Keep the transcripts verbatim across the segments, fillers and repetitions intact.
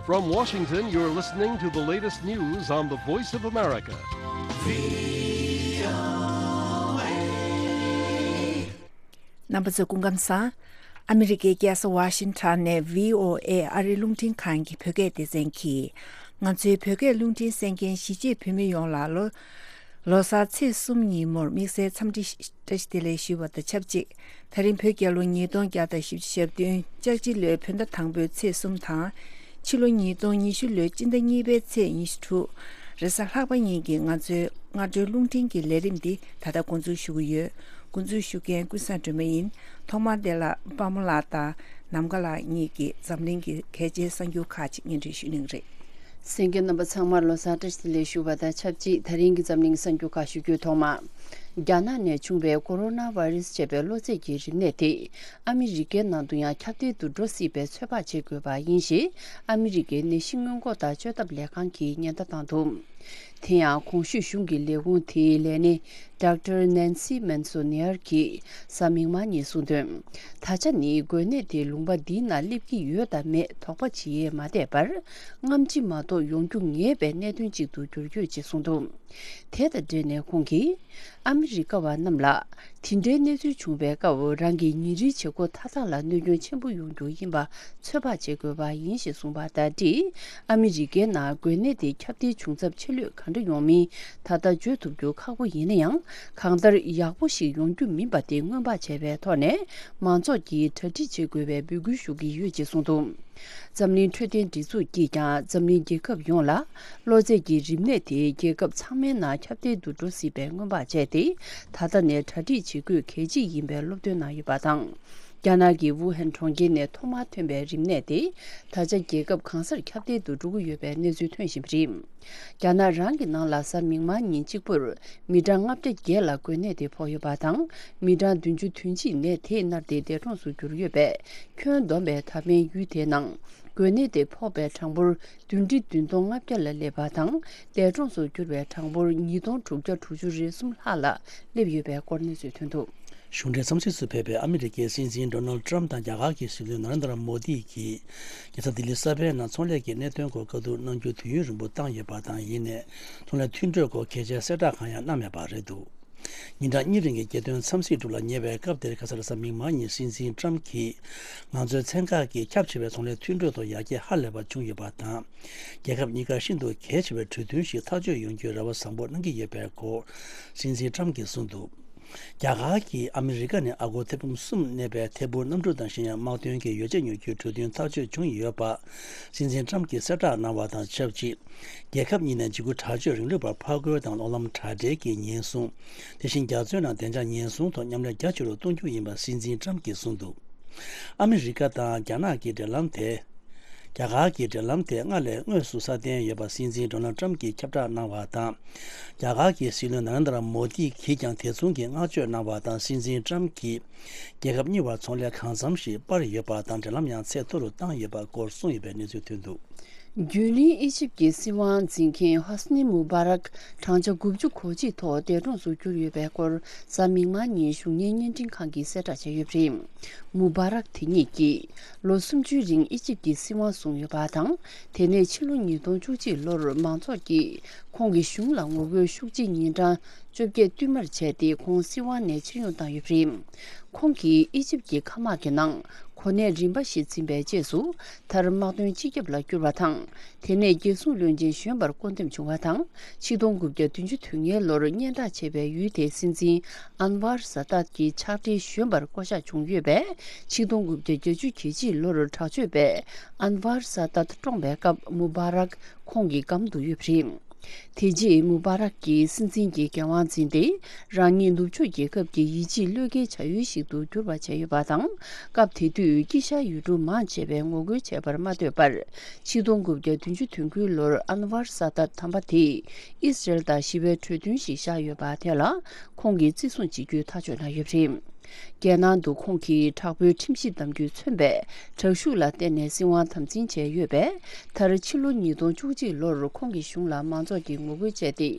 From Washington, you're listening to the latest news on the Voice of America. རྣམ་པ་ཚོ་སྐུ་ཁམས་བཟང་། ཨ་མི་རི་ཀའི་རྒྱལ་ས་ཝ་ཤིང་ཊོན་ནས་བྷི་ཨོ་ཨེ་ཨ་རིའི་རླུང་འཕྲིན་ཁང་གི་བོད་སྐད་སྡེ་ཚན་གྱིས། ང་ཚོའི་བོད་སྐད་རླུང་འཕྲིན་གསན་མཁན་གཞིས་བྱེས་བོད་མི་ཡོངས་ལ་ལོ། ལོ་གསར་ཚེས་གསུམ་ཉིན་མོར་དམིགས་བསལ་འཚམས་འདྲི་བཀྲ་ཤིས་བདེ་ལེགས་ཞུ་བ་དང་ཆབས་ཅིག་དེ་རིང་བོད་རྒྱལ་ལོ་ཉིས་སྟོང་བརྒྱ་དང་བཞི་བཅུ་ཞེ་བདུན། ལྕགས་བྱི་ལོའི་བོད་ཟླ་དང་པོའི་ཚེས་གསུམ་དང་། ཕྱི་ལོ་ཉིས་སྟོང་ཉི་ཤུ་ལོའི་སྤྱི་ཟླ་གཉིས་པའི་ཚེས་ཉི་ཤུ་དྲུག་རེས་གཟའ་ལྷག་པ་ཉིན་གྱི་ང་ཚོའི་སྔ་དྲོའི་རླུང་འཕྲིན་གྱི་ལས་རིམ་འདི་ད་ལྟ་འགོ་འཛུགས་ཞུ་གི་ཡོད། འགོ་འཛུགས་ཞུ་མཁན་ཀུན་བཟང་སྒྲོལ་མ་ཡིན། ཐོག་མར་འདི་ལ་དཔའ་མོ་ལགས་དང་ནམ་མཁའ་ལགས་གཉིས་ཀྱིས་འཛམ་གླིང་གི་གལ་ཆེའི་གསར་འགྱུར་ཁག་ཅིག་སྙན་སྒྲོན་ཞུ་གནང་གི་རེད། གསན་མཁན་རྣམ་པ་ཚང་མར་ལོ་གསར་བཀྲ་ཤིས་བདེ་ལེགས་ཞུ་བ་དང་ཆབས་ཅིག་དེ་རིང་གི་འཛམ་གླིང་གསར་འགྱུར་ཁག་ཞུ་རྒྱུའི་ཐོག་མ། རྒྱ་ནག་ནས་བྱུང་བའི་ཀོ་རོ་ན་ཝེ་རུ་སི་ཅེས་པའི་གློ་ཚད་ཀྱི་རིམས་ནད་དེ་ཨ་མི་རི་ཀའི་ནང་དུ་ཡང་ཁྱབ་གདལ་དུ་འགྲོ་སྲིད་པའི་ཚོད་དཔག་བྱེད་དགོས་པ་ཡིན་ཞེས་ཨ་མི་རི་ཀའི་ནད་གཞི་སྔོན་འགོག་དང་བཅོས་ཐབས་ལས་ཁང་གིས་ཉེན་བརྡ་བཏང་འདུག་དེ་ཡང་གོང་ཞུས་གཞུང་གི་ལས་ཁུངས་དེའི་ལས་སྣེ་ཌོག་ཊར་ནན་སི་མན་སོ་ནེར་གྱིས་གཟའ་མིག་དམར་ཉིན་གསུངས་དོན། ད་ཆ་ནི་འགོས་ནད་དེ་ལུང་པ་འདིའི་ནང་སླེབས་ཀྱི་ཡོད་དམ་མེད་དོགས་པ་བྱེད་ཡས་མ་བསྡད་པར། སྔ་ཕྱི་མ་གཏོགས་ཡོང་རྒྱུ་ངེས་པའི་གནད་དོན་ཅིག་ཏུ་གྱུར་ཡོད་ཅེས་གསུངས་འདུག་དེ་དང་འབྲེལ་ནས་ཁོང་གིས། ཨ་མི་རི་ཀ་བ་རྣམས་ལ། དེ་འདྲའི་གནས་ཚུལ་བྱུང་བའི་སྐབས་རང་གི་ཉིན་རེའི་བྱེད་སྒོ་མཐའ་དག་ལ་གནོད་སྐྱོན་ཆེན་པོ་ཡོང་རྒྱུ་ཡིན་པ་ཚོད་དཔག་བྱེད་དགོས་པ་ཡིན་ཞེས་གསུངས་པ་དང་འབྲེལ། ཨ་མི་རི་ཀའི་ནང་འགོས་ནད་དེ་ཁྱབ་གདལ་བྱུང་ཚབས་ཆེ་ལོས་ག་འདྲ་ཡོང་མིན་ད་ལྟ་བརྗོད་ཐུབ་རྒྱུ་ཁག་པོ་ཡིན་ན་ཡང་། གང་ལྟར་ཡག་པོ་ཞིག་ཡོང་རྒྱུ་མིན་པ་དེ་སྔོན་དཔག་བྱས་པའི་ཐོག་ནས་མང་ཚོགས་ཀྱིས་གྲ་སྒྲིག་བྱེད་དགོས་པའི་འབོད་སྐུལ་ཞུ་གི་ཡོད་ཅེས་གསུངས་འདུག་འཛམ་གླིང་འཕྲོད་བསྟེན་སྒྲིག་འཛུགས་ཀྱིས་ཀྱང་འཛམ་གླིང་རྒྱལ་ཁབ་ཡོངས་ལ་གློ་ཚད་ཀྱི་རིམས་ནད་དེ་རྒྱལ་ཁབ་ཚང་མའི་ནང་ཁྱབ་གདལ་དུ་འགྲོ་སྲིད་པའི་སྔོན་དཔག་བྱས་ཏེ། ད་ལྟ་ནས་གྲ་སྒྲིག་བྱེད་དགོས་གལ་ཆེ་ཡིན་པའི་སློབ་སྟོན་གནང་ཡོད་པ་དང་། རྒྱ་ནག་གི་ཝུ་ཧན་གྲོང་ཁྱེར་ནས་ཐོག་མར་ཐོན་པའི་རིམས་ནད་དེ་ད་ཆ་རྒྱལ་ཁབ་གང་སར་ཁྱབ་གདལ་དུ་འགྲོ་གི་ཡོད་པའི་གནས་ཚུལ་ཐོན་བཞིན་པ་རེད། རྒྱ་ནག་རང་གི་ནང་ལ་གཟའ་མིག་དམར་ཉིན་གཅིག་པུར་མི་གྲངས་ལྔ་བརྒྱ་བརྒྱད་ལ་འགོས་ནད་དེ་ཕོག་ཡོད་པ་དང་། མི་གྲངས་བདུན་ཅུ་དོན་གཅིག་ནད་དེས་མནར་ཏེ་འདས་གྲོངས་སུ་གྱུར་ཡོད་པས། ཁྱོན་བསྡོམས་པའི་ད་ཕན་ཡུལ་དེའི་ནང་འགོས་ནད་དེ་ཕོག་པའི་གྲངས་འབོར་བདུན་ཁྲི་བདུན་སྟོང་ལྔ་བརྒྱ་ལ་སླེབས་པ་དང་། འདས་གྲོངས་སུ་གྱུར་པའི་གྲངས་འབོར་ཉིས་སྟོང་དྲུག་བརྒྱ་དྲུག་ཅུ་རེ་གསུམ་ལྷག་ལ་སླེབས་ཡོད་པའི་སྐོར་གནས་ཚུལ་ཐོན་འདུག་གཞུང་འབྲེལ་འཚམས་གཟིགས་སུ་ཕེབས་པའི་ཨ་མི་རི་ཀའི་སྲིད་འཛིན་ཌོ་ནལ་ཊམ་དང་རྒྱ་གར་གྱི་སྲིད་བློན་ན་རེན་དྲ་མོ་དི་གིས་རྒྱལ་ས་ལྡི་ལི་གསར་པའི་ནང་ཚོང་ལས་ཀྱི་གནད་དོན་སྐོར་བཀའ་བསྡུར་གནང་རྒྱུ་དུས་ཡུན་རིང་པོ་བཏང་ཡོད་པ་དང་། ཡིན་ནའི་ཚོང་ལས་མཐུན་གྲོས་སྐོར་གལ་ཆེའི་གསལ་བསྒྲགས་གང་ཡང་གནང་མེད་པ་རེད་འདུག་ཉིན་གྲངས་གཉིས་རིང་གི་རྒྱལ་དོན་འཚམས་གཟིགས་དྲུག་ལ་ཉེ་བའི་སྐབས་དེར་ཁ་སང་རེས་གཟའ་མིག་དམར་ཉིན་སྲིད་འཛིན་ཊམ་གྱིས་ང་ཚོའི་ཚན་ཁག་གིས་ཁྱབ་ཆེ་བའི་ཚོང་ལས་མཐུན་གྲོས་ཐོག་ཡར་རྒྱས་ཧ་ལས་པ་བྱུང་ཡོད་པ་དང་། རྒྱལ་ཁབ་གཉིས་ཀར་ཤིན་ཏུ་གལ་ཆེ་བའི་གྲོས་མཐུན་ཞིག་ཐག་གཅོད་ཡོང་རྒྱུའི་རེ་བ་བཟང་པོ་གནང་གི་ཡོད་པའི་སྐོར་སྲིད་འཛིན་ཊམ་གྱིས་གསུངས་འདུག་རྒྱ་གར་གྱིས་ཨ་མི་རི་ཀ་ནས་ཨ་སྒོར་ཐེར་འབུམ་གསུམ་གནས་པའི་ཐད་འཕུར་གནམ་གྲུ་དང་གཞན་ཡང་དམག་དོན་གྱི་ཡོ་བྱད་ཉོ་རྒྱུའི་གྲོས་མཐུན་ཐག་གཅོད་བྱུང་ཡོད་པ་སྲིད་འཛིན་ཊམ་གྱིས་གསལ་བསྒྲགས་གནང་བ་དང་ཆབས་ཅིག་རྒྱལ་ཁབ་གཉིས་ནས་འཇིགས་སྐུལ་དྲག་སྤྱོད་རིང་ལུགས་པར་ཕར་རྒོལ་དང་གློག་ལམ་དྲ་སྦྲེལ་གྱི་ཉེན་སྲུང་། དེ་བཞིན་རྒྱ་མཚོའི་ནང་བདེ་འཇགས་ཉེན་སྲུང་ཐོག་མཉམ་ལས་རྒྱ་ཆེ་རུ་གཏོང་རྒྱུ་ཡིན་པ་སྲིད་འཛིན་ཊམ་གྱིས་གསུངས་འདུག་ཨ་མི་རི་ཀ་དང་རྒྱ་ནག་གི་འབྲེལ་ལམ་དེ། རྒྱ་གར་གྱི་འབྲེལ་ལམ་དེ་སྔར་ལས་དངོས་སུ་སྲ་བརྟན་ཡོད་པ་སྲིད་འཛིན་ཌོ་ནལ་ཊམ་གྱིས་ཁྱབ་བསྒྲགས་གནང་བ་དང་། རྒྱ་གར་གྱི་སྲིད་བློན་ན་རེན་དྲ་མོ་དི་གིས་ཀྱང་དེ་མཚུངས་ཀྱི་བསྔགས་བརྗོད་གནང་བ་དང་། སྲིད་འཛིན་ཊམ་གྱིས་རྒྱལ་ཁབ་གཉིས་བར་ཚོང་ལས་གང་འཚམ་ཞིག་སྤར་ཡོད་པ་དང་། འབྲེལ་ལམ་ཡང་ཚད་མཐོ་རུ་བཏང་ཡོད་པ་སྐོར་གསུངས་ཡོད་པའི་གནས་ཚུལ་ཐོན་འདུག་རྒྱུན་རིང་ཨི་ཇིབ་ཀྱི་སྲིད་དབང་འཛིན་མཁན་ཧོ་སི་ནི་མུ་བྷ་རག་བགྲང་བྱ་དགུ་བཅུ་གོ་གཅིག་ཐོག་འདས་གྲོངས་སུ་གྱུར་ཡོད་པའི་སྐོར་གཟའ་མིག་དམར་ཉིན་གཞུང་གཉེར་བརྙན་འཕྲིན་ཁང་གིས་གསལ་བསྒྲགས་བྱས་ཡོད་པ་རེད། མུ་བྷ་རག་དེ་ཉིད་ཀྱིས་ལོ་སུམ་ཅུའི་རིང་ཨི་ཇིབ་ཀྱི་སྲིད་དབང་བཟུང་ཡོད་པ་དང་། དེ་ནས་ཕྱི་ལོ་ཉིས་སྟོང་བཅུ་གཅིག་ལོར་མང་ཚོགས་ཀྱིས་ཁོང་གི་གཞུང་ལ་ངོ་རྒོལ་ཤུགས་ཆེ་ཉིན་གྲངས་བཅོ་བརྒྱད་བསྟུད་མར་བྱས་ཏེ་ཁོང་སྲིད་དབང་ནས་ཕྱིར་ཡོང་བཏང་ཡོད་པ་རེད། ཁོང་གིས་ཨི་ཇིབ་ཀྱི་མཁའ་དམག་གི་ནང་གོ་གནས་རིམ་པ་བཞི་འཛིན་པའི་རྗེས་སུ། མཐར་དམག་དོན་སྤྱི་ཁྱབ་ལ་གྱུར་བ་དང་། དེ་ནས་རྒྱལ་སྲུང་བློན་ཆེན་གཞོན་པར་བསྐོ་འདེམས་བྱུང་བ་དང་། ཆིག་སྟོང་དགུ་བརྒྱ་བདུན་ཅུ་དོན་ལྔའི་ལོར་སྙན་གྲགས་ཆེ་བའི་ཡུལ་དེའི་སྲིད་འཛིན་ཨན་ཝར་ས་དཱད་ཀྱི་ཕྱག་སྦྲེལ་གཞོན་པར་བསྐོ་གཞག་བྱུང་ཡོད་པས། ཆིག་སྟོང་དགུ་བརྒྱ་བརྒྱད་ཅུ་གྱ་གཅིག་ལོར་དྲག་སྤྱོད་པས་ཨན་ཝར་ས་དཱད་བཀྲོངས་པའི་སྐབས་མུ་བྷ་རག་ཁོང་གི་སྒམ་དུ་ཡོད་པ་རེད། དེ་རྗེས་མུ་བྷ་རག་གིས་སྲིད་འཛིན་གྱི་འགན་དབང་འཛིན་ཏེ། རང་ཉིད་ནུབ་ཕྱོགས་རྒྱལ་ཁབ་ཀྱི་ཡིད་ཆེས་བློས་འགེལ་བྱ་ཡུལ་ཞིག་ཏུ་གྱུར་པ་བྱས་ཡོད་པ་དང་། སྐབས་དེ་དུས་དཀྱིལ་ཤར་ཡུལ་གྲུ་མང་ཆེ་བས་ངོ་རྒོལ་བྱས་པར་མ་ལྟོས་པར། ཆིག་སྟོང་དགུ་བརྒྱ་བདུན་ཅུ་དོན་དགུའི་ལོར་ཨན་ཝར་ས་དཱད་དམ་པ་དེས་ཨི་སི་རེལ་དང་ཞི་བའི་གྲོས་མཐུན་ཞིག་བཞག་ཡོད་པ་དེ་ལ་ཁོང་གིས་བརྩི་སྲུང་བྱེད་རྒྱུའི་ཐག་གཅོད་གནང་ཡོད་པ་རེད། རྒྱལ་ནང་དུ་ཁོང་གིས་དྲག་པོའི་ཁྲིམས་ཞིབ་གདམ་རྒྱུས་མཚོན་པའི་དྲག་ཤུགས་ལ་བརྟེན་ནས་སྲིད་དབང་དམ་འཛིན་བྱས་ཡོད་པས། མཐར་ཕྱི་ལོ་ཉིས་སྟོང་བཅུ་གཅིག་ལོར་ཁོང་གི་གཞུང་ལ་མང་ཚོགས་ཀྱིས་ངོ་རྒོལ་བྱས་ཏེ།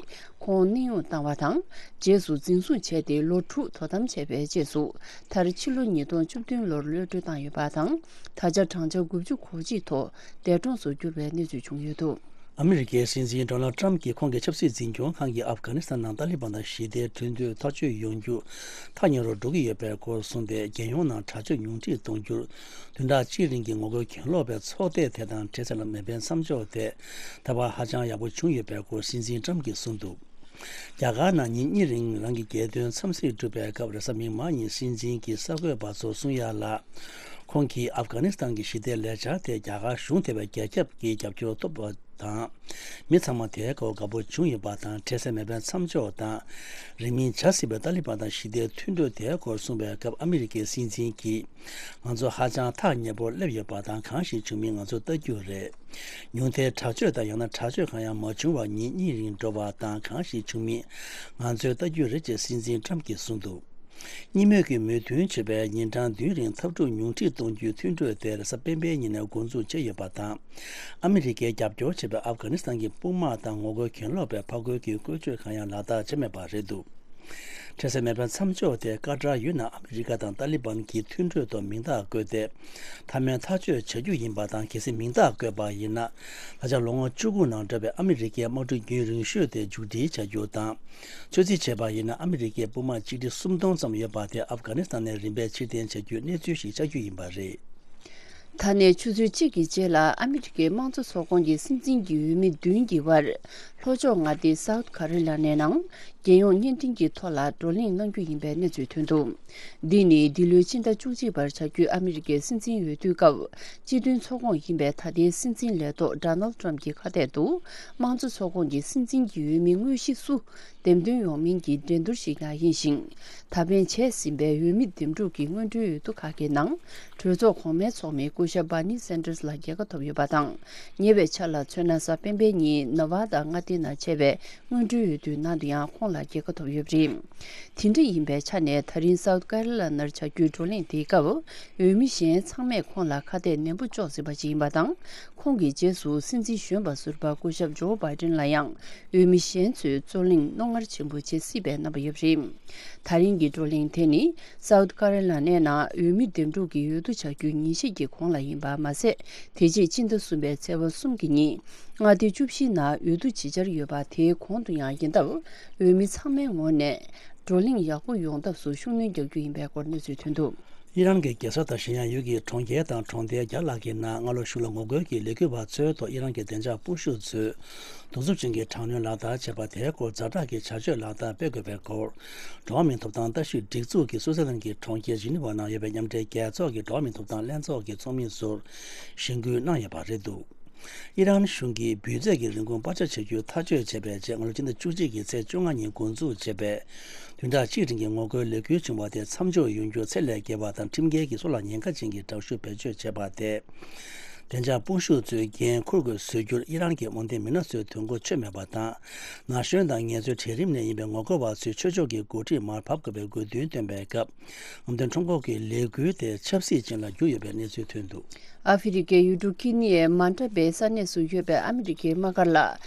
ཁོང་གནས་དབྱུང་བཏང་བ་དང་། རྗེས་སུ་འཛིན་བཟུང་བྱས་ཏེ་ལོ་དྲུག་དོ་དམ་བྱས་པའི་རྗེས་སུ། མཐར་ཕྱི་ལོ་ཉིས་སྟོང་བཅུ་བདུན་ལོར་གློད་གྲོལ་བཏང་ཡོད་པ་དང་། ད་ཆ་བགྲང་བྱ་དགུ་བཅུ་གོ་གཅིག་ཐོག་འདས་གྲོངས་སུ་གྱུར་བའི་གནས་ཚུལ་བྱུང་ཡོད་འདུག། ཨ་མི་རི་ཀའི་སྲིད་འཛིན་ཌོ་ནལ་ཊམ་གྱིས་ཁོང་གི་ཆབ་སྲིད་འཛིན་སྐྱོང་ཁང་གིས་ཨབ་གྷ་ནི་སི་ཐན་ནང་ཏཱ་ལི་བན་དང་ཞི་བདེའི་གྲོས་མཐུན་ཐག་གཅོད་ཡོང་རྒྱུ་ཐག་ཉེ་རུ་འགྲོ་གི་ཡོད་པའི་སྐོར་གསུངས་ཏེ། རྒྱལ་ཡོངས་ནང་དྲག་སྤྱོད་ཉུང་འཕྲི་གཏོང་རྒྱུར་བདུན་ཕྲག་གཅིག་རིང་གི་ངོ་རྒོལ་གྱེན་ལོག་པའི་ཚོགས་སྡེ་དེ་དང་འཕྲལ་སེལ་མེད་པའི་མཚམས་འཇོག་དེ་ད་བར་ཧ་ཅང་ཡག་པོ་བྱུང་ཡོད་པའི་སྐོར་སྲིད་འཛིན་ཊམ་གྱིས་གསུངས་འདུག། རྒྱ་གར་ནང་ཉིན་གཉིས་རིང་རང་གི་རྒྱལ་དོན་འཚམས་གཟིགས་གྲུབ་པའི་སྐབས། རེས་གཟའ་མིག་དམར་ཉིན་སྲིད་འཛིན་གྱིས་གསར་འགོད་པ་ཚོར་གསུང་ཡ་ལ། ཁོང་གིས་ཨབ་གྷ་ནི་སི་ཐན་གྱི་ཞི་བདེའི་ལས་འཆར་དེ་རྒྱ་གར་གཞུང་དེ་བས་རྒྱ་ཁྱབ་ཀྱི་རྒྱབ་སྐྱོར་ཐོབ་པ་དང་། མི་ཚང་མ་དེའི་སྐོར་དགའ་པོ་བྱུང་ཡོད་པ་དང་། འཕྲལ་སེལ་མེད་པའི་མཚམས་འཇོག་དང་། རིང་མིན་བྱ་སྲིད་པའི་ཏཱ་ལི་བན་དང་ཞི་བདེའི་མཐུན་གྲོས་དེའི་སྐོར་གསུངས་པའི་སྐབས། ཨ་མི་རི་ཀའི་སྲིད་འཛིན་གྱིས། ང་ཚོ་ཧ་ཅང་ཐག་ཉེ་པོར་སླེབས་ཡོད་པ་དང་། གང་ཞིག་བྱུང་མིན་ང་ཚོ་ལྟ་རྒྱུ་རེད། ཉུང་མཐའི་དྲག་སྤྱོད་དང་ཡང་ན་དྲག་སྤྱོད་གང་ཡང་མ་བྱུང་བར་ཉིན་གཉིས་རིང་འགྲོ་བ་དང་། གང་ཞིག་བྱུང་མིན་ང་ཚོས་ལྟ་རྒྱུ་རེད་ཅེས་སྲིད་འཛིན་ཊམ་གྱིས་གསུངས་འདུག། གཉིས་མོས་ཀྱིས་མོས་མཐུན་བྱས་པའི་ཉིན་གྲངས་བདུན་རིང་འཐབ་འཁྲུག་ཉུང་འཕྲི་གཏོང་རྒྱུའི་མཐུན་གྲོས་དེ་རེས་གཟའ་སྤེན་པའི་ཉིན་ནས་འགོ་འཛུགས་བྱས་ཡོད་པ་དང་། ཨ་མི་རི་ཀས་རྒྱབ་སྐྱོར་བྱེད་པའི་ཨབ་གྷ་ནི་སི་ཐན་གྱི་དཔུང་དམག་དང་ངོ་རྒོལ་གྱེན་ལོག་པའི་ཕར་རྒོལ་གྱི་བཀོལ་སྤྱོད་གང་ཡང་ལག་བསྟར་བྱས་མེད་པ་རེད་འདུག། འཕྲལ་སེལ་མེད་པའི་མཚམས་འཇོག་དེ་ཀ་ཏར་ཡུལ་ནང་ཨ་མི་རི་ཀ་དང་ཏཱ་ལི་བན་གྱི་མཐུན་གྲོས་ཐོག་མིང་རྟགས་བཀོད་དེ། མཐའ་མའི་ཐག་གཅོད་བྱ་རྒྱུ་ཡིན་པ་དང་། གལ་སྲིད་མིང་རྟགས་བཀོད་པ་ཡིན་ན། ད་ཆ་ལོ་ངོ་བཅུ་དགུ་ནང་འགྲོ་བའི་ཨ་མི་རི་ཀའི་དམག་གྲུ་རྒྱུན་རིང་ཤོས་དེ་མཇུག་སྒྲིལ་བྱ་རྒྱུ་དང་། ཚོད་རྩིས་བྱས་པ་ཡིན་ན། ཨ་མི་རི་ཀའི་དཔུང་དམག་གཅིག་ཁྲི་སུམ་སྟོང་ཙམ་ཡོད་པ་དེ་ཨབ་གྷ་ནི་སི་ཐན་ནས་རིམ་པས་ཕྱིར་འཐེན་བྱ་རྒྱུའི་གནས་ཚུལ་ཞིག་ཆགས་རྒྱུ་ཡིན་པ་རེད། ད་ནས་ཆུ་ཚོད་གཅིག་གི་རྗེས་ལ་ཨ་མི་རི་ཀའི་དམངས་གཙོ་ཚོགས་ཁོངས་ཀྱི་སྲིད་འཛིན་གྱི་འོས་མི་བདུན་གྱི་བར། ལྷོ་ཕྱོགས་མངའ་སྡེ་སའུ་ཐི་ཀ་རོ་ལ་ནའི་ནང་རྒྱལ་ཡོངས་བརྙན་འཕྲིན་གྱི་ཐོག་ལ་བགྲོ་གླེང་གནང་རྒྱུ་ཡིན་པའི་གནས་ཚུལ་ཐོན་འདུག། འདི་ནི་འདི་ལོའི་ཕྱི་ཟླ་བཅུ་གཅིག་པར་བྱ་རྒྱུའི་ཨ་མི་རི་ཀའི་སྲིད་འཛིན་འོས་བསྡུའི་སྐབས། སྤྱི་མཐུན་ཚོགས་ཁོངས་ཡིན་པའི་ད་ལྟའི་སྲིད་འཛིན་ལས་ཐོག་ཌོ་ནལ་ཊམ་གྱི་ཁ་གཏད་དུ། དམངས་གཙོ་ཚོགས་ཁོངས་ཀྱི་སྲིད་འཛིན་གྱི་འོས་མི་དངོས་གཞི་སུ། འདེམས་ཐོན་ཡོང་མིན་གྱི་འགྲན་བསྡུར་ཞིག་ཡང་ཡིན་ཞིང་། ད་ཕན་བྱས་ཟིན་པའི་འོས་མི་འདེམས་སྒྲུག་གི་སྔོན་འགྲོའི་འོས་བསྡུ་ཁག་གི་ནང་། གྲོས་ཚོགས་གོང་མའི་ཚོགས་མི་སྐུ་ཞབས་Bernie Sanders་ལ་རྒྱལ་ཁ་ཐོབ་ཡོད་པ་དང་། ཉེ་བའི་ཆར་ལ་མཚོན་ན། གཟའ་སྤེན་པའི་ཉིན་ནེ་ཝ་ཌ་མངའ་སྡེ་ནང་བྱས་པའི་སྔོན་འགྲོའི་འོས་བསྡུའི་ནང་དུ་ཡང་ཁོང་ལ་རྒྱལ་ཁ་ཐོབ་ཡོད་པ་རེད། དེ་འདྲ་ཡིན་པའི་ཆ་ནས། ད་རིང་སའུ་ཐི་ཀ་རོ་ལ་ནར་བྱ་རྒྱུའི་བགྲོ་གླེང་དེའི་སྐབས། འོས་མི་གཞན་ཚང་མས་ཁོང་ལ་ཁ་གཏད་ནན་པོ་གཅོག་ཟིན་པ་ཞིག་ཡིན་པ་དང་། ཁོང་གི་རྗེས་སུ་སྲིད་འཛིན་གཞོན་པ་ཟུར་པ་སྐུ་ཞབས་ཇོ་བྷའི་ཌེན་ལ་ཡང་། འོས་མི་གཞན་ཚོས་རྩོད་གླེང་རྣོ་ངར་ཆེན་པོ་བྱེད་སྲིད་པའི་རྣམ་པ་ཡོད་པ་རེད། ད་རིང་གི་བགྲོ་གླེང་དེ་ནི། སའུ་ཐི་ཀ་རོ་ལ་ནའི་ནང་འོས་མི་འདེམས་སྒྲུག་གི་འོས་བསྡུ་བྱ་རྒྱུའི་ཉིན་ཤས་ཀྱི་གོང་ལ་ཡིན་པ་མ་ཟད། དེ་རྗེས་སྤྱི་ཟླ་གསུམ་པའི་ཚེས་པ་གསུམ་གྱི་ཉིན། མངའ་སྡེ་བཅུ་བཞིའི་ནང་འོས་བསྡུ་ཇི་བྱར་ཡོད་པ་དེའི་གོང་དུ་ཡང་ཡིན་སྟབས། འོས་མི་ཚང་མའི་ངོས་ནས། བགྲོ་གླེང་ཡག་པོ་ཡོང་ཐབས་སུ་ཤུགས་སྣོན་རྒྱག་རྒྱུ་ཡིན་པའི་སྐོར་གནས་ཚུལ་ཐོན་འདུག། ཨི་རན་གྱི་རྒྱལ་ས་དང་ཞིན་ཡང་ཡུལ་གྱི་གྲོང་ཁྱེར་དང་གྲོང་རྡལ་བརྒྱ་ལྷག་གི་ནང་སྔ་ལོ་གཞུག་ལ་ངོ་རྒོལ་གྱི་ལས་འགུལ་བ་ཚོའི་ཐོག་ཨི་རན་གྱི་བདེ་འཇགས་དཔུང་ཤུགས་ཚོས་གདུག་རྩུབ་ཅན་གྱི་དྲག་གནོན་ལག་བསྟར་བྱས་པ་དེའི་སྐོར་ཛ་དྲག་གི་བྱ་སྤྱོད་ལག་བསྟར་སྤེལ་དགོས་པའི་སྐོར། འགྲོ་བ་མིའི་ཐོབ་ཐང་ལྟ་ཞིབ་སྒྲིག་འཛུགས་ཀྱིས་སུའུ་ཙེར་ལན་གྱི་གྲོང་ཁྱེར་ཇི་ནི་ཝ་ནང་ཡོད་པའི་མཉམ་འབྲེལ་རྒྱལ་ཚོགས་ཀྱི་འགྲོ་བ་མིའི་ཐོབ་ཐང་ལྷན་ཚོགས་ཀྱི་ཚོགས་མི་ཚོར་གཞེན་སྐུལ་གནང་ཡོད་པ་རེད་འདུག། ཨི་རན་གཞུང་གིས་འབུལ་རྫས་ཀྱི་རིན་གོང་སྤར་ཆ་བྱ་རྒྱུའི་ཐག་གཅོད་བྱས་པའི་རྗེས། སྔ་ལོ་སྤྱི་ཟླ་བཅུ་གཅིག་གི་ཚེས་བཅོ་ལྔ་ཉིན་འགོ་འཛུགས་བྱས་པའི་བདུན་ཕྲག་གཅིག་རིང་གི་ངོ་རྒོལ་ལས་འགུལ་བྱུང་བ་དེ་མཚམས་འཇོག་ཡོང་རྒྱུ་ཚད་ལས་བརྒལ་བ་དང་། ཁྲིམས་འགལ་གྱིས་སྲོག་ལ་ཉེན་ཁ་ཅན་གྱི་དྲག་ཤུགས་བེད་སྤྱོད་བྱས་པ་དེས། བདེ་འཇགས་དཔུང་ཤུགས་ཚོས་འགན་འཁུར་དགོས་བཟོ་རྒྱུར་ཨི་རན་གྱི་དབང་ལྡན་མི་སྣ་ཚོས་དོན་གོ་ཆོད་མེད་པ་དང་། ན་གཞོན་དང་ངལ་རྩོལ་གྲལ་རིམ་ནས་ཡིན་པའི་ངོ་རྒོལ་བ་ཚོས་ཆོས་ཕྱོགས་ཀྱི་འགོ་ཁྲིད་མར་ཕབ་དགོས་པའི་དགོས་འདུན་བཏོན་པའི་སྐབས། ཨམ་བན་ཁྲོམ་སྐོར་གྱི་ལས་འགུལ་དེ་ཆབ་སྲིད་ཅན་ལ་གྱུར་ཡོད་པའི་གནས་ཚུལ་ཐོན་འདུག། ཨ་ཧྥེ་རི་ཀའི་ཡུལ་གྲུ་ཁི་ནི་ཡའི་མན་ཏྲ་བའི་ས་གནས་སུ་ཡོད་པའི་ཨ་མི་རི་ཀའི་དམག་སྒར་ལ།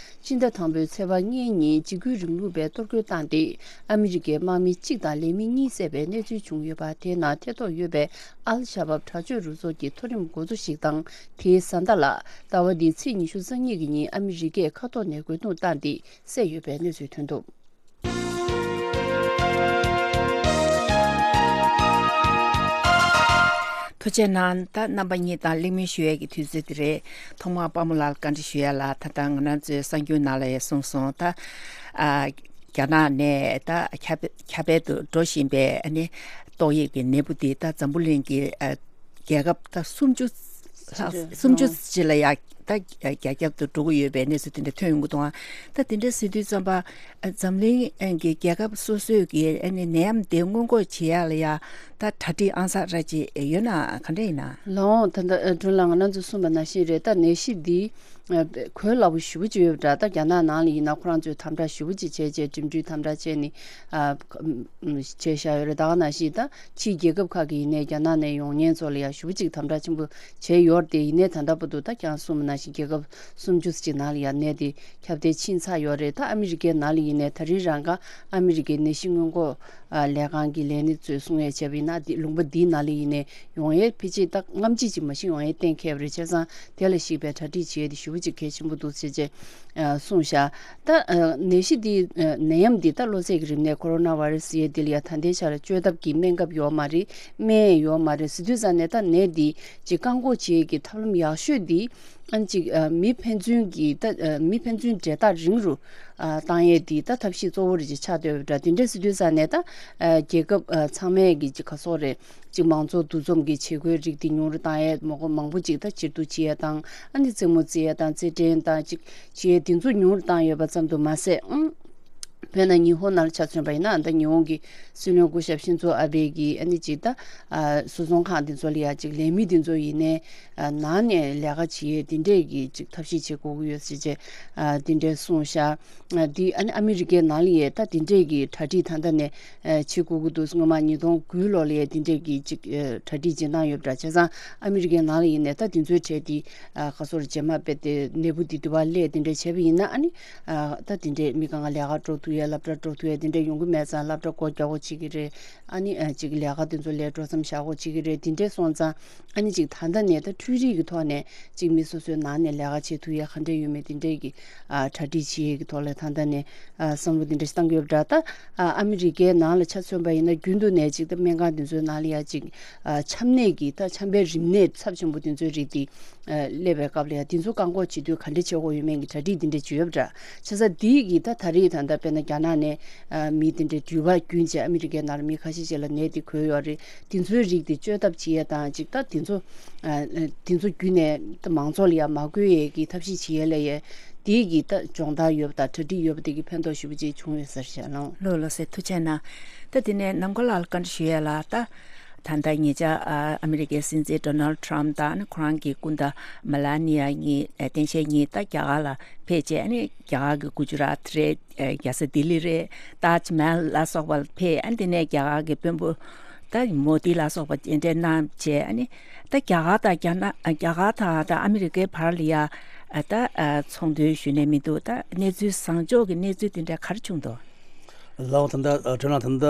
སྤྱི་ཟླ་དང་པོའི་ཚེས་པ་ལྔའི་ཉིན་འཇིགས་སྐུལ་རིང་ལུགས་པས་གཏོར་རྒོལ་བཏང་སྟེ། ཨ་མི་རི་ཀའི་དམག་མི་གཅིག་དང་ལས་མི་གཉིས་བསད་པའི་གནས་ཚུལ་བྱུང་ཡོད་པ། དེའི་ནང་ཐེ་གཏོགས་ཡོད་པའི་ཨལ་ཤ་བབ་དྲག་སྤྱོད་རུ་ཚོགས་ཀྱི་མཐོ་རིམ་འགོ་གཙོ་ཞིག་དང་། དེའི་བཟའ་ཟླ་ལ་ཟླ་བ་འདིའི་ཚེས་ཉི་ཤུ་རྩ་གཉིས་ཀྱི་ཉིན་ཨ་མི་རི་ཀས་མཁའ་ཐོག་ནས་རྒོལ་རྡུང་བཏང་སྟེ་བསད་ཡོད་པའི་གནས་ཚུལ་ཐོན་འདུག། ཐུགས་རྗེ་གནང་། ད་རྣམ་པ་གཉིས་དང་གླེང་མོལ་ཞུ་ཡས་ཀྱི་དུས་ཚོད་དེ་རེད། ཐོག་མར་དཔའ་མོ་ལགས་ལ་བཀའ་འདྲི་ཞུ་ཡ་ལ། ད་ལྟ་ང་རང་ཚོའི་གསར་འགྱུར་ནང་ལ་ཡང་གསུངས་སོང་། ད་ཨ་རྒྱ་ནག་ནས་ད་ཁྱབ་ཁྱབ་སྤེལ་དུ་འགྲོ་བཞིན་པའི་ཨ་ནི་ཏོག་དབྱིབས་ཀྱི་ནད་འབུ་དེ་ད་འཛམ་བུ་གླིང་གི་ཨ་རྒྱལ་ཁབ་ད་སུམ་ཅུ་ལྷག་སུམ་ཅུ་ཅིག་ལ་ཡ་ ད་རྒྱ་ཁྱབ་ཏུ་འགྲོ་གི་ཡོད་པའི་གནས་ཚུལ་དེ་འདྲ་ཐོན་ཡོང་གི་འདུག་ཨ། ད་དེ་འདྲ་ཟེར་དུས་ཙམ་པ་ཨ་འཛམ་གླིང་ཨ་གི་རྒྱལ་ཁབ་སོ་སོས་ཀྱི་ཨ་ནི་ནད་ཡམས་དེ་སྔོན་འགོག་བྱེད་ཡག་ལ་ཡ་ད་གྲ་སྒྲིག་ཨང་གསར་ར་ཅིག་ཡོད་ན་ག་འདྲ་ཡིན་ན། ལགས་འོང་། ད་ལྟ་ཨ་སྒྲོན་ལགས་ང་རང་ཚོས་གསུངས་པ་ནང་བཞིན་རེད། ད་ནད་གཞི་འདི་ཨ་གོ་སླ་པོ་ཞེ་པོ་ཅིག་ཡོད་པ་འདྲ། ད་རྒྱ་ནག་ནང་ལ་ཡིན་ན་ཁོ་རང་ཚོས་དམ་དྲག་ཞེ་པོ་ཅིག་བྱས་བྱས་འགྲིམ་འགྲུལ་དམ་དྲག་བྱས་ནས་ཨ་བྱས་བཞག་ཡོད་རེད། ད་ག་ནང་བཞིན་ད་ཕྱིའི་རྒྱལ་ཁབ་ཁག་གི་ཡིན་ནའི་རྒྱ་ནག་ནས་ཡོང་མཁན་ཚོ་ལ་ཡང་ཞེ་པོ་ཅིག་དམ་དྲག་ཆེན་པོ་བྱས་ཡོད་རེད་དེ། ཡིན་ནའི་ད་ལྟ་བར་དུ་ད་ཀྱང་གསུངས་པ་ནང་བཞིན་རྒྱལ་ཁབ་སུམ་ཅུ་ཙམ་ཅིག་ནང་ལ་ཡང་ནད་དེ་ཁྱབ་གདལ་ཕྱིན་ཚར་ཡོད་རེད། ད་ཨ་མི་རི་ཀའི་ནང་ལ་ཡིན་ནའི་ད་རིང་རང་ག་ཨ་མི་རི་ཀའི་ནད་གཞི་སྔོན་འགོག་ཨ་ལས་ཁང་གི་ལས་སྣེ་ཚོས་གསུང་ཡས་བྱས་པ་ཡིན་ན། འདི་ལུང་པ་འདིའི་ནང་ལ་ཡིན་ནའི་ཡོང་ཡས་ཕལ་ཆེར་ད་སྔ་ཕྱི་ཅིག་མ་གཞི་ཡོང་ཡས་གཏན་འཁེལ་བ་རེད། བྱས་ཙང་དེ་ལ་གཞིགས་པའི་གྲ་སྒྲིག་བྱེད་ཡས་དེ་ཞེ་པོ་ཅིག་གལ་ཆེན་པོ་འདུག་ཟེར་བྱས་ཨ་གསུངས་བཞག་ད་ཨ་ནད་གཞི་འདི་ཨ་ནད་ཡམས་འདི་ད་གློ་ཚད་ཀྱི་རིམས་ནད་ཁོ་རོ་ན་བྷ་ར་སི་ཟེར་ཡས་འདི་ལ་ཡ་ད་ལྟའི་ཆར་བཅོས་ཐབས་ཀྱི་སྨན་ཁབ་ཡོད་མ་རེད། སྨན་ཡོད་མ་རེད་ཟེར་དུས་ཙང་ནས་ད་ནད་འདི་ཅིག་བཀག་འགོག་བྱེད་ཡས་ཀྱི་ཐབས་ལམ་ཡག་ཤོས་འདི་ཨ་ཅིག་ཨ་མི་ཕན་ཚུན་གྱི་ད་ཨ་མི་ཕན་ཚུན་འབྲེལ་ཐག་རིང་རུ་ཨ་བཏང་ཡས་འདི་ད་ཐབས་ཤེས་གཙོ་བོ་རེ་ཅིག་ཆགས་བསྡད་ཡོད་པ་འདྲ། དེ་འདྲ་ཟེར་དུས་ཙང་ནས་ད་ཨ་རྒྱལ་ཁབ་ཨ་ཚང་མས་ཀྱི་ཅིག་ག་སོགས་རེད། ཅིག་མང་ཚོགས་འདུ་འཛོམས་ཀྱི་བྱེད་སྒོའི་རིགས་འདི་ཉུང་རུ་བཏང་ཡས། མང་པོ་མང་པོ་ཅིག་ད་ཕྱིར་བསྡུ་བྱེད་ཡས་དང་། ཨ་ནི་རྩེད་མོ་རྩེ་ཡས་དང་རྩེད་འགྲན་དང་ཅིག་བྱེད་ཡས་འདི་ཚོ་ཉུང་རུ་བཏང་ཡོད་པ་ཙམ་དུ་མ་ཟད། ཨང་། དཔེར་ན་ཉི་ཧོང་ནང་ལ་ཆ་མཚོན་པ་ཡིན་ན། ད་ཉི་ཧོང་གི་སྲིད་བློན་སྐུ་ཞབས་ཤིན་ཛོ་ཨ་བྷེ་གིས་ཨ་ནི་ཅིག་ད་ཨ་བཟོ་ཚོང་ཁང་འདི་ཚོ་ལ་ཡ་ཅིག་ལས་མི་འདི་ཚོ་ཡིན་ནའི་ཨ་ནང་ནས་ལས་ཀ་བྱེད་ཡས་འདི་འདྲས་ཀྱི་ཅིག་ཐབས་ཤེས་བྱེད་དགོས་ཀྱི་ཡོད་ཟེར་བྱས་ཨ་འདི་འདྲས་གསུངས་ཤག་ཨ་འདི་ཨ་ནི་ཨ་མི་རི་ཀའི་ནང་ལ་ཡས་ད་འདི་འདྲས་ཀྱི་གྲ་སྒྲིག་ད་ལྟ་ནས་ཨ་བྱེད་དགོས་ཀྱི་འདུག་སྔོན་མ་ཉིས་སྟོང་དགུའི་ལོ་ལ་ཡས་འདི་འདྲས་ཀྱི་ཅིག་ཨ་གྲ་སྒྲིག་བྱེད་སྟངས་ཡོད་པ་འདྲ། བྱས་ཙང་ཨ་མི་རི་ཀའི་ནང་ལ་ཡིན་ནས་ད་འདི་ཚོའི་གྲས་འདི་ཨ་ག་སོར་རྗེས་མ་དཔེ་དེ་ནད་འབུ་འདི་འདི་བ་སླེབས་འདི་འདྲས་བྱས་པ་ཡིན་ན། ཨ་ནི་ཨ་ད་འདི་འདྲས་མི་གང་ག་ལས་ཀ་འགྲོ་ཐུབ་ཡས་སློབ་གྲྭ་འགྲོ་ཐུབ་ཡས་འདི་འདྲས་ཡོང་གི་མེད་ཙང་སློབ་གྲྭ་སྒོ་རྒྱག་དགོས་བྱེད་ཀྱི་རེད། ཨ་ནི་ཨ་ཅིག་ལས་ཀ་འདི་ཚོ་ལས་འགྲོ་མཚམས་བཞག་དགོས་བྱེད་ཀྱི་རེད། འདི་འདྲས་སོང་ཙང་ཨ་ནི་ཅིག་ད་ལྟ་ནས་ད་འཕྲུལ་རིག་གི་ཐོག་ནས་ཅིག་མི་སོ་སོའི་ནང་ནས་ལས་ཀ་བྱེད་ཐུབ་ཡས་ག་འདྲས་ཡོད་མེད་འདི་འདྲས་ཀྱི་ཨ་གྲ་སྒྲིག་བྱེད་ཡས་ཀྱི་ཐོག་ལ་ད་ལྟ་ནས་ཨ་བསམ་བློ་འདི་འདྲས་ཞིག་བཏང་གི་ཡོད་པ་འདྲ། ད་ཨ་ཨ་མི་རི་ཀའི་ནང་ལ་ཆ་མཚོན་པ་ཡིན་ན་རྒྱུན་དུ་ནས་ཅིག་ད་སྨན་ཁང་འདི་ཚོའི་ནང་ལ་ཡ་ཅིག་ཨ་ཆམ་ནད་ཀྱི་ད་ཆམ་པའི་རིམས་ནད་ཚབས་ཆེན་པོ་འདི་ཚོའི་རིགས་འདི་ཨ་སླེབས་པའི་སྐབས་ལ་ཡ་འདི་ཚོ་བཀག་འགོག་བྱེད་དུས་ག་འདྲས་བྱེད་དགོས་ཡོད་མེད་ཀྱི་གྲ་སྒྲིག་འདི་འདྲས་བྱས་ཡོད་པ་འདྲ། བྱས་ཙང་འདི་གི་ད་ད་རེས་ད་ལྟ་དཔེར་ན་རྒྱ་ནག་ནས་ཨ་མི་དེ་འདྲའི་འགྲུལ་པ་བརྒྱུད་བྱས་ཨ་མི་རི་ཀའི་ནང་ལ་མི་ཁ་ཤས་ཤིག་ལ་ནད་དེ་འགོས་ཡོད་རེད། དེ་ཚོའི་རིགས་དེ་བཅོས་ཐབས་བྱེད་ཡས་དང་ཅིག་ད་དེ་ཚོ་ཨ་དེ་ཚོ་བརྒྱུད་ནས་ད་མང་ཚོགས་ལ་ཡང་མ་འགོས་ཡས་ཀྱི་ཐབས་ཤེས་བྱེད་ཡས་ལ་ཡས་དེ་གི་ད་སྦྱོང་བརྡར་ཡོད་པ་དང་གྲ་སྒྲིག་ཡོད་པ་དེ་གི་ཕན་ཐོགས་ཞེ་པོ་ཅིག་བྱུང་ཡོད་ས་རེད་ཤག་ལགས། ལགས་ལགས་སེ། ཐུགས་རྗེ་གནང་། ད་དེ་ནས་ནམ་མཁའ་ལགས་ལ་བཀའ་འདྲི་ཞུ་ཡས་ལ། ད་ད་ལྟ་ཉེ་ཆར་ཨ་ཨ་མི་རི་ཀའི་སྲིད་འཛིན་ཌོ་ནལ་ཊམ་དང་ཨ་ནི་ཁོ་རང་གི་སྐུ་ཟླ་མེ་ལ་ནི་ཡ་གཉིས་ཨ་སྟངས་དཔྱལ་གཉིས་ད་རྒྱ་གར་ལ་ཕེབས་བྱས། ཨ་ནི་རྒྱ་གར་གྱི་གུ་ཇུ་རཱཏ་རེད། ཨ་རྒྱལ་ས་ལྡི་ལི་རེད། ཏཱཇ་མ་ཧལ་ལ་སོགས་པ་ལ་ཕེབས། ཨ་ནི་དེ་ནས་རྒྱ་གར་གྱི་དཔོན་པོ་ད་མོ་དི་ལ་སོགས་པ་མཇལ་འཕྲད་གནང་བྱས། ཨ་ནི་ད་རྒྱ་གར་དང་རྒྱ་ནག་རྒྱ་གར་དང་ད་ཨ་མི་རི་ཀའི་བར་ལ་ཡ་ཨ་ད་ཨ་ཚོང་དོན་ཞུ་ནས་མི་འདུག་ད་གནས་ཚུལ་བཟང་ཕྱོགས་ཀྱི་གནས་ཚུལ་དེ་འདྲ་ག་རེ་བྱུང་འདུག་ལགས་འོང་། ད་ལྟ་ཨ་སྒྲོན་ལགས་ད་ལྟ་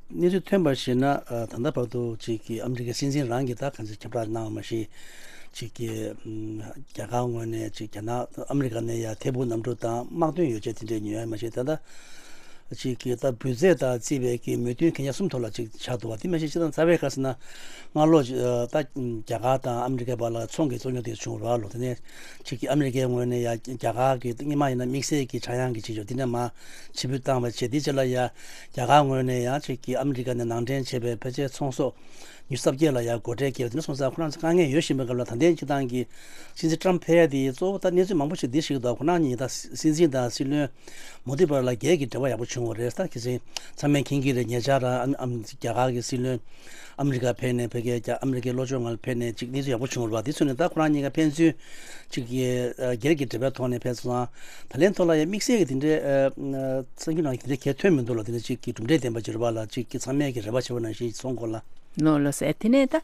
གནས་ཚུལ་ཐོན་པར་གཞིགས་ན། ཨ་ད་ལྟ་བར་དུ་ཅིག་གི་ཨ་མི་རི་ཀའི་སྲིད་འཛིན་རང་གིས་ད་གང་ཅི་ཁྱབ་བསྒྲགས་གནང་བ་མ་གཞི། ཅིག་གི་ཨམ་རྒྱ་གར་ངོས་ནས་ཅིག་རྒྱ་ནག་ཨ་མི་རི་ཀ་ནས་ཡ་ཐད་འཕུར་གནམ་གྲུ་དང་དམག་དོན་ཡོ་བྱད་དེ་འདྲའི་ཉོ་ཡ་མ་གཞི། ད་ལྟ་ཅིག་གི་ད་འབུལ་རྫས་དང་བརྩིས་པའི་གི་མོས་མཐུན་གན་རྒྱ་གསུམ་ཐོག་ལ་ཅིག་ཆགས་འདུག་བ། དེ་མ་གཞི་སྤྱིར་བཏང་རྩ་བའི་ག་ཟེར་ན། སྔ་ལོ་ཨ་ད་རྒྱ་གར་དང་ཨ་མི་རི་ཀའི་བར་ལ་ཚོང་གི་རྩོད་རྙོག་དེ་བྱུང་བ་རེད་པ་ལགས། དེ་ནས་ཅིག་གི་ཨ་མི་རི་ཀའི་ངོས་ནས་ཡ་རྒྱ་གར་གྱི་སྔོན་མ་ཡིན་ན་དམིགས་བསལ་གྱི་ཆག་ཡང་གི་བྱེད་ཕྱོགས་དེ་འདྲ་མར་ཕྱིར་འབུད་བཏང་བ་བྱས། དེའི་རྗེས་ལ་ཡ་རྒྱ་གར་ངོས་ནས་ཡང་ཅིག་གི་ཨ་མི་རི་ཀ་ནས་ནང་འདྲེན་བྱས་པའི་ཕལ་ཆེར་ཚོང་ཟོག་ཉི་ཤུ་རྩ་བརྒྱད་ལ་ཡ་སྒོ་ཁྲལ་བཀལ་བ་དེ་འདྲ་སོང་ཙང་ཁོ་རང་ཚོ་དཀའ་ངལ་ཡོད་བཞིན་པའི་སྐབས་ལ། ད་ལྟའི་སྤྱིར་བཏང་གི་སྲིད་འཛིན་ཊམ་ཕེབས་ཡ་དེ་གཙོ་བོ་ད་གནས་ཚུལ་མང་པོ་ཞིག་འདི་ཞིག་འདུག་ཁོ་རང་གཉིས་ད་སྲིད་འཛིན་དང་སྲིད་བློན་མོ་དི་བར་ལ་སྒེར་གྱི་འབྲེལ་བ་ཡག་པོ་བྱུང་བ་རེད། ད་གལ་སྲིད་ཚང་མས་མཁྱེན་གྱི་རེད། ཉེ་ཆར་ཨ་ཨ་རྒྱ་གར་གྱི་སྲིད་བློན་ཨ་མི་རི་ཀ་ཕེབས་ནས་ཕ་གིའི་རྒྱ་ཨ་མི་རི་ཀའི་ལྷོ་ཕྱོགས་ལ་ཕེབས་ནས་ཅིག་གནས་ཚུལ་ཡག་པོ་བྱུང་བ་རེད་པ། དེ་ཚོ་ནས་ད་ཁོ་རང་གཉིས་ཀ་ཕན་ཚུན་ཅིག་གི་ཨ་སྒེར་གྱི་འབྲེལ་བའི་ཐོག་ནས་ཕེབས་སོང་ཙང་། ད་ལན་ཐོག་ལ་ཡང་དམིགས་བསལ་གྱི་དེ་འདྲའི་ཨ་ཨ་གསར་འགྱུར་ནང་གི་དེ་འདྲའི་གལ་ཐོན་མི་འདུག་ལ། དེ་འདྲ་ཅིག་གི་གྲུབ་འབྲས་ལྡན་པ་ཅིག་རེད་པ་ལགས། ཅིག་གི་ཚང་མས་ཀྱི་རེ་བ་བྱེད་པ་ནང་བཞིན་སོང་གོ་ལགས། ལགས་ལགས་སེ། དེ་ནས་ད་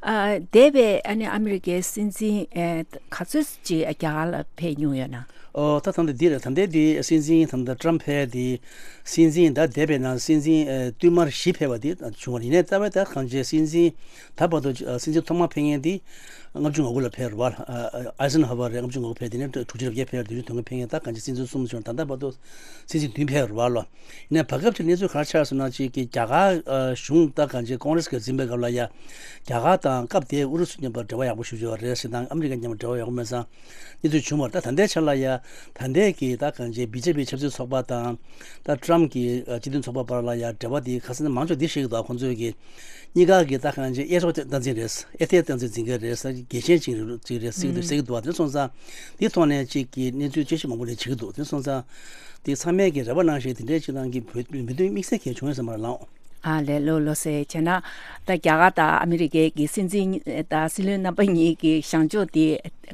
ཨ་འདས་པའི་ཨ་ནི་ཨ་མི་རི་ཀའི་སྲིད་འཛིན་ཨེ་ག་ཚོད་ཅིག་རྒྱ་གར་ལ་ཕེབས་མྱོང་ཡོད་ན། ཨོ་ད་ད་ལྟ་འདི་རེད། ད་ལྟའི་འདི་སྲིད་འཛིན་ད་ལྟ་ཊམ་ཕེབས་འདི་སྲིད་འཛིན་ད་འདས་པའི་ནང་སྲིད་འཛིན་ཨེ་བསྟུད་མར་བཞི་ཕེབས་པ་འདི་བྱུང་བ་རེད། ཡིན་ནའི་རྩ་བའི་ད་གང་ཅི་སྲིད་འཛིན་ད་བར་དུ་ཨ་སྲིད་འཛིན་ཐོག་མ་ཕེབས་མཁན་འདི་ལྔ་བཅུ་ང་དགུ་ལ་ཕེབས་རེད་པ། ཨ་ཨ་ཨའི་སན་ཧོ་ཝར་རེད། ལྔ་བཅུ་ང་དགུ་ཕེབས། དེ་ནས་དྲུག་ཅུ་རེ་བརྒྱད་ཕེབས། བདུན་ཅུ་དོན་ལྔ་ཕེབས་མཁན་ད་གང་ཅི་སྲིད་འཛིན་གསུམ་བྱུང་། ད་ལྟ་བར་དུ་སྲིད་འཛིན་བདུན་ཕེབས་རེད་པ་ལགས། ཡིན་ནའི་བར་སྐབས་ཀྱི་གནས་ཚུལ་ག་རེ་ཆགས་སོང་ན། ཅིག་གི་རྒྱ་གར་ཨ་གཞུང་ད་གང་ཅི་ཀོང་རེས་ཀྱིས་འཛིན་པའི་སྐབས་ལ་ཡ་རྒྱ་གར་དང་སྐབས་དེའི་ཨུ་རུ་སུ་མཉམ་པར་འབྲེལ་བ་ཡག་པོ་ཞེ་པོ་ཅིག་ཡོད་རེད་ཟེར་དང་། ཨ་མི་རི་ཀ་མཉམ་པར་འབྲེལ་བ་ཡག་པོ་མེད་ཙང་གནས་ཚུལ་བྱུང་བ་རེད། ད་ད་ལྟའི་ཆ་ལ་ཡ་ད་ལྟའི་གི་ད་གང་ཅི་བི་ཇེ་པི་ཆབ་སྲིད་ཚོགས་པ་དང་ད་ཊམ་གྱི་ཨ་སྤྱི་མཐུན་ཚོགས་པ་བར་ལ་ཡ་འབྲེལ་བ་དེ་ག་ཟེར་ན་མང་ཆེ་འདི་ཞིག་གི་འདུག་ཁོང་ཚོས་ཀྱི་གཉིས་ཀ་གི་ད་གང་ཅི་གཡས་གཡོག་སྟངས་འཛིན་རེད། གཡས་ཐལ་སྟངས་འཛིན་འཛིན་གྱི་རེད་ཟེར། གལ་ཆེན་ཅིག་རེད་ཅིག་རེད་ཟེར་གྱི་འདུག་ཟེར་གྱི་འདུག་བ། དེ་སོང་ཙང་དེ་ཐོག་ནས་ཅིག་གི་གནས་ཚུལ་དཔྱད་ཞིབ་མང་པོ་ནས་བྱེད་ཀྱི་འདུག་དེ་སོང་ཙང་དེ་ཚང་མས་ཀྱི་རེ་བ་གནང་བཞིན་དེ་འདྲའི་ཅིག་ནང་གི་བོད་མི་དོན་དམིགས་བསལ་གྱི་བྱུང་ཡོད་ས་མ་རེད་ལགས། ཨ་ལས། ལགས་ལགས་སེ། བྱས་ན་ད་རྒྱ་གར་དང་ཨ་མི་རི་ཀའི་གི་སྲིད་འཛིན་དང་སྲིད་བློན་རྣམ་པ་གཉིས་ཀྱི་བཞེངས་ཕྱོགས་དེ་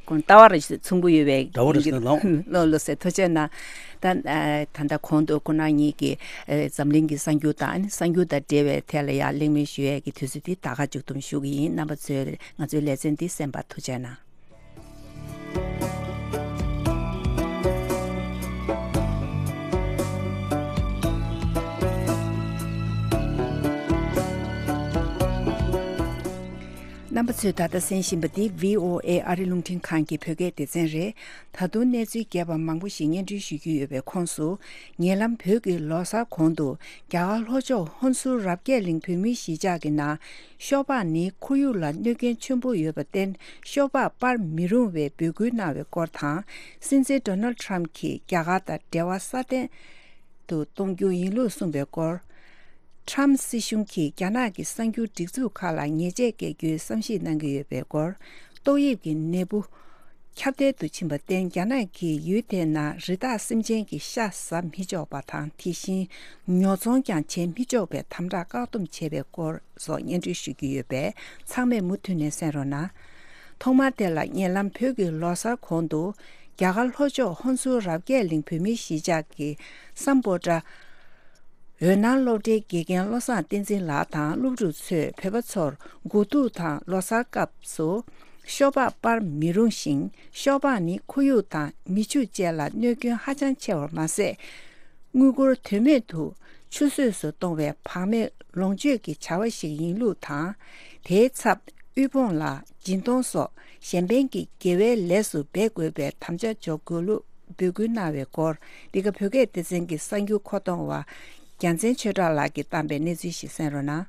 ཀུན་ལྟ་བ་རེ་མཚུངས་པོ་ཡོད་པའི། འདྲ་བོ་རེད་ཟེར་ལགས། ལགས་ལགས་སེ། ཐུགས་རྗེ་གནང་། ད་ད་ལྟ་གོང་དུ་ཁོང་རྣམ་གཉིས་ཀྱིས་འཛམ་གླིང་གི་གསར་འགྱུར་དང་གསར་འགྱུར་དང་འབྲེལ་བའི་ཐད་ལ་ཡང་གླེང་མོལ་ཞུ་ཡས་ཀྱི་དུས་ཚོད་འདི་ད་ག་མཇུག་བསྡོམས་ཞུ་གི་ཡིན། རྣམ་པ་ཚོས་ང་ཚོའི་ལེ་ཚན་འདི་གསན་པར་ཐུགས་རྗེ་གནང་། རྣམ་པ་ཚོས་ད་ལྟ་གསན་བཞིན་པ་འདི་བྷི་ཨོ་ཨེ་ཨ་རི་རླུང་འཕྲིན་ཁང་གི་བོད་སྐད་སྡེ་ཚན་རེད། ད་དུང་གནས་ཚུལ་རྒྱས་པ་མང་པོ་ཞིག་སྙན་སྒྲོན་ཞུ་རྒྱུ་ཡོད་པའི་ཁོངས་སུ། ཉེ་ལམ་བོད་ཀྱི་ལོ་གསར་གོང་དུ་རྒྱ་གར་ལྷོ་ཕྱོགས་ཧོན་སུར་རབ་རྒྱས་གླིང་བོད་མིའི་གཞིས་ཆགས་ཀྱི་ནང་ཤོག་སྦག་ནི་ཁོར་ཡུག་ལ་གནོད་སྐྱོན་ཆེན་པོ་ཡོད་པར་བརྟེན་ཤོག་སྦག་སྤར་མི་རུང་བའི་འབོད་སྐུལ་གནང་བའི་སྐོར་དང་། སྲིད་འཛིན་ཌོ་ནལ་ཊམ་གྱིས་རྒྱ་གར་དང་འབྲེལ་བ་སྲ་བརྟན་དུ་གཏོང་རྒྱུ་ཡིན་ལུགས་གསུངས་པའི་སྐོར། ཊམ་སྲིད་གཞུང་གིས་རྒྱ་ནག་གི་གསར་འགྱུར་སྒྲིག་འཛུགས་ཁག་ལ་ཉེས་ཆད་འགེལ་རྒྱུའི་བསམ་གཞིག་གནང་གི་ཡོད་པའི་སྐོར། ཏོག་དབྱིབས་ཀྱི་ནད་འབུ་ཁྱབ་གདལ་དུ་ཕྱིན་པར་བརྟེན་རྒྱ་ནག་གིས་ཡུལ་དེའི་ནང་རི་དྭགས་སེམས་ཅན་གྱི་ཤ་ཟ་མི་ཆོག་པ་དང་། དེ་བཞིན་ཉོ་ཚོང་ཀྱང་བྱེད་མི་ཆོག་པའི་དམ་དྲག་བཀག་སྡོམ་བྱས་པའི་སྐོར་སོགས་སྙན་སྒྲོན་ཞུ་རྒྱུ་ཡོད་པས། ཚང་མས་མུ་མཐུད་ནས་གསན་རོགས་གནང་། ཐོག་མར་དེ་ལ་ཉེ་ལམ་བོད་ཀྱི་ལོ་གསར་གོང་དུ་རྒྱ་གར་ལྷོ་ཕྱོགས་ཧོན་སུར་རབ་རྒྱས་གླིང་བོད་མིའི་གཞིས་ཆགས་ཀྱི་སམ་བྷོ་ཊ་འོད་སྣང་སློབ་གྲྭའི་དགེ་རྒན་བློ་བཟང་བསྟན་འཛིན་ལགས་དང་སློབ་ཕྲུག་ཚོས་བོད་པ་ཚོར་དགུ་ཐུག་དང་ལོ་གསར་སྐབས་སུ་ཤོག་སྦག་སྤར་མི་རུང་ཞིང་། ཤོག་སྦག་ནི་ཁོར་ཡུག་དང་མི་ཕྱུགས་བཅས་ལ་གནོད་སྐྱོན་ཧ་ཅང་ཆེ་བར་མ་ཟད། དངུལ་སྒོར་དོན་མེད་དུ་ཆུད་ཟོས་སུ་གཏོང་བའི་བག་མེད་ལོངས་སྤྱོད་ཀྱི་བྱ་བ་ཞིག་ཡིན་ལུགས་དང་། དེའི་ཚབ་དབུལ་ཕོངས་ལ་སྦྱིན་གཏོང་སོགས་གཞན་ཕན་གྱི་དགེ་བའི་ལས་སུ་འབད་དགོས་པའི་དམ་བཅའ་འཇོག་དགོས་ལུགས་འབོད་སྐུལ་གནང་བའི་སྐོར། འདི་ག་བོད་སྐད་སྡེ་ཚན་གྱི་གསར་འགྱུར་མཁོ་གཏོང་བ་རྒྱལ་མཚན་ཆོས་གྲགས་ལགས་ཀྱིས་བཏང་པའི་གནས་ཚུལ་ཞིག་གསན་རོགས་གནང་།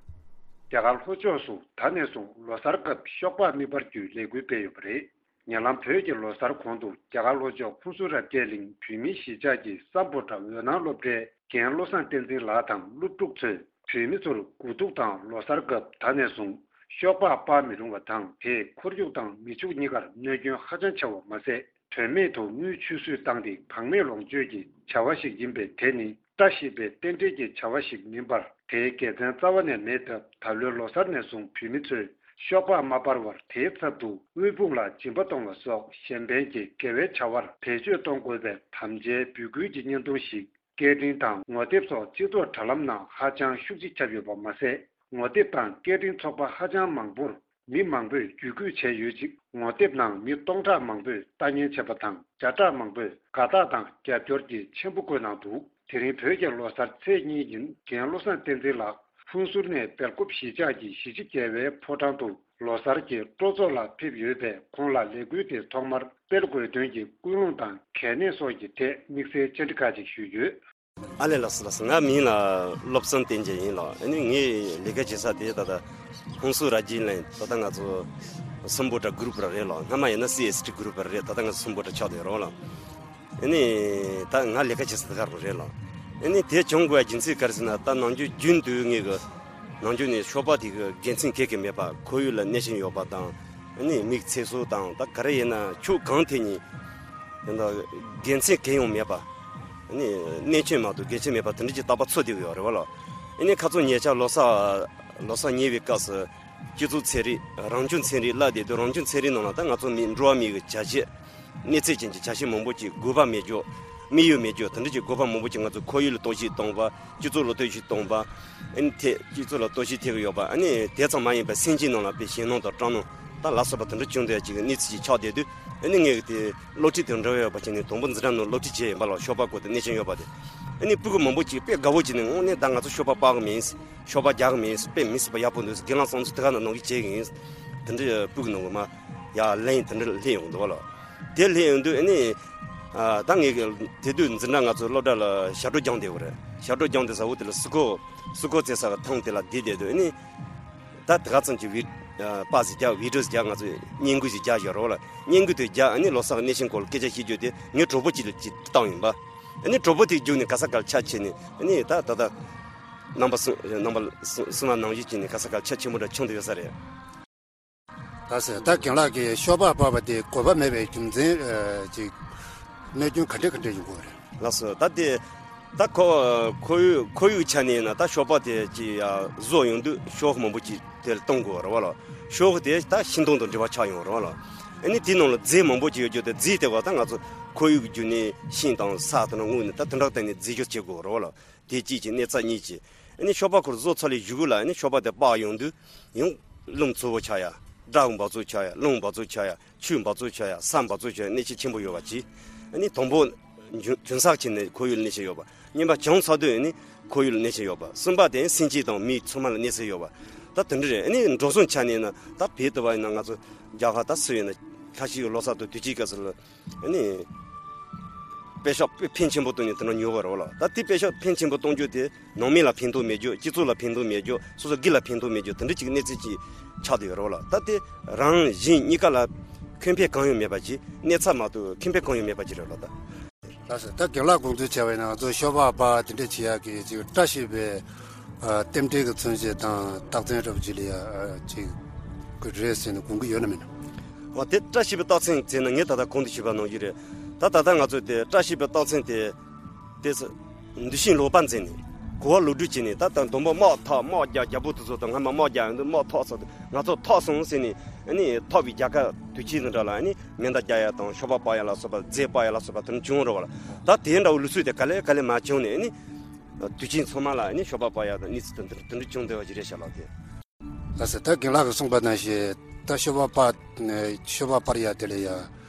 རྒྱ་གར་ལྷོ་ཕྱོགས་སུ་ད་ནས་བཟུང་ལོ་གསར་སྐབས་ཤོག་སྦག་མི་སྤར་རྒྱུའི་ལས་འགུལ་སྤེལ་ཡོད་པ་རེད། ཉེ་ལམ་བོད་ཀྱི་ལོ་གསར་གོང་དུ་རྒྱ་གར་ལྷོ་ཕྱོགས་ཧུན་སུར་རབ་རྒྱས་གླིང་བོད་མིའི་གཞིས་ཆགས་ཀྱི་སམ་བྷོ་ཊ་འོད་སྣང་སློབ་གྲྭའི་རྒན་བློ་བཟང་བསྟན་འཛིན་ལགས་དང་སློབ་ཕྲུག་ཚོས་བོད་མི་ཚོར་དགུ་ཐུག་དང་ལོ་གསར་སྐབས་ད་ནས་བཟུང་ཤོག་སྦག་སྤར་མི་རུང་བ་དང་། དེས་ཁོར་ཡུག་དང་མི་ཕྱུགས་གཉིས་ཀར་གནོད་སྐྱོན་ཧ་ཅང་ཆེ་བ་མ་ཟད། དོན་མེད་དུ་དངུལ་ཆུད་ཟོས་བཏང་སྟེ་བག་མེད་ལོངས་སྤྱོད་ཀྱི་བྱ་བ་ཞིག་ཡིན་པས། དེ་ནི་བཀྲ་ཤིས་པའི་རྟེན་འབྲེལ་གྱི་བྱ་བ་ཞིག་མིན་པར། དེའི་དགེ་མཚན་རྩ་བ་ནས་མེད་སྟབས། ད་ལོའི་ལོ་གསར་ནས་བཟུང་བོད་མི་ཚོས་ཤོག་སྦག་མ་སྤར་བར། དེའི་ཚབ་ཏུ་དབུལ་ཕོངས་ལ་སྦྱིན་པ་གཏོང་བ་སོགས་གཞན་ཕན་གྱི་དགེ་བའི་བྱ་བར་བེད་སྤྱོད་གཏོང་དགོས་པའི་དམ་བཅའི་འབོད་སྐུལ་གྱི་བརྙན་ཐུང་ཞིག་སྐད་འཕྲིན་དང་ངོ་དེབ་སོགས་སྤྱི་ཚོགས་དྲ་ལམ་ནང་ཧ་ཅང་ཤུགས་ཆེ་ཁྱབ་ཡོད་པ་མ་ཟད། ངོ་དེབ་དང་སྐད་འཕྲིན་ཚོགས་པ་ཧ་ཅང་མང་པོར་མི་མང་པོས་བརྒྱུད་སྐུལ་བྱས་ཡོད་ཅིང་། ངོ་དེབ་ནང་མི་སྟོང་ཕྲག་མང་པོས་ལྟ་ཉན་བྱས་པ་དང་། བརྒྱ་ཕྲག་མང་པོས་དགའ་རྟགས་དང་རྒྱབ་སྐྱོར་གྱི་མཆན་བུ་བཀོད་གནང་འདུག་དེ་རིང་བོད་ཀྱི་ལོ་གསར་ཚེས་གཉིས་ཉིན་རྒན་བློ་བཟང་བསྟན་འཛིན་ལགས་ཧུན་སུར་ནས་སྦེལ་ཀོབ་གཞིས་ཆགས་ཀྱི་གཞིས་བྱེས་རྒྱལ་བའི་ཕོ་བྲང་དུ་ལོ་གསར་གྱི་སྤྲོ་ཚོགས་ལ་ཕེབས་ཡོད་པས། ཁོང་ལ་ལས་འགུལ་དེ་ཐོག་མར་སྤེལ་དགོས་དོན་གྱི་ཀུན་སློང་དང་གལ་གནད་སོགས་ཀྱི་ཐད་དམིགས་བསལ་བཅར་འདྲི་ཁག་ཅིག་ཞུས་ཡོད། ཨ་ལས། ལགས་སོ་ལགས་སོ། ང་མིང་ལ་བློ་བཟང་བསྟན་འཛིན་ཡིན་ལགས། ཨ་ནི་ངས་ལས་ཀ་བྱེད་ས་དེ་ད་ལྟ་ཧུན་སུར་རབ་རྒྱས་གླིང་། ད་ལྟ་ང་ཚོ་སམ་བྷོ་ཊ་གུ་རུབ་ར་རེད་ལགས། སྔ་མ་ཡིན་ན་སི་ཨེས་ཊི་གུ་རུབ་ར་རེད། ད་ལྟ་ང་ཚོ་སམ་བྷོ་ཊ་ཆགས་བསྡད་རོགས་ལགས། ཨ་ནི་ད་ང་ལས་ཀ་བྱེད་ས་དེ་ག་རུ་རེད་ལགས། ཨ་ནི་དེ་བྱུང་དགོས་རྒྱུ་མཚན་ག་རེ་ཟེར་ན། ད་ནམ་རྒྱུན་རྒྱུན་དུ་ངས་གི་ནམ་རྒྱུན་ནས་ཤོག་སྦག་དེ་གི་དགེ་མཚན་ག་གེ་མེད་པ། ཁོར་ཡུག་ལ་གནོད་སྐྱོན་ཡོད་པ་དང་། ཨ་ནི་མིག་ཚེ་སྲོག་དང་། ད་ག་རེ་ཡིན་ན་ཕྱོགས་གང་ཐད་ནས་ད་དགེ་མཚན་གང་ཡང་མེད་པ། ཨ་ནི་གནོད་སྐྱོན་མ་གཏོགས་དགེ་མཚན་མེད་པ་དེ་འདྲ་ཅིག་རྟག་པར་ཚོར་བསྡད་ཡོད་རེད་བ་ལགས། ཨ་ནི་ཁ་སང་ཉེ་ཆར་ལོ་གསར་ལོ་གསར་ཉེ་བའི་སྐབས་སུ་སྤྱི་ཚོགས་ཚན་རིག་རང་སྐྱོང་ཚན་རིག་བརླག་བསྡད་དུས། རང་སྐྱོང་ཚན་རིག་ནང་ལ་ད་ང་ཚོ་མི་འགྲོ་བ་མིའི་བྱ་བྱེད་གནས་ཚད་ཅན་གྱི་བྱ་བྱེད་མང་པོ་ཅིག་དགོས་པ་མེད་རྒྱུ། དམིགས་ཡུལ་མེད་རྒྱུ། དེ་འདྲ་ཅིག་དགོས་པ་མང་པོ་ཅིག་ང་ཚོ་ཁོར་ཡུག་ལ་གཏོར་བཤིག་གཏོང་བ། སྤྱི་ཚོགས་ལ་གཏོར་བཤིག་གཏོང་བ། ཨ་ནི་ཐེ་སྤྱི་ཚོགས་ལ་གཏོར་བཤིག་ཐེབས་ཀྱི་ཡོད་པ། ཨ་ནི་དེ་ཙམ་མ་ཡིན་པར་སེམས་ཅན་ནང་ལ་དཔེ་ཞེད་སྣང་དང་སྐྲག་སྣང་དང་ལ་སོགས་པ་དེ་འདྲ་བྱུང་བསྡད་ཅིག་གནས་ཚུལ་ཅིག་ཆགས་བསྡད་དུས། ཨ་ནི་ངས་དེ་སློབ་ཁྲིད་དང་འབྲེལ་བ་ཡོད་པ་བྱས་ནས། དང་པོ་འཛིན་གྲྭ་ནང་སློབ་ཁྲིད་བྱས་ཡིན་པ་ལགས། ཤོག་སྦག་སྐོར་དེ་གནོད་སྐྱོན་ཡོད་པ་དེ། ཨ་ནི་སྤུ་གུ་མང་པོ་ཅིག་དཔེ་དགའ་བོ་བྱས་ནས། དངོས་གནས་ད་ང་ཚོ་ཤོག་སྦག་སྤར་གི་མིན། ཤོག་སྦག་རྒྱག་གི་མིན། དཔེ་མི་སྲིད་པ་ཡག་པོ་འདུག་དགེ་ལགས་བསམ་ཚུལ་དེ་ག་ནང་ནང་གི་བྱེད་གི་ཡིན། དེ་འདྲ་སྤུ་གུ་ནང་གི་མ་ཡར་ལན་དེ་འདྲ་སླེབས་ཡོང་འདུག་བ་ལགས། དེ་སླེབས་ཡོང་དུས་ཨ་ནི། ཨ། ད་ངས་དེ་དུས་འཛིན་གྲྭ་ང་ཚོ་སློབ་གྲྭ་ལ་ཞབས་བྲོ་སྦྱངས་བསྡད་ཡོད་རེད། ཞབས་བྲོ་སྦྱངས་བསྡད་ས་འོག་དེ་ལ་སི་ཁོ་སི་ཁོ་རྩེ་ས་གི་ཐང་དེ་ལ་བསྡད་བསྡད་དུས་ཨ་ནི། ད་དེ་ག་ཙམ་གྱི་བི་ཨ་པར་ཟིག་རྒྱག་བི་ཌི་ཡོ་ཟིག་རྒྱག་ང་ཚོས་བརྙན་འགུལ་ཟིག་རྒྱག་བཞག་རོགས་ལ། བརྙན་འགུལ་དེ་རྒྱག་ཨ་ནི་ལོ་གསར་གི་གནས་ཆེན་སྐོར་ལ་སྐད་ཆ་བཤད་རྒྱུ་དེ་ངའི་གྲོགས་པོ་གཅིག་ལ་ཅིག་བཏང་ཡིན་པ། ཨ་ནི་གྲོགས་པོ་དེ་རྒྱུགས་ནས་ག་ས་གར་ཆ་ཆེ་ནས། ཨ་ནི་ད་ད་ད་རྣམ་པ་གསུམ། རྣམ་པ་གསུམ་གསུམ་པ་ནང་བཞིན་བྱས་ནས་ག་ས་གར་ཆ་ཆེན་པོ་འདྲ་བྱུང་བསྡད་ཡོད་ས་རེད། ད་ཟེར་ད་རྒན་ལགས་ཀྱིས་ཤོ་སྦག་སྤར་བ་དེ་དགོས་པ་མེད་པའི་རྒྱུ་མཚན་ཅིག་གནོད་སྐྱོན་ག་འདྲ་ག་འདྲ་ཡོང་གི་ཡོད་རེད། ལགས་སོ། ད་དེ་ད་ཁོ་ཁོར་ཡུག་ཁོར་ཡུག་ཆ་ནས་ཡིན་ན་ད་ཤོ་སྦག་དེ་ཅིག་ཡ་བཟོ་ཡོང་དུས་ཤོག་མང་པོ་ཅིག་དེར་གཏོང་དགོས་རེད་བ་ལ། ཤོག་དེ་ད་ཤིང་སྡོང་དང་འབྲེལ་བ་ཆགས་ཡོང་རེད་བ་ལ། ཨ་ནི་དེའི་ནང་ལ་རྫས་མང་པོ་ཅིག་ཡོད་རྒྱུ་དེ་རྫས་དེ་བ་ད་ང་ཚོ་ཁོར་ཡུག་བརྒྱུད་ནས་ཤིང་དང་ས་དང་དངོས་ནས་ད་དེ་འདྲ་བསྟན་ནས་རྫས་སྦྱོར་བྱེད་དགོས་རེད་བ་ལ། དེ་གཅིག་གཅིག་གནས་ཚད་གཉིས་གཅིག་ཨ་ནི་ཤོ་སྦག་ཁོར་བཟོ་ཚར་ལས་གཞུག་གུ་ལ་ཨ་ནི་ཤོ་སྦག་དེ་སྤར་ཡོང་དུས་ཡང་རླུང་འཚུབ་པོ་ཆགས་ཡ། སྦྲང་འབག་བཙོག་ཆགས་ཡ། རླུང་འབག་བཙོག་ཆགས་ཡ། ཆུ་འབག་བཙོག་ཆགས་ཡ། ས་འབག་བཙོག་ཆགས་ཡ། གནོད་འཚེ་ཆེན་པོ་ཡོད་པ་གཅིག་ཨ་ནི་དང་པོ་ཇུན་ཇུན་སག་བྱས་ནས་ཁོར་ཡུག་ལ་གནོད་འཚེ་ཡོད་པ། གཉིས་པ་གྱང་ཚ་དུས་ཨ་ནི་ཁོར་ཡུག་ལ་གནོད་འཚེ་ཡོད་པ། གསུམ་པ་དེ་སེམས་ཅན་དང་མི་ཚང་མ་ལ་གནོད་འཚེ་ཡོད་པ། ད་དེ་འདྲ་རེད། ཨ་ནི་འགྲོ་སོང་ཆ་ནས་ན་ད་བོད་དུ་བ་ཡིན་ན་ང་ཚོ་རྒྱ་གར་ད་སུ་ཡིན་ན་ལྷ་ཤི་ཡོད་ལོ་གསར་དུ་དུས་ཆེན་སྐབས་སུ་ལ། ཨ་ནི། པེ་ཤག་ཕན་ཆེན་པོ་བཏོན་ནས་དེ་འདྲ་ཉོ་གི་རེད་བ་ལ། ད་དེ་པེ་ཤག་ཕན་ཆེན་པོ་གཏོང་རྒྱུ་དེ་ནང་མི་ལ་ཕན་ཐོགས་མེད་རྒྱུ། སྤྱི་ཚོགས་ལ་ཕན་ཐོགས་མེད་རྒྱུ། སོ་སོ་སྒེར་ལ་ཕན་ཐོགས་མེད་རྒྱུ། དེ་འདྲ་ཅིག་གནས་ཚུལ་ཅིག་ཆགས་བསྡད་ཡོད་རེད་བ་ལ། ད་དེ་རང་གཞན་གཉིས་ཀ་ལ་ཁེ་ཕན་གང་ཡང་མེད་པ་ཅིག་གནས་ཚད་མ་གཏོགས་ཁེ་ཕན་གང་ཡང་མེད་པ་ཅིག་རེད་བ་ལ་ད། ལགས་སོ། ད་རྒན་ལགས་དགོངས་ཚུལ་བྱས་པ་ཡིན་ན་ང་ཚོ་ཤོ་སྦག་སྤར་དེ་འདྲ་བྱེད་ཡག་གི་ཅིག་བཀྲ་ཤིས་པའི་ཨ་རྟེན་འབྲེལ་གྱི་མཚོན་བྱེད་དང་རྟགས་མཚན་འདྲ་པོ་ཅིག་ལ་ཡ་ཨ་ཅིག་གི་རེད་ཟེར་ནས་དགོངས་ཀྱི་ཡོད་ན་མེད་ན། འོ་དེ་བཀྲ་ཤིས་པའི་རྟགས་མཚན་ཟེར་ན་ངས་ད་ལྟ་གོང་དུ་ཞུས་པ་ནང་བཞིན་རེད། ད་ད་ལྟ་ང་ཚོས་དེ་བཀྲ་ཤིས་པའི་རྟགས་མཚན་དེ་དེ་ཚོ་འདུ་ཤེས་ལོག་པ་འཛིན་ནས་གོ་བ་ལོག་སྒྲིལ་བྱས་ནས་ད་ལྟ་མདུན་པ་དམག་འཐབ་དམག་རྒྱག་རྒྱལ་པོ་དེ་ཚོ་དང་སྔ་མ་དམག་རྒྱག་ཡོང་དུས་དམག་ཐོག་ཚར་དུས་ང་ཚོ་ཐོག་སོང་ཟེར་ནས་ཨ་ནི་ཐོག་པའི་རྒྱལ་ཁབ་དུས་ཆེན་དེ་འདྲ་ལ་ཨ་ནི་མེ་མདའ་རྒྱག་ཡ་དང་ཤོ་སྦག་སྤར་ཡ་ལ་སོགས་པ་རྫས་སྤར་ཡ་ལ་སོགས་པ་དེ་འདྲ་བྱུང་རེད་བ་ལ། ད་དེ་འདྲ་བོ་ལུགས་སྲོལ་དེ་ག་ལེ་ག་ལེ་མ་བྱུང་ནས་ཨ་ནི་དུས་ཆེན་ཚང་མ་ལ་ཨ་ནི་ཤོ་སྦག་སྤར་ཡ་དང་གནས་ཚུལ་དེ་འདྲ་དེ་འདྲ་བྱུང་བསྡད་པ་ཅིག་རེད་ཤག་ལགས་དེ། ལགས་སོ། ད་རྒན་ལགས་ཀྱིས་གསུངས་པ་ནང་བཞིན་ད་ཤོ་སྦག་སྤར་ནས་ཤོ་སྦག་སྤར་ཡ་དེ་ལ་ཡ་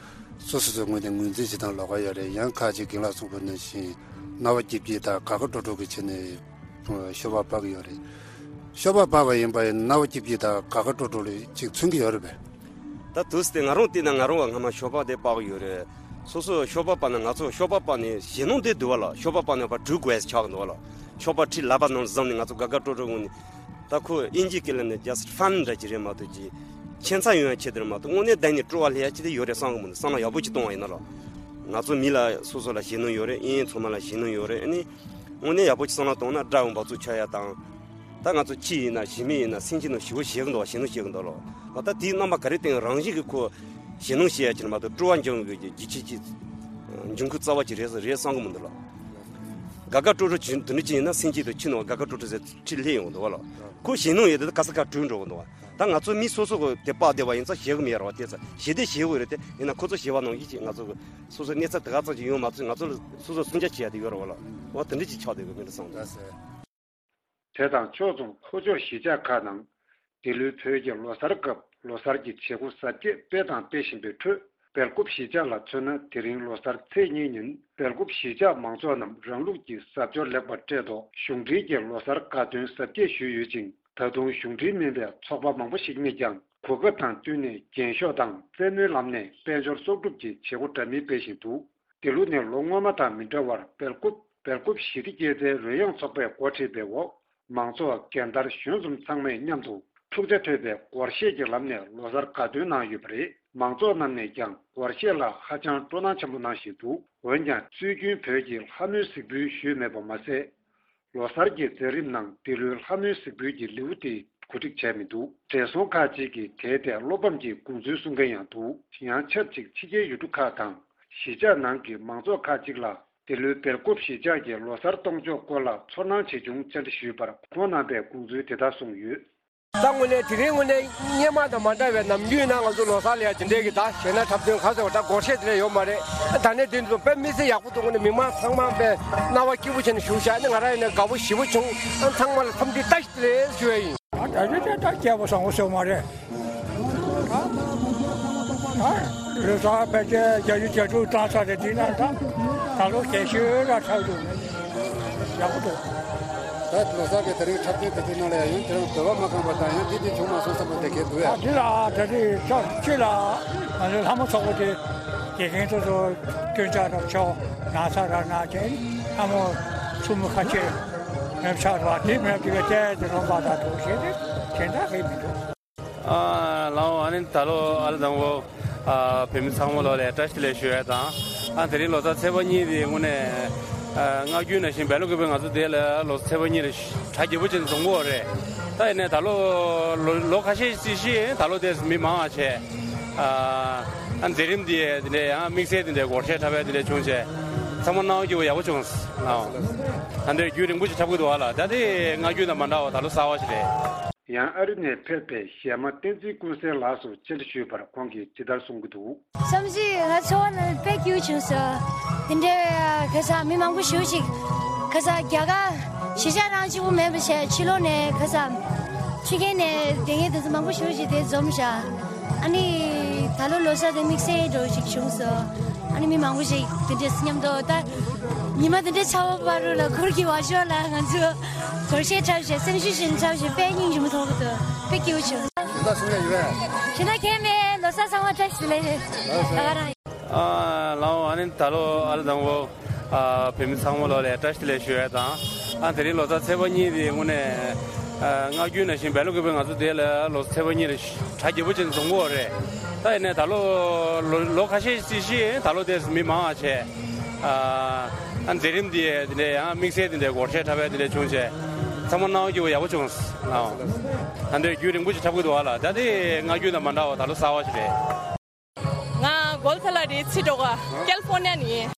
སོ་སོ་སོའི་ངོས་ནས་ངོས་འཛིན་བྱེད་སྟངས་ལོགས་ཀ་ཡོད་རེད། ཡང་ཁ་ཅིག་རྒན་ལགས་གསུངས་པ་ནང་བཞིན་རྣ་བ་སྐྱིད་སྐྱིད་དང་དགའ་དགའ་སྤྲོ་སྤྲོ་གི་ཆེད་ནས་ཤོ་སྦག་སྤར་གི་ཡོད་རེད། ཤོ་སྦག་སྤར་བ་ཡིན་པ་ཡིན་རྣ་བ་སྐྱིད་སྐྱིད་དང་དགའ་དགའ་སྤྲོ་སྤྲོ་ལ་ཅིག་མཚོན་གྱི་ཡོད་རེད་པས། ད་དུས་དེ་ང་རང་བལྟས་ན་ང་རང་བ་སྔ་མ་ཤོ་སྦག་དེ་སྤར་གི་ཡོད་རེད། སོ་སོ་ཤོ་སྦག་སྤར་ན་ང་ཚོ་ཤོ་སྦག་སྤར་ནས་ཞེད་སྣང་དེ་འདུག་བ་ལ། ཤོ་སྦག་སྤར་ནས་བ་འགྲུལ་དགོས་ཆགས་གི་འདུག་བ་ལ། ཤོ་སྦག་ཁྲི་ལག་པ་ནང་བཟུང་ནས་ང་ཚོ་དགའ་དགའ་སྤྲོ་སྤྲོ་ངང་ནས། ད་ཁོ་དབྱིན་ཇིའི་སྐད་ལ་ནི་just fun འདྲ་ཅིག་རེད་མ་གཏོགས་ཅིག་ཁྱད་མཚར་ཡོང་ཡ་ཆེད་དུ་རེད་མ་གཏོགས་དངོས་གནས་བསྡད་ནས་སྤྲོ་བ་སླེབས་ཡ་ཅིག་དེ་ཡོད་རེད་བསམ་གི་མི་འདུག་བསམ་བློ་ཡག་པོ་ཅིག་གཏོང་བ་ཡིན་ན་ལ། ང་ཚོ་མི་ལ་སོ་སོ་ལ་ཞེད་སྣང་ཡོད་རེད། ཨིན་ཨིན་ཚང་མ་ལ་ཞེད་སྣང་ཡོད་རེད། ཨ་ནི་དངོས་གནས་ཡག་པོ་ཅིག་བསམ་བློ་གཏོང་ན་དགྲ་བོ་འབག་བཙོག་ཆགས་ཡ་དང་། ད་ང་ཚོ་ཁྱི་ཡིན་ན་ཞི་མི་ཡིན་ན་སེམས་ཅན་ནང་ཞི་བོ་ཞེད་གི་འདུག་བ། ཞེད་སྣང་ཞེད་གི་འདུག་ལོ། ད་དེའི་རྣམ་པ་ག་རེ་བསྟན་རང་བཞིན་གྱི་ཁོ་ཞེད་སྣང་ཞེད་ཡ་ཅིག་མ་གཏོགས་སྤྲོ་བ་འབྱུང་གི་རྒྱུ་ཆ་ཅིག་འབྱུང་ཁུངས་རྩ་བ་ཅིག་རེད་རེད་བསམ་གི་མི་འདུག་ལོ། དགའ་དགའ་སྤྲོ་སྤྲོ་ཅིག་དེ་འདྲ་ཅིག་ཡིན་ན་སེམས་ཅན་དང་ཁྱི་ནང་དགའ་དགའ་སྤྲོ་སྤྲོ་ཟེར་ཁྲིད་སླེབས་ཡོང་གི་འདུག་བ་ལོ། ཁོ་ཞེད་སྣང་ཡོད་དེ་ག་ས་ག་བྲོས་འགྲོ་གི་འདུག་བ། ད་ང་ཚོ་མི་སོ་སོ་གི་དེ་སྤར་བསྡད་པ་ཡིན་ཙང་ཞེད་གི་མེད་ར་བ། དེ་ཚ་ཞེད་དེ་ཞེད་གི་རེད་དེ་ཡིན་ན་ཁོ་ཚོ་ཞེད་པ་ནང་བཞིན་ཅིག་ང་ཚོ་གི་སོ་སོ་གནས་ཚད་དེ་ག་ཙམ་ཅིག་ཡོང་མ་ཚོད་ང་ཚོ་ལ་སོ་སོ་སུན་ཆ་བྱེད་ཡ་དེ་ཡོད་ར་བ་ལོ། བ་དེ་འདྲ་ཅིག་ཆགས་བསྡད་གི་མི་འདུག་བསམ་གི་འདུག་དེ་དང་ཕྱོགས་མཚུངས་ལྷོ་ཕྱོགས་གཞིས་ཆགས་ཁག་ནང་འདི་ལོའི་བོད་ཀྱི་ལོ་གསར་སྐབས་ལོ་གསར་གྱི་བྱེད་སྒོ་གཟབ་རྒྱས་སྤེལ་དང་སྤེལ་བཞིན་པའི་ཁྲོད། སྦེལ་ཀོབ་གཞིས་ཆགས་ལ་མཚོན་ན། དེ་རིང་ལོ་གསར་ཚེས་གཉིས་ཉིན་སྦེལ་ཀོབ་གཞིས་ཆགས་མང་ཚོགས་རྣམས་རང་ལུགས་ཀྱི་གཟབ་མཆོར་ལེགས་པར་སྤྲས་ཐོག་གཞུང་འབྲེལ་གྱི་ལོ་གསར་དགའ་སྟོན་གཟབ་རྒྱས་ཞུས་ཡོད་ཅིང་། ད་དུང་གཞུང་འབྲེལ་མིན་པའི་ཚོགས་པ་མང་པོ་ཞིག་ནས་ཀྱང་གོ་སྐབས་དང་བསྟུན་ནས་རྒྱན་ཤོག་དང་རྩེད་མོའི་ལམ་ནས་དཔལ་འབྱོར་གསོག་སྒྲུབ་ཀྱི་བྱེད་སྒོ་འདྲ་མིན་སྤེལ་བཞིན་འདུག་འདི་ལོ་ནི་ལོ་སྔོན་མ་དང་མི་འདྲ་བར་སྦེལ་ཀོབ་སྦེལ་ཀོབ་ཞི་བདེ་སྐྱེད་ཚལ་རོལ་དབྱངས་ཚོགས་པས་འགོ་ཁྲིད་པའི་འོག་མང་ཚོགས་རྒན་དར་གཞོན་གསུམ་ཚང་མས་མཉམ་དུ་འཁྲུག་ཆ་དོད་པའི་སྒོར་གཞས་ཀྱི་ལམ་ནས་ལོ་གསར་དགའ་སྟོན་གནང་ཡོད་པ་རེད། མང་ཚོགས་རྣམས་ནས་ཀྱང་སྒོར་གཞས་ལ་ཧ་ཅང་སྤྲོ་སྣང་ཆེན་པོ་གནང་བཞིན་འདུག་འོན་ཀྱང་སྲོལ་རྒྱུན་བོད་ཀྱི་ལྷ་མོའི་གཟིགས་འབུལ་ཞུས་མེད་པ་མ་ཟད། ལོ་གསར་གྱི་མཛད་རིམ་ནང་འདི་ལོའི་ལྷ་མོའི་གཟིགས་འབུལ་གྱི་ལེའུ་དེ་གོ་སྒྲིག་བྱས་མི་འདུག་བགྲེས་སོང་ཁག་ཅིག་གིས་དེའི་ཐད་བློ་ཕམ་གྱི་དགོངས་ཚུལ་གསུང་མཁན་ཡང་འདུག་ཡང་ཆབས་ཅིག་ཕྱི་རྒྱལ་ཡུལ་གྲུ་ཁག་དང་གཞིས་ཆགས་ནང་གི་མང་ཚོགས་ཁག་ཅིག་ལ་འདི་ལོའི་སྦེལ་ཀོབ་གཞིས་ཆགས་ཀྱི་ལོ་གསར་གཏོང་ཕྱོགས་སྐོར་ལ་ཚོར་སྣང་ཇི་བྱུང་བཅར་འདྲི་ཞུས་པར་ཁོང་རྣམ་པས་དགོངས་ཚུལ་དེ་ལྟར་གསུངས་ཡོད། ད་དངོས་གནས་དེ་རིང་དངོས་གནས་སྔོན་མ་དང་མ་འདྲ་བའི་ནམ་རྒྱུན་ན་ང་ཚོ་ལོ་གསར་ལ་ཡ་དེ་འདྲའི་གི་ད་ཞེད་སྣང་འཁྲབ་སྟོན་ག་ཟེར་བ་ད་སྒོར་གཞས་དེ་འདྲ་ཡོད་མ་རེད། ད་ནས་དེ་ཚོ་དཔེ་མི་སྲིད་ཡག་པོ་འདུག་དངོས་གནས་མི་མང་ཚང་མ་དཔེ་རྣ་བ་སྐྱིད་པོ་བྱས་ནས་བཞུགས་ཤག་ཨ་ནི་ང་རང་ཡིན་ན་དགའ་པོ་ཞེ་པོ་བྱུང་། ཨ་ཚང་མ་ལ་འཚམས་འདྲི་བཀྲ་ཤིས་བདེ་ལེགས་ཞུ་ཡ་ཡིན། ད་ད་ད་ད་སྐྱེས་པ་བཟང་པོ་ཟེར་བ་མ་རེད། ད་ལོ་གསར་ཕལ་ཆེར་བརྒྱད་ཅུ་གྱ་དྲུག་བཏང་ཚར་རེད། དེ་ན་ད་ད་ལོ་རྒྱལ་ཤོས་ལ་འཁྲབ་འདུག་ཡག་པོ་འདུག་ད་ལོ་གསར་གྱི་དེ་རིང་འཁྲབ་སྟོན་དེ་ཚོའི་ནང་ལ་ཡང་ཡུན་དེ་རིང་འདོད་པ་མ་ཁེངས་པ་དང་ཡང་འདི་འདི་བྱུང་མ་སོང་བསམ་པ་དེ་གས་འདུག་ཨ། ཨ་འདི་ལ་ད་རེས་ཆ་ཁྱེད་ལ་ང་ཚོའི་ལྷ་མོ་ཚོགས་པ་དེ་དགེ་རྒན་ཚོ་ཚོ་སྐྱོན་ཆ་རག་ཆོག་ན་ཚ་རག་ན་ཅན་ལྷ་མོ་ཚུགས་མི་ཁ་ཆེ་མེད་ཆགས་རོགས་དེ་མེད་དེ་བས་བལྟས་དེ་རོགས་པ་དང་འགྲོ་ཞེས་དེ་གཞན་དག་གིས་མི་འདུག་ཨ་ལའོ། ཨ་ནི་ད་ལོ་ཨ་ལ་དང་པོ་ཨ་བོད་མི་ཚང་མ་ལོ་ལ་བཀྲ་ཤིས་བདེ་ལེགས་ཞུ་ཡ་དང་། ཨ་དེ་རིང་ལོ་གསར་ཚེས་པ་གཉིས་དེ་དངོས་གནས་ ཨ། སྔ་རྒྱུན་ནང་བཞིན་བལ་ལོ་དགུ་པའི་ང་ཚོ་དེ་ལ་ལོ་ཚེས་པ་གཉིས་ལ་གྲ་རྒྱས་པོ་ཅན་འཛོམས་ཀྱི་ཡོད་རེད། ད་ཡིན་ནའི་ད་ལོ་ལོ་ལོ་ཁ་ཤས་ཤིག་ད་ལོ་དེ་མི་མང་བ་བྱས། ཨ། ཨ། མཛད་རིམ་འདི་དེ་འདྲའི་ཡང་དམིགས་བསལ་དེ་འདྲའི་སྒོར་གཞས་འཁྲབ་པ་དེ་འདྲ་བྱུང་བྱས། ཚང་མ་སྣང་བ་སྐྱིད་པོ་ཡག་པོ་བྱུང་སོང་། ཨ། ད་འདིར་རྒྱུན་རིང་པོ་ཞིག་འཁྲབ་ཀྱི་འདུག་བ་ལ། ད་དེ་སྔ་རྒྱུན་དང་མ་འདྲ་བ་ད་ལོ་གསར་པ་ཞིག་རེད། ཡང་ཨ་རི་ནས་ཕེབས་པའི་གཞས་མ་བསྟན་འཛིན་ཀུན་གསལ་ལགས་སུ་བཅར་འདྲི་ཞུས་པར་ཁོང་གིས་ཇི་ལྟར་གསུང་གི་འདུག། བསམ་གཞིག་ང་ཚོ་བ་ནི་དཔེ་སྐྱིད་བྱུང་སོང་། དེ་འདྲའི་ཁ་སང་མི་མང་པོ་ཞེ་པོ་ཅིག་ཁ་སང་རྒྱ་གར་གཞིས་ཆགས་རང་གཅིག་པུ་མེད་པ་བྱས་ཕྱི་ལོགས་ནས་ཁ་སང་ཕྱི་རྒྱལ་ནས་དེ་ངས་དེ་ཚོ་མང་པོ་ཞེ་པོ་ཅིག་དེ་འཛོམས་ཤག། ཨ་ནི་ད་ལོ་ལོ་གསར་དེ་དམིགས་བསལ་འདྲ་བོ་ཞིག་བྱུང་སོང་། ཨ་ནི་མི་མང་པོ་ཞིག་དེ་འདྲས་མཉམ་དུ་ད་ཉི་མ་དེ་འདྲས་ཚ་བ་བར་དུ་ལ་གུར་གྱི་བར་ཤོག་ལ་ང་ཚོ་སྒོར་གཞས་འཁྲབ་བྱས་སེམས་ཤུགས་ཤིག་འཁྲབ་བྱས་དཔེ་སྙིང་རྗེ་མོ་མཐོང་གི་འདུག། དཔེ་སྐྱིད་པོ་བྱུང་། གཞན་དག་གསུང་ཡ་ཡོད་པས། གཞན་དག་གང་ཡང་མེད། ལོ་གསར་ཚང་མ་བཀྲ་ཤིས་བདེ་ལེགས། ལོ་གསར། ད་ག་རང་། ཨ། ལགས་འོ། ཨ་ནི་ད་ལོ་ཨ་རི་དང་པོ། ཨ། བོད་མི་ཚང་མ་ལོ་ལ་བཀྲ་ཤིས་བདེ་ལེགས་ཞུ་ཡ་དང་། ཨ། དེ་རིང་ལོ་གསར་ཚེས་པ་གཉིས་དེ་དངོས་གནས། ཨ། སྔ་རྒྱུན་ནང་བཞིན་བལ་ལོ་དགུ་པའི་ང་ཚོ་དེ་ལ་ལོ་ཚེས་པ་གཉིས་ལ་གྲ་རྒྱས་པོ་ཅན་འཛོམས་ཀྱི་ཡོད་རེད། ད་ཡིན་ནའི་ད་ལོ་ལོ་ལོ་ཁ་ཤས་ཤིག་ད་ལོ་དེ་མི་མང་བ་བྱས། ཨ། ཨ། མཛད་རིམ་འདི་དེ་འདྲའི་ཡང་དམིགས་བསལ་དེ་འདྲའི་སྒོར་གཞས་འཁྲབ་པ་དེ་འདྲ་བྱུང་བྱས། ཚང་མ་སྣང་བ་སྐྱིད་པོ་ཡག་པོ་བྱུང་སོང་། ཨ། ད་འདིར་རྒྱུན་རིང་པོ་ཞིག་འཁྲབ་ཀྱི་འདུག་བ་ལ། ད་དེ་སྔ་རྒྱུན་དང་མ་འདྲ་བ་ད་ལོ་གསར་པ་ཞིག་རེད། ང་གོལ་ཐ་ལ་རི་ཚི་ཏྲོ་ག་ཀལ་ཧྥོ་ནི་ཡ་ནས་ཡིན།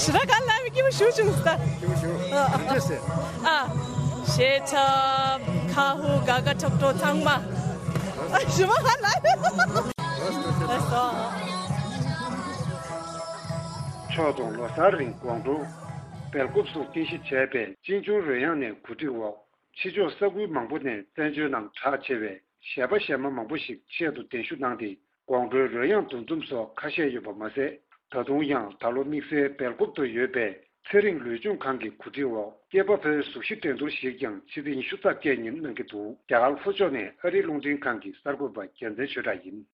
ཞི་ར་ག་ལ་མི་སྐྱིད་པོ་ཞུ་བྱུང་ས། སྐྱིད་པོ་ཞུ། ཨ། གང་འདྲ་ཟེར། ཨ། གཞས་འཁྲབ། ཁ་ཧུ་ག་ག་ཁྲོག་ཁྲོག་ཚང་མ། ཨ། ཞི་མ་ག་ལ། ཕྱོགས་དང་ལོ་གསར་རིང་དགོང་དྲོ་སྦེལ་ཀོབ་སུ་རྟེན་གཞི་བྱས་པའི་ཅིན་ཅུང་རོལ་དབྱངས་ནས་གོ་སྒྲིག་འོག་ཕྱི་ཕྱོགས་ས་ཁུལ་མང་པོ་ནས་བཙན་བྱོལ་ནང་གྲགས་ཆེ་བའི་གཞས་པ་གཞས་མ་མང་པོ་ཞིག་ཆེད་དུ་གདན་ཞུ་གནང་སྟེ། དགོང་དྲོའི་རོལ་དབྱངས་འདུ་འཛོམས་སོགས་ཁ་ཤས་ཡོད་པ་མ་ཟད། ད་དུང་ཡང་ད་ལོ་དམིགས་བསལ་སྦེལ་ཀོབ་ཏུ་ཡོད་པའི་ཚེ་རིང་ལུས་སྦྱོང་ཁང་གི་གོ་སྒྲིག་འོག་སྐྱེས་པ་ཕོའི་གཟུགས་གཞི་འགྲན་བསྡུར་ཞིག་ཀྱང་ཕྱི་ཚེས་ཉི་ཤུ་རྩ་བརྒྱད་ཉིན་གནང་གི་འདུག། རྒྱ་གར་ལྷོ་ཕྱོགས་ནས་ཨ་རིའི་རླུང་འཕྲིན་ཁང་གི་གསར་འགོད་པ་རྒྱལ་མཚན་ཆོས་གྲགས་ཡིན།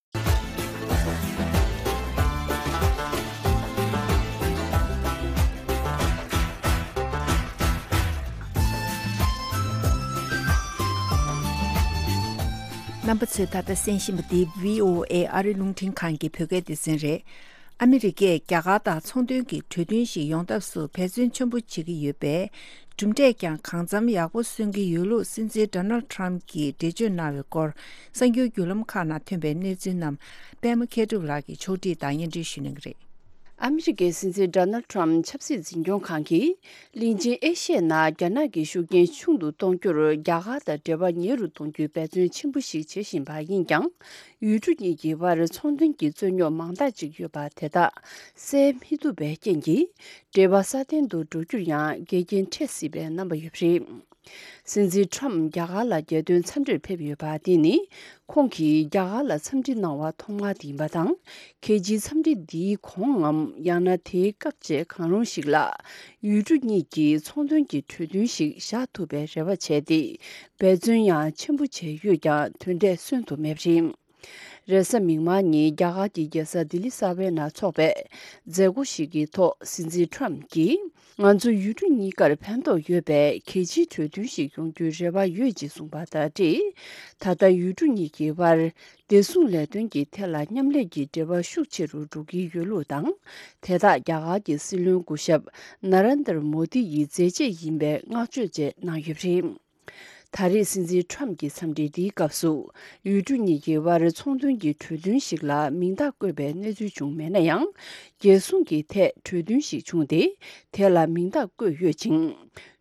རྣམ་པ་ཚོས་ད་ལྟ་གསན་བཞིན་པ་འདི་བྷི་ཨོ་ཨེ་ཨ་རིའི་རླུང་འཕྲིན་ཁང་གི་བོད་སྐད་སྡེ་ཚན་རེད། ཨ་མི་རི་ཀས་རྒྱ་གར་དང་ཚོང་དོན་གྱི་གྲོས་མཐུན་ཞིག་ཡོང་ཐབས་སུ་འབད་བརྩོན་ཆེན་པོ་བྱེད་ཀྱི་ཡོད་པས། གྲུབ་འབྲས་ཀྱང་གང་འཚམ་ཡག་པོ་སོན་གྱི་ཡོད་ལུགས་སྲིད་འཛིན་ཌོ་ནལ་ཊམ་གྱིས་འགྲེལ་བརྗོད་གནང་བའི་སྐོར། གསར་འགྱུར་བརྒྱུད་ལམ་ཁག་ནང་ཐོན་པའི་གནས་ཚུལ་རྣམས་པད་མ་མཁས་གྲུབ་ལགས་ཀྱིས་ཕྱོགས་སྒྲིག་དང་སྙན་སྒྲོན་ཞུ་གནང་གི་རེད། ཨ་མི་རི་ཀའི་སྲིད་འཛིན་ཌོ་ནལ་ཊམ་ཆབ་སྲིད་འཛིན་སྐྱོང་ཁང་གིས། གླིང་ཆེན་ཨེ་ཤི་ཡའི་ནང་རྒྱ་ནག་གི་ཤུགས་རྐྱེན་ཆུང་དུ་གཏོང་རྒྱུར་རྒྱ་གར་དང་འབྲེལ་བ་ཉེ་རུ་གཏོང་རྒྱུའི་འབད་བརྩོན་ཆེན་པོ་ཞིག་བྱེད་བཞིན་པ་ཡིན་ཀྱང་། ཡུལ་གྲུ་གཉིས་ཀྱི་དབར་ཚོང་དོན་གྱི་རྩོད་རྙོག་མང་དག་ཅིག་ཡོད་པ་དེ་དག་སེལ་མི་ཐུབ་པའི་རྐྱེན་གྱིས། འབྲེལ་བ་སྲ་བརྟན་དུ་འགྲོ་རྒྱུར་ཡང་འགལ་རྐྱེན་འཕྲད་སྲིད་པའི་རྣམ་པ་ཡོད་པ་རེད། སྲིད་འཛིན་ཊམ་རྒྱ་གར་ལ་རྒྱལ་དོན་འཚམས་འདྲིར་ཕེབས་ཡོད་པ་འདི་ནི། ཁོང་གིས་རྒྱ་གར་ལ་འཚམས་འདྲི་གནང་བ་ཐོག་མ་དེ་ཡིན་པ་དང་། རྒྱལ་སྤྱིའི་འཚམས་འདྲི་འདིའི་གོང་ངམ། ཡང་ན་དེའི་སྐབས་བཅས་གང་རུང་ཞིག་ལ། ཡུལ་གྲུ་གཉིས་ཀྱིས་ཚོང་དོན་གྱི་གྲོས་མཐུན་ཞིག་བཞག་ཐུབ་པའི་རེ་བ་བྱས་ཏེ། འབད་བརྩོན་ཡང་ཆེན་པོ་བྱས་ཡོད་ཀྱང་། དོན་འབྲས་སོན་ཐུབ་མེད་པ་རེད། རེས་གཟའ་མིག་དམར་ཉིན་རྒྱ་གར་གྱི་རྒྱལ་ས་ལྡི་ལི་གསར་པའི་ནང་འཚོགས་པའི་མཛད་སྒོ་ཞིག་གི་ཐོག་སྲིད་འཛིན་ཊམ་གྱིས། ང་ཚོ་ཡུལ་གྲུ་གཉིས་ཀར་ཕན་ཐོགས་ཡོད་པའི་གལ་ཆེའི་གྲོས་མཐུན་ཞིག་ཡོང་རྒྱུའི་རེ་བ་ཡོད་ཅེས་གསུངས་པ་དང་འབྲེལ། ད་ལྟ་ཡུལ་གྲུ་གཉིས་ཀྱི་དབར་བདེ་སྲུང་ལས་དོན་གྱི་ཐད་ལ་མཉམ་ལས་ཀྱི་འབྲེལ་བ་ཤུགས་ཆེ་རུ་འགྲོ་གི་ཡོད་ལུགས་དང་། དེ་དག་རྒྱ་གར་གྱི་སྲིད་བློན་སྐུ་ཞབས་ན་རེན་དར་མོ་དི་ཡི་མཛད་རྗེས་ཡིན་པའི་བསྔགས་བརྗོད་བཅས་གནང་ཡོད་པ་རེད། ད་རེས་སྲིད་འཛིན་ཊམ་གྱི་འཚམས་འདྲི་འདིའི་སྐབས་སུ། ཡུལ་གྲུ་གཉིས་ཀྱི་དབར་ཚོང་དོན་གྱི་གྲོས་མཐུན་ཞིག་ལ་མིང་རྟགས་བཀོད་པའི་གནས་ཚུལ་བྱུང་མེད་ན་ཡང་། རྒྱལ་སྲུང་གི་ཐད་གྲོས་མཐུན་ཞིག་བྱུང་སྟེ། དེ་ལ་མིང་རྟགས་བཀོད་ཡོད་ཅིང་།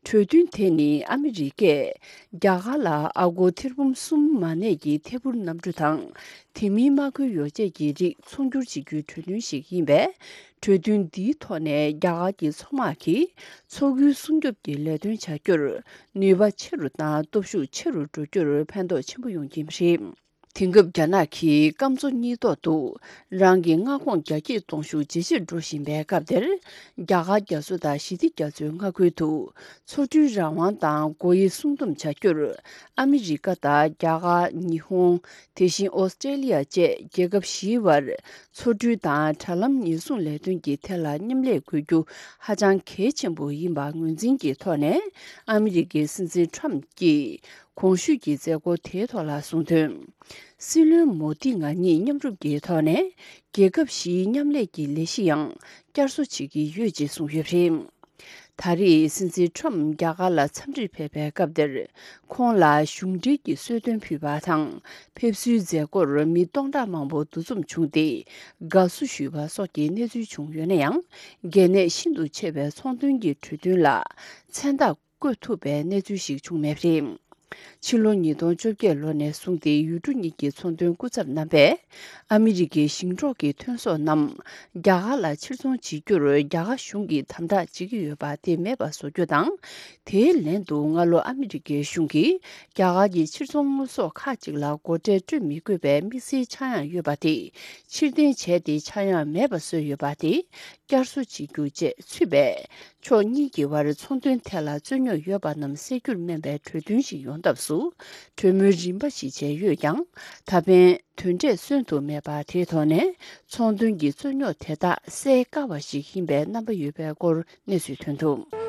གྲོས་མཐུན་དེ་ནི་ཨ་མི་རི་ཀས་རྒྱ་གར་ལ་ཨ་སྒོར་ཐེར་འབུམ་གསུམ་མ་གནས་ཀྱི་ཐད་འཕུར་གནམ་གྲུ་དང་། དེ་མིན་དམག་མཁོའི་ཡོ་བྱད་ཀྱི་རིགས་ཚོང་སྒྱུར་བྱེད་རྒྱུའི་གྲོས་མཐུན་ཞིག་ཡིན་པས། གྲོས་མཐུན་འདིའི་ཐོག་ནས་རྒྱ་གར་གྱི་མཚོ་དམག་གིས་མཚོ་ཁུལ་སྲུང་སྐྱོབ་ཀྱི་ལས་དོན་བྱ་རྒྱུར་ནུས་པ་ཆེ་རུ་དང་སྟོབས་ཤུགས་ཆེ་རུ་འགྲོ་རྒྱུར་ཕན་ཐོགས་ཆེན་པོ་ཡོང་གི་རེད། དེང་སྐབས་རྒྱ་ནག་གིས་སྐམ་མཚོ་གཉིས་ཐོག་ཏུ་རང་གི་མངའ་ཁོངས་རྒྱ་སྐྱེད་གཏོང་ཤུགས་ཇེ་ཆེར་འགྲོ་བཞིན་པའི་སྐབས་དེར། རྒྱ་གར་རྒྱ་མཚོ་དང་ཞི་བདེ་རྒྱ་མཚོའི་མངའ་ཁུལ་དུ་མཚོ་གྲུའི་རང་དབང་དང་སྒོ་དབྱེ་སྲུང་སྡོམ་བྱ་རྒྱུར། ཨ་མི་རི་ཀ་དང་རྒྱ་གར། ཉི་ཧོང་། དེ་བཞིན་ཨོ་སི་ཀྲེ་ལི་ཡ་བཅས་རྒྱལ་ཁབ་བཞིའི་བར། མཚོ་གྲུ་དང་དྲ་ལམ་ཉེན་སྲུང་ལས་དོན་གྱི་ཐད་ལ་མཉམ་ལས་དགོས་རྒྱུ་ཧ་ཅང་གལ་ཆེན་པོ་ཡིན་པ་ངོས་འཛིན་གྱི་ཐོག་ནས། ཨ་མི་རི་ཀའི་སྲིད་འཛིན་ཊམ་གྱིས་གོང་ཞུས་ཀྱི་མཛད་སྒོ་དེའི་ཐོག་ལ་གསུངས་དོན། སྲིད་བློན་མོ་དི་ང་གཉིས་མཉམ་རུབ་ཀྱི་ཐོག་ནས་རྒྱལ་ཁབ་བཞིའི་མཉམ་ལས་ཀྱི་ལས་གཞི་ཡང་བསྐྱར་གསོ་བྱེད་ཀྱི་ཡོད་ཅེས་གསུངས་ཡོད་པ་རེད། ད་རེས་སྲིད་འཛིན་ཁྲོམ་རྒྱ་གར་ལ་འཚམས་འདྲིར་ཕེབས་པའི་སྐབས་དེར། ཁོང་ལ་གཞུང་འབྲེལ་གྱི་གསོལ་སྟོན་ཕུལ་བ་དང་། ཕེབས་བསུའི་མཛད་སྒོར་མི་སྟོང་ཕྲག་མང་པོ་འདུ་འཛོམས་བྱུང་སྟེ། དགའ་བསུ་ཞུས་པ་སོགས་ཀྱི་གནས་ཚུལ་བྱུང་ཡོད་ན་ཡང་། གལ་གནད་ཤིན་ཏུ་ཆེ་བའི་ཚོང་དོན་གྱི་གྲོས་མཐུན་ལ་མཚན་རྟགས་བཀོད་ཐུབ་པའི་གནས་ཚུལ་ཞིག་བྱུང་མེད་པ་རེད། ཕྱི་ལོ་ཉིས་སྟོང་བཅོ་བརྒྱད་ལོ་ནས་བཟུང་སྟེ་ཡུལ་གྲུ་གཉིས་ཀྱི་ཚོང་དོན་སྐུ་ཚབ་རྣམ་པས། ཨ་མི་རི་ཀའི་ཞིང་འབྲོག་གི་ཐོན་ཟོག་རྣམས་རྒྱ་གར་ལ་ཕྱིར་ཚོང་བྱེད་རྒྱུར་རྒྱ་གར་གཞུང་གིས་དམ་དྲག་བྱེད་ཀྱི་ཡོད་པ་དེ་མེད་པ་བཟོ་རྒྱུ་དང་། དེའི་ལན་དུ་སྔ་ལོ་ཨ་མི་རི་ཀའི་གཞུང་གིས་རྒྱ་གར་གྱི་ཕྱིར་ཚོང་དངོས་ཟོག་ཁག་ཅིག་ལ་སྒོ་ཁྲལ་སྤྲོད་མི་དགོས་པའི་དམིགས་བསལ་ཆག་ཡང་ཡོད་པ་དེ་ཕྱིར་འཐེན་བྱས་ཏེ་ཆག་ཡང་མེད་པ་བཟོས་ཡོད་པ་དེ་བསྐྱར་གསོ་བྱེད་རྒྱུ་བཅས་ཚུད་པས། ཕྱོགས་གཉིས་ཀྱི་དབར་ཚོང་དོན་ཐད་ལ་རྩོད་རྙོག་ཡོད་པ་རྣམས་སེལ་རྒྱུར་སྨན་པའི་གྲོས་མཐུན་ཞིག་ཡོང་ཐབས་སུ། གྲོས་མོལ་རིམ་པ་ཞིག་བྱས་ཡོད་ཀྱང་། ད་ཕན་དོན་འབྲས་སོན་ཐུབ་མེད་པ་དེའི་ཐོག་ནས། ཚོང་དོན་གྱི་རྩོད་རྙོག་དེ་དག་སེལ་དཀའ་བ་ཞིག་ཡིན་པའི་རྣམ་པ་ཡོད་པའི་སྐོར་གནས་ཚུལ་ཐོན་འདུག་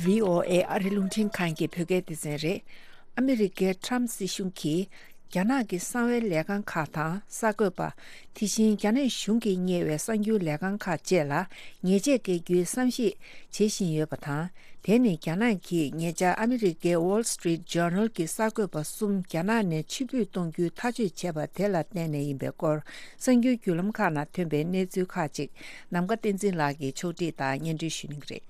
བྷི་ཨོ་ཨེ་ཨ་རི་རླུང་འཕྲིན་ཁང་གི་བོད་སྐད་སྡེ་ཚན་རེད། ཨ་མི་རི་ཀའི་ཁྲམ་སྲིད་གཞུང་གིས། རྒྱ་ནག་གི་གསང་བའི་ལས་ཁང་ཁག་དང་གསར་འགོད་པ། དེ་བཞིན་རྒྱ་ནག་གཞུང་གིས་གཉེར་བའི་གསར་འགྱུར་ལས་ཁང་ཁག་བཅས་ལ་ཉེས་ཆད་འགེལ་རྒྱུའི་བསམ་གཞིག་བྱེད་བཞིན་ཡོད་པ་དང་། དེ་ནི་རྒྱ་ནག་གིས་ཉེ་ཆར་ཨ་མི་རི་ཀའི་Wall Street Journal་གྱི་གསར་འགོད་པ་གསུམ་རྒྱ་ནག་ནས་ཕྱིར་འབུད་གཏོང་རྒྱུའི་ཐག་གཅོད་བྱས་པ་དེ་ལ་བརྟེན་ནས་ཡིན་པའི་སྐོར། གསར་འགྱུར་བརྒྱུད་ལམ་ཁག་ནང་ཐོན་པའི་གནས་ཚུལ་ཁག་ཅིག་ནམ་མཁའ་བསྟན་འཛིན་ལགས་ཀྱིས་ཕྱོགས་སྒྲིག་དང་སྙན་སྒྲོན་ཞུ་གནང་གི་རེད།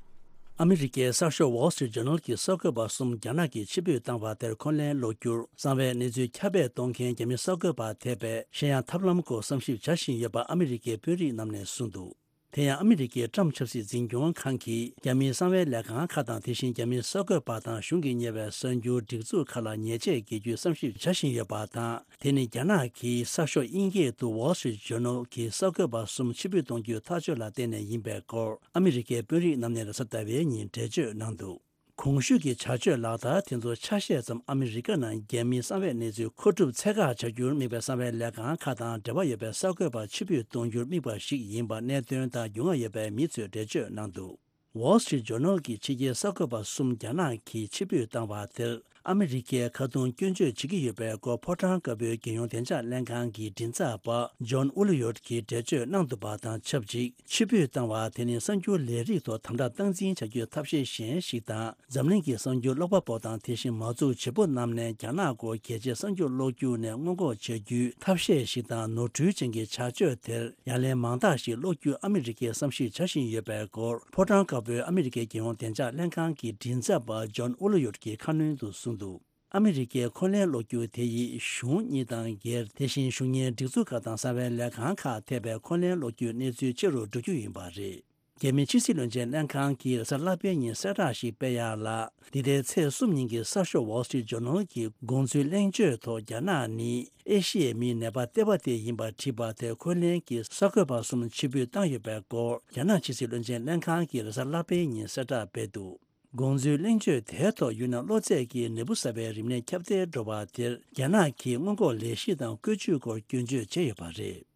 ཨ་མི་རི་ཀའི་གསར་ཤོག་Wall Street Journal་གྱི་གསར་འགོད་པ་གསུམ་རྒྱ་ནག་གིས་ཕྱིར་འབུད་བཏང་བ་དེར་འཁོན་ལན་སློག་རྒྱུར་གསང་བའི་གནས་ཚུལ་ཁྱབ་སྤེལ་གཏོང་མཁན་རྒྱ་མི་གསར་འགོད་པ་ཐེ་པས་གཞན་ཡང་ཐབས་ལམ་སྐོར་བསམ་ཞིབ་བྱ་བཞིན་ཡོད་པ་ཨ་མི་རི་ཀའི་དཔོན་རིགས་རྣམས་ནས་གསུངས་འདུག་དེ་ཡང་ཨ་མི་རི་ཀའི་ཀྲམ་ཆབ་སྲིད་འཛིན་སྐྱོང་ཁང་གིས་རྒྱ་མིའི་གསང་བའི་ལས་ཁང་ཁག་དང་། དེ་བཞིན་རྒྱ་མིའི་གསར་འགོད་པ་དང་གཞུང་གིས་གཉེར་བའི་གསར་འགྱུར་སྒྲིག་འཛུགས་ཁག་ལ་ཉེས་ཆད་འགེལ་རྒྱུའི་བསམ་ཞིབ་བྱ་བཞིན་ཡོད་པ་དང་། དེ་ནི་རྒྱ་ནག་གིས་གསར་ཤོག་དབྱིན་སྐད་དུ་Wall Street Journal་གྱི་གསར་འགོད་པ་གསུམ་ཕྱིར་འབུད་གཏོང་རྒྱུའི་ཐག་གཅོད་ལ་བརྟེན་ནས་ཡིན་པའི་སྐོར་ཨ་མི་རི་ཀའི་དཔོན་རིགས་རྣམས་ནས་རེས་གཟའ་ཟླ་བའི་ཉིན་འགྲེལ་བརྗོད་གནང་འདུག་གོང་ཞུས་ཀྱི་བྱ་སྤྱོད་ལག་བསྟར་དེ་ཚོ་ཆ་ཤས་ཙམ་ཨ་མི་རི་ཀ་ནང་རྒྱ་མིའི་གསང་བའི་གནས་ཚུལ་མཁོ་སྒྲུབ་ཚད་བཀག་བྱ་རྒྱུར་དམིགས་པའི་གསང་བའི་ལས་ཁང་ཁག་དང་འབྲེལ་བ་ཡོད་པའི་གསར་འགོད་པ་ཕྱིར་འབུད་གཏོང་རྒྱུར་དམིགས་པ་ཞིག་ཡིན་པ་གནད་དོན་དང་རྒྱུས་མངའ་ཡོད་པའི་མི་ཚོས་འགྲེལ་བརྗོད་གནང་འདུག Wall Street Journal་གྱི་ཕྱི་རྒྱལ་གསར་འགོད་པ་གསུམ་རྒྱ་ནག་གིས་ཕྱིར་འབུད་བཏང་བ་དེར། ཨ་མི་རི་ཀས་ཁ་རྡུང་སྐྱོན་བརྗོད་བྱེད་ཀྱི་ཡོད་པའི་སྐོར་ཕོ་བྲང་དཀར་པོའི་རྒྱལ་ཡོངས་བདེ་འཇགས་ལྷན་ཁང་གི་མགྲིན་ཚབ་པ་ཇོན་ཨུ་ལི་ཡོད་ཀྱིས་འགྲེལ་བརྗོད་གནང་འདུག་པ་དང་ཆབས་ཅིག་ཕྱིར་འབུད་བཏང་བ་དེ་ནི་གསར་འགྱུར་ལས་རིགས་ཐོག་དམ་དྲག་སྟངས་འཛིན་བྱ་རྒྱུའི་ཐབས་ཤེས་གཞན་ཞིག་དང་། འཛམ་གླིང་གི་གསར་འགྱུར་ཀློག་པ་པོ་དང་དེ་བཞིན་མ་འཛུགས་བྱེད་པོ་རྣམས་ནས་རྒྱ་ནག་སྐོར་གལ་ཆེའི་གསར་འགྱུར་ཀློག་རྒྱུ་ནས་སྔོན་འགོག་བྱ་རྒྱུའི་ཐབས་ཤེས་ཤིག་དང་། ནོར་འཁྲུལ་ཅན་གྱི་བྱ་སྤྱོད་དེར་ཡ་ལན་མང་དག་ཞིག་སློག་རྒྱུ་ཨ་མི་རི་ཀས་བསམ་གཞིག་བྱ་བཞིན་ཡོད་པའི་སྐོར་ཕོ་བྲང་དཀར་པོའི་ཨ་མི་རི་ཀའི་རྒྱལ་ཡོངས་བདེ་འཇགས་ལྷན་ཁང་གི་མགྲིན་ཚབ་པ་ཇོན་ཨུ་ལི་ཡོད་ཀྱིས་ཁ་སྣོན་དུ་གསུངས་འདུག་ཨ་མི་རི་ཀས་འཁོན་ལན་སློག་རྒྱུ་དེ་ཡིས་གཞུང་གཉིས་དང་སྒེར། དེ་བཞིན་གཞུང་གཉེར་སྒྲིག་འཛུགས་ཁག་དང་གསང་བའི་ལས་ཁང་ཁག་ཐེ་བའི་འཁོན་ལན་སློག་རྒྱུའི་གནས་ཚུལ་ཆེ་རུ་འགྲོ་རྒྱུ་ཡིན་པ་རེད། རྒྱ་མིའི་ཕྱི་སྲིད་བློན་ཆེན་ལྷན་ཁང་གིས་རེས་གཟའ་ལྷག་པའི་ཉིན་གསལ་བསྒྲགས་ཤིག་སྤེལ་ཡག་ལ། འདི་ཟླའི་ཚེས་གསུམ་ཉིན་གྱི་གསར་ཤོག་Wall Street Journal་གྱིས་དགོངས་ཚུལ་གླེང་བརྗོད་ཐོག་རྒྱ་ནག་ནི་ཨེ་ཤི་ཡའི་མིའི་ནད་པ་ལྟེ་བ་དེ་ཡིན་པར་བྲིས་པ་དེར་འཁོན་ལན་གྱིས་གསར་འགོད་པ་གསུམ་ཕྱིར་འབུད་བཏང་ཡོད་པའི་སྐོར་རྒྱ་ནག་ཕྱི་སྲིད་བློན་ཆེན་ལྷན་ཁང་གིས་རེས་གཟའ་ལྷག་པའི་ཉིན་གསལ་བསྒྲགས་སྤེལ་འདུག་དགོངས་ཚུལ་གླེང་བརྗོད་དེའི་ཐོག་ཡུལ་ནང་གློ་ཚད་ཀྱི་ནད་འབུ་གསར་པའི་རིམས་ནད་ཁྱབ་གདལ་འགྲོ་བ་དེར་རྒྱ་ནག་གིས་སྔོན་འགོག་ལས་གཞི་དང་བཀོད་ཇུས་སྐོར་སྐྱོན་བརྗོད་བྱས་ཡོད་པ་རེད།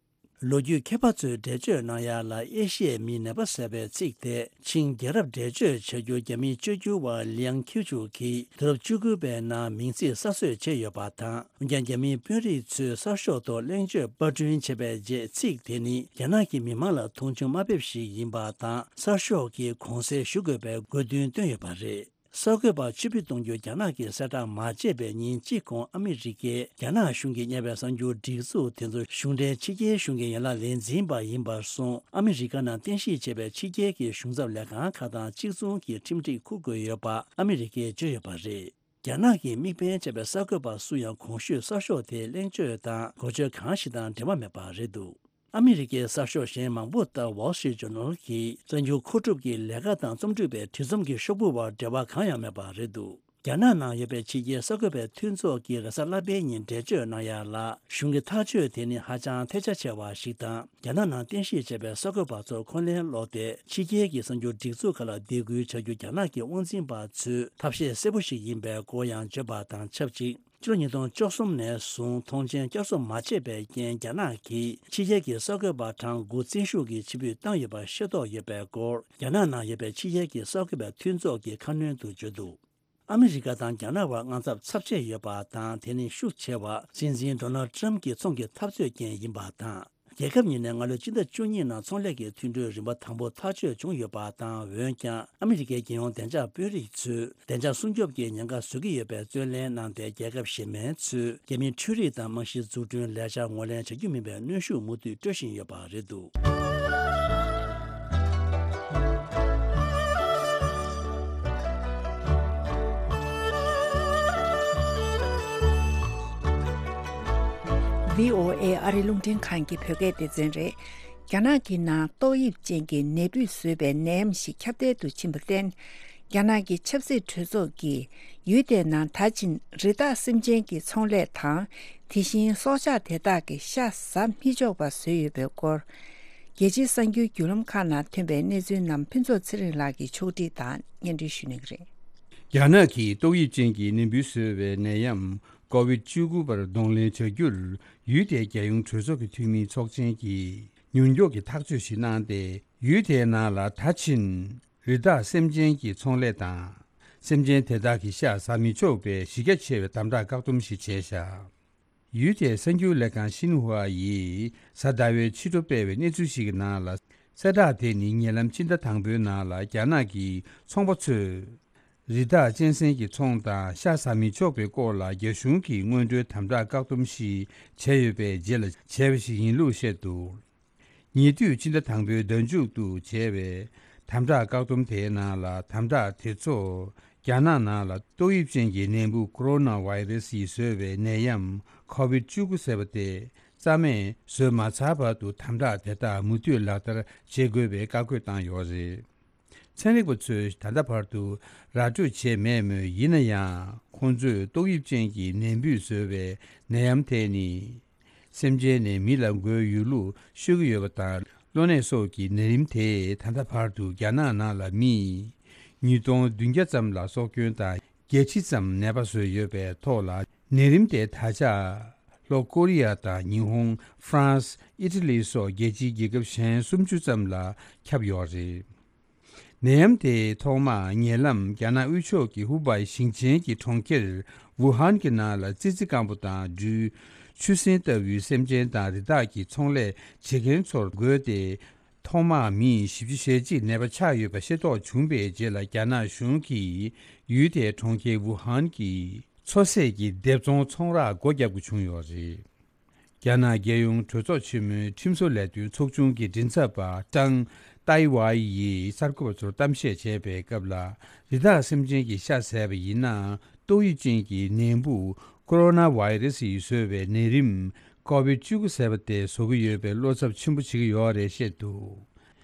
ལོ་རྒྱུས་མཁས་པ་ཚོས་འགྲེལ་བརྗོད་གནང་ཡག་ལ་ཨེ་ཤི་ཡའི་མིའི་ནད་པ་ཟེར་བའི་ཚིག་དེ་ཆིང་རྒྱལ་རབས་འགྲེལ་བརྗོད་བྱ་རྒྱུ་རྒྱ་མིའི་བཅོས་བསྒྱུར་བ་ལིའང་ཁིའུ་ཆུ་གིས་དུས་རབས་བཅུ་དགུ་པའི་ནང་མིང་ཚིག་གསར་བཟོས་བྱས་ཡོད་པ་དང་། འོན་ཀྱང་རྒྱ་མིའི་དཔོན་རིགས་ཚོས་གསར་ཤོག་ཐོག་གླེང་བརྗོད་པར་སྐྲུན་བྱས་པའི་རྗེས་ཚིག་དེ་ནི་རྒྱ་ནག་གི་མི་མང་ལ་མཐོང་ཆུང་དམའ་འབེབས་ཤིག་ཡིན་པ་དང་གསར་ཤོག་གིས་དགོངས་སེལ་ཞུ་དགོས་པའི་དགོས་འདུན་བཏོན་ཡོད་པ་རེད། གསར་འགོད་པ་ཕྱིར་འབུད་གཏོང་རྒྱུ་རྒྱ་ནག་གིས་གསལ་བསྒྲགས་མ་བྱས་པའི་ཉིན་གཅིག་གོང་ཨ་མི་རི་ཀས་རྒྱ་ནག་གཞུང་གིས་གཉེར་བའི་གསར་འགྱུར་སྒྲིག་འཛུགས་དེ་ཚོ་གཞུང་འབྲེལ་ཕྱི་རྒྱལ་གཞུང་གི་ཡན་ལག་ལས་འཛིན་པ་ཡིན་པར་སོང་། ཨ་མི་རི་ཀ་ནང་རྟེན་གཞི་བྱས་པའི་ཕྱི་རྒྱལ་གྱི་གཞུང་ཚབ་ལས་ཁང་ཁག་དང་གཅིག་མཚུངས་ཀྱི་ཁྲིམས་སྒྲིག་འཁུར་དགོས་ཡོད་པ་ཨ་མི་རི་ཀས་བརྗོད་ཡོད་པ་རེད། རྒྱ་ནག་གི་དམིགས་འབེན་བྱས་པའི་གསར་འགོད་པ་སུ་ཡང་གོང་ཞུས་གསར་ཤོག་དེའི་གླེང་བརྗོད་དང་གོ་ཆོད་གང་ཞིག་དང་འབྲེལ་བ་མེད་པ་རེད་འདུག་ཨ་མི་རི་ཀའི་གསར་ཤོག་གཞན་མང་པོ་ལྟར་Wall Street Journal་གྱིས་གསར་འགྱུར་མཁོ་སྒྲུབ་ཀྱི་ལས་ཀ་དང་རྩོམ་སྒྲིག་པའི་བྲིས་རྩོམ་གྱི་ཤོག་བུ་བར་འབྲེལ་བ་གང་ཡང་མེད་པ་རེད་འདུག་རྒྱ་ནག་ནང་ཡོད་པའི་ཕྱི་རྒྱལ་གསར་འགོད་པའི་མཐུན་ཚོགས་ཀྱིས་རེས་གཟའ་ལྷག་པའི་ཉིན་འགྲེལ་བརྗོད་གནང་ཡག་ལ། གཞུང་གི་ཐག་གཅོད་དེ་ནི་ཧ་ཅང་ཐལ་ཆ་ཆེ་བ་ཞིག་དང་། རྒྱ་ནག་ནང་རྟེན་གཞི་བྱས་པའི་གསར་འགོད་པ་ཚོར་འཁོན་ལན་སློག་སྟེ། ཕྱི་རྒྱལ་གྱི་གསར་འགྱུར་སྒྲིག་འཛུགས་ཁག་ལ་སྡིགས་སྐུལ་བྱ་རྒྱུ་རྒྱ་ནག་གི་དབང་འཛིན་པ་ཚོའི་ཐབས་ཤེས་གསལ་པོ་ཞིག་ཡིན་པའི་སྐོར་ཡང་བརྗོད་པ་དང་ཆབས་ཅིག་ཕྱི་ལོ་ཉིས་སྟོང་བཅུ་གསུམ་ནས་བཟུང་མཐོང་མཆན་བསྐྱར་གསོ་མ་བྱས་པའི་རྐྱེན། རྒྱ་ནག་གིས་ཕྱི་རྒྱལ་གྱི་གསར་འགོད་པ་གྲངས་དགུ་བཙན་ཤུགས་ཀྱིས་ཕྱིར་འབུད་བཏང་ཡོད་པ་ཤེས་རྟོགས་ཡོད་པའི་སྐོར། རྒྱ་ནག་ནང་ཡོད་པའི་ཕྱི་རྒྱལ་གྱི་གསར་འགོད་པའི་མཐུན་ཚོགས་ཀྱིས་ཁ་སྣོན་དུ་བརྗོད་འདུག། ཨ་མི་རི་ཀ་དང་རྒྱ་ནག་བར་དངངས་འཚབ་ཚབས་ཆེ་ཡོད་པ་དང་། དེ་ནི་ཤུགས་ཆེ་བ་སྲིད་འཛིན་ཌོ་ནལ་ཊམ་གྱི་ཚོང་གི་འཐབ་རྩོད་རྐྱེན་ཡིན་པ་དང་། རྒྱལ་ཁབ་གཉིས་ནས་སྔ་ལོའི་སྤྱི་ཟླ་བཅུ་གཉིས་ནང་ཚོང་ལས་ཀྱི་མཐུན་གྲོས་རིམ་པ་དང་པོ་ཐག་གཅོད་བྱུང་ཡོད་པ་དང་། འོན་ཀྱང་ཨ་མི་རི་ཀའི་རྒྱལ་ཡོངས་བདེ་འཇགས་དཔོན་རིགས་ཚོས་བདེ་འཇགས་སྲུང་སྐྱོབ་ཀྱི་ཉེན་ཁ་བཟོ་གི་ཡོད་པའི་རྩོད་ལེན་གནང་སྟེ། རྒྱལ་ཁབ་གཞན་མིན་ཚོས་རྒྱ་མིའི་འཕྲུལ་རིག་དང་རྨང་གཞིའི་འཛུགས་སྐྲུན་ལས་འཆར་ངོས་ལེན་བྱ་རྒྱུ་མིན་པའི་གནོན་ཤུགས་མུ་མཐུད་སྤྲོད་བཞིན་ཡོད་པ་རེད་འདུག། བྷི་ཨོ་ཨེ་ཨ་རི་རླུང་འཕྲིན་ཁང་གི་བོད་སྐད་སྡེ་ཚན་རེད། རྒྱ་ནག་གི་ནང་ཏོག་དབྱིབས་ཅན་གྱི་ནད་འབུས་བཟོས་པའི་ནད་ཡམས་ཤིག་ཁྱབ་གདལ་དུ་ཕྱིན་པར་བརྟེན། རྒྱ་ནག་གི་ཆབ་སྲིད་གྲོས་ཚོགས་ཀྱིས་ཡུལ་དེའི་ནང་ད་ཕྱིན་རི་དྭགས་སེམས་ཅན་གྱི་ཚོང་ལས་དང་། དེ་བཞིན་སྲོག་ཆགས་དེ་དག་གི་ཤ་ཟ་མི་ཆོག་པ་བཟོས་ཡོད་པའི་སྐོར། རྒྱལ་སྤྱིའི་གསར་འགྱུར་བརྒྱུད་ལམ་ཁག་ནང་ཐོན་པའི་གནས་ཚུལ་རྣམས་ཕུན་ཚོགས་ཚེ་རིང་ལགས་ཀྱིས་ཕྱོགས་སྒྲིག་དང་སྙན་སྒྲོན་ཞུ་གནང་གི་རེད། རྒྱ་ནག་གིས་ཏོག་དབྱིབས་ཅན་གྱི་ནད་འབུ་བཟོས་པའི་ནད་ཡམས་ཀོ་བིད་བཅུ་དགུ་པར་གདོང་ལེན་བྱ་རྒྱུར། ཡུལ་དེའི་རྒྱལ་ཡོངས་གྲོས་ཚོགས་ཀྱི་འཐུས་མིའི་ཚོགས་ཆེན་གྱིས་མྱུར་མགྱོགས་ཀྱི་ཐག་གཅོད་ཞིག་གནང་སྟེ། ཡུལ་དེའི་ནང་ལ་ད་ཕྱིན་རི་དྭགས་སེམས་ཅན་གྱི་ཚོང་ལས་དང་། སེམས་ཅན་དེ་དག་གི་ཤ་ཟ་མི་ཆོག་པའི་གཞི་རྒྱ་ཆེ་བའི་དམ་དྲག་བཀག་སྡོམ་ཞིག་བྱས་བཞག། ཡུལ་དེའི་གསར་འགྱུར་ལས་ཁང་ཤིན་ཧྭ་ཡིས་གཟའ་ཟླ་བའི་ཕྱི་དྲོ་སྤེལ་བའི་གནས་ཚུལ་ཞིག་གི་ནང་ལ། གསལ་བསྒྲགས་དེ་ནི་ཉེ་ལམ་སྤྱི་ཟླ་དང་པོའི་ནང་ལ་རྒྱ་ནག་གི་ཚོང་པ་ཚོས་རི་དྭགས་གཅན་གཟན་གྱི་ཚོང་དང་ཤ་ཟ་མི་ཆོག་པའི་སྐོར་ལ་རྒྱ་གཞུང་གིས་སྔོན་འགྲོའི་དམ་དྲག་བཀག་སྡོམ་ཞིག་བྱས་ཡོད་པའི་རྗེས་ལ་བྱས་པ་ཞིག་ཡིན་ལུགས་བཤད་འདུག། ཉེ་དུས་ཕྱི་ཟླ་དང་པོའི་ཟླ་མཇུག་ཏུ་བྱས་པའི་དམ་དྲག་བཀག་སྡོམ་དེའི་ནང་ལ། དམ་དྲག་དེ་ཚོ་རྒྱ་ནག་ནང་ལ་ཏོག་དབྱིབས་ཅན་གྱི་ནད་འབུ་ཀོ་རོ་ན་ཝའི་རེ་སི་ཡིས་བཟོས་པའི་ནད་ཡམས་ཀོ་བིད་བཅུ་དགུ་ཟེར་བ་དེ་རྩ་མེད་བཟོས་མ་ཚར་བར་དུ་དམ་དྲག་དེ་དག་མུ་མཐུད་ལག་བསྟར་བྱེད་དགོས་པའི་བཀའ་བཀོད་བཏང་ཡོད་རེད། ཚན་རིག་པ་ཚོས་ད་ལྟ་བར་དུ་ར་སྤྲོད་བྱས་མེད་མོད། ཡིན་ན་ཡང་ཁོང་ཚོས་ཏོག་དབྱིབས་ཅན་གྱི་ནད་འབུས་བཟོས་པའི་ནད་ཡམས་དེ་ནི། སེམས་ཅན་ནས་མི་ལ་འགོས་ཡོད་ལུགས་ཤོད་ཀྱི་ཡོད་པ་དང་། གློ་ནད་སོགས་ཀྱི་ནད་རིམས་དེས་ད་ལྟ་བར་དུ་རྒྱ་ནག་ནང་ལ་མི་ཉིས་སྟོང་བདུན་བརྒྱ་ཙམ་ལ་སྲོག་སྐྱོན་དང་། བརྒྱད་ཅུ་ཙམ་ནད་པ་བཟོས་ཡོད་པའི་ཐོག་ལ། ནད་རིམས་དེ་ད་ཆ་ལྷོ་ཀོ་རི་ཡ་དང་ཉི་ཧོང་། ཧྥ་རན་སི། ཨི་ཊ་ལི་སོགས་རྒྱལ་སྤྱིའི་རྒྱལ་ཁབ་གཞན་སུམ་ཅུ་ཙམ་ལ་ཁྱབ་ཡོད་རེད། ནད་ཡམས་དེ་ཐོག་མར་ཉེ་ལམ་རྒྱ་ནག་དབུས་ཕྱོགས་ཀྱི་ཧུ་བའི་ཞིང་ཆེན་གྱི་གྲོང་ཁྱེར་ཝུ་ཧན་གྱི་ནང་ལ་ཙི་ཙི་སྐམ་པོ་དང་སྦྲུལ། ཆུ་སྲིན་ལྟ་བུའི་སེམས་ཅན་དང་རི་དྭགས་ཀྱི་ཚོང་ལས་བྱེད་མཁན་ཚོར་འགོས་ཏེ། ཐོག་མར་མི་བཞི་བཅུ་ཞེ་གཅིག་ནད་པ་ཆགས་ཡོད་པ་ཤེས་རྟོགས་བྱུང་པའི་རྗེས་ལ། རྒྱ་ནག་གཞུང་གིས་ཡུལ་དེའི་གྲོང་ཁྱེར་ཝུ་ཧན་གྱི་མཚོ་ཟས་ཀྱི་སྡེབ་ཚོང་ཚོང་རར་སྒོ་བརྒྱབ་དགོས་བྱུང་ཡོད་རེད། རྒྱ་ནག་རྒྱལ་ཡོངས་གྲོས་ཚོགས་ཆེན་མོའི་ཁྲིམས་བཟོ་ལས་དོན་ཚོགས་ཆུང་གི་མགྲིན་ཚབ་པ་ཀྲང་ཏའེ་ཝའེ་ཡིས་གསར་འགོད་པ་ཚོར་གཏམ་བཤད་བྱས་པའི་སྐབས་ལ། རི་དྭགས་སེམས་ཅན་གྱི་ཤ་ཟས་པ་ཡིན་ན། ཏོག་དབྱིབས་ཅན་གྱི་ནད་འབུ་ཀོ་རོ་ན་ཝའི་རེ་སི་ཡིས་བཟོས་པའི་ནད་རིམས་ཀོ་བིད་བཅུ་དགུ་ཟེར་བ་དེ་བཟོ་གི་ཡོད་པའི་བློ་འཚབ་ཆེན་པོ་བྱེད་ཀྱི་ཡོད་རེད་བཤད་འདུག།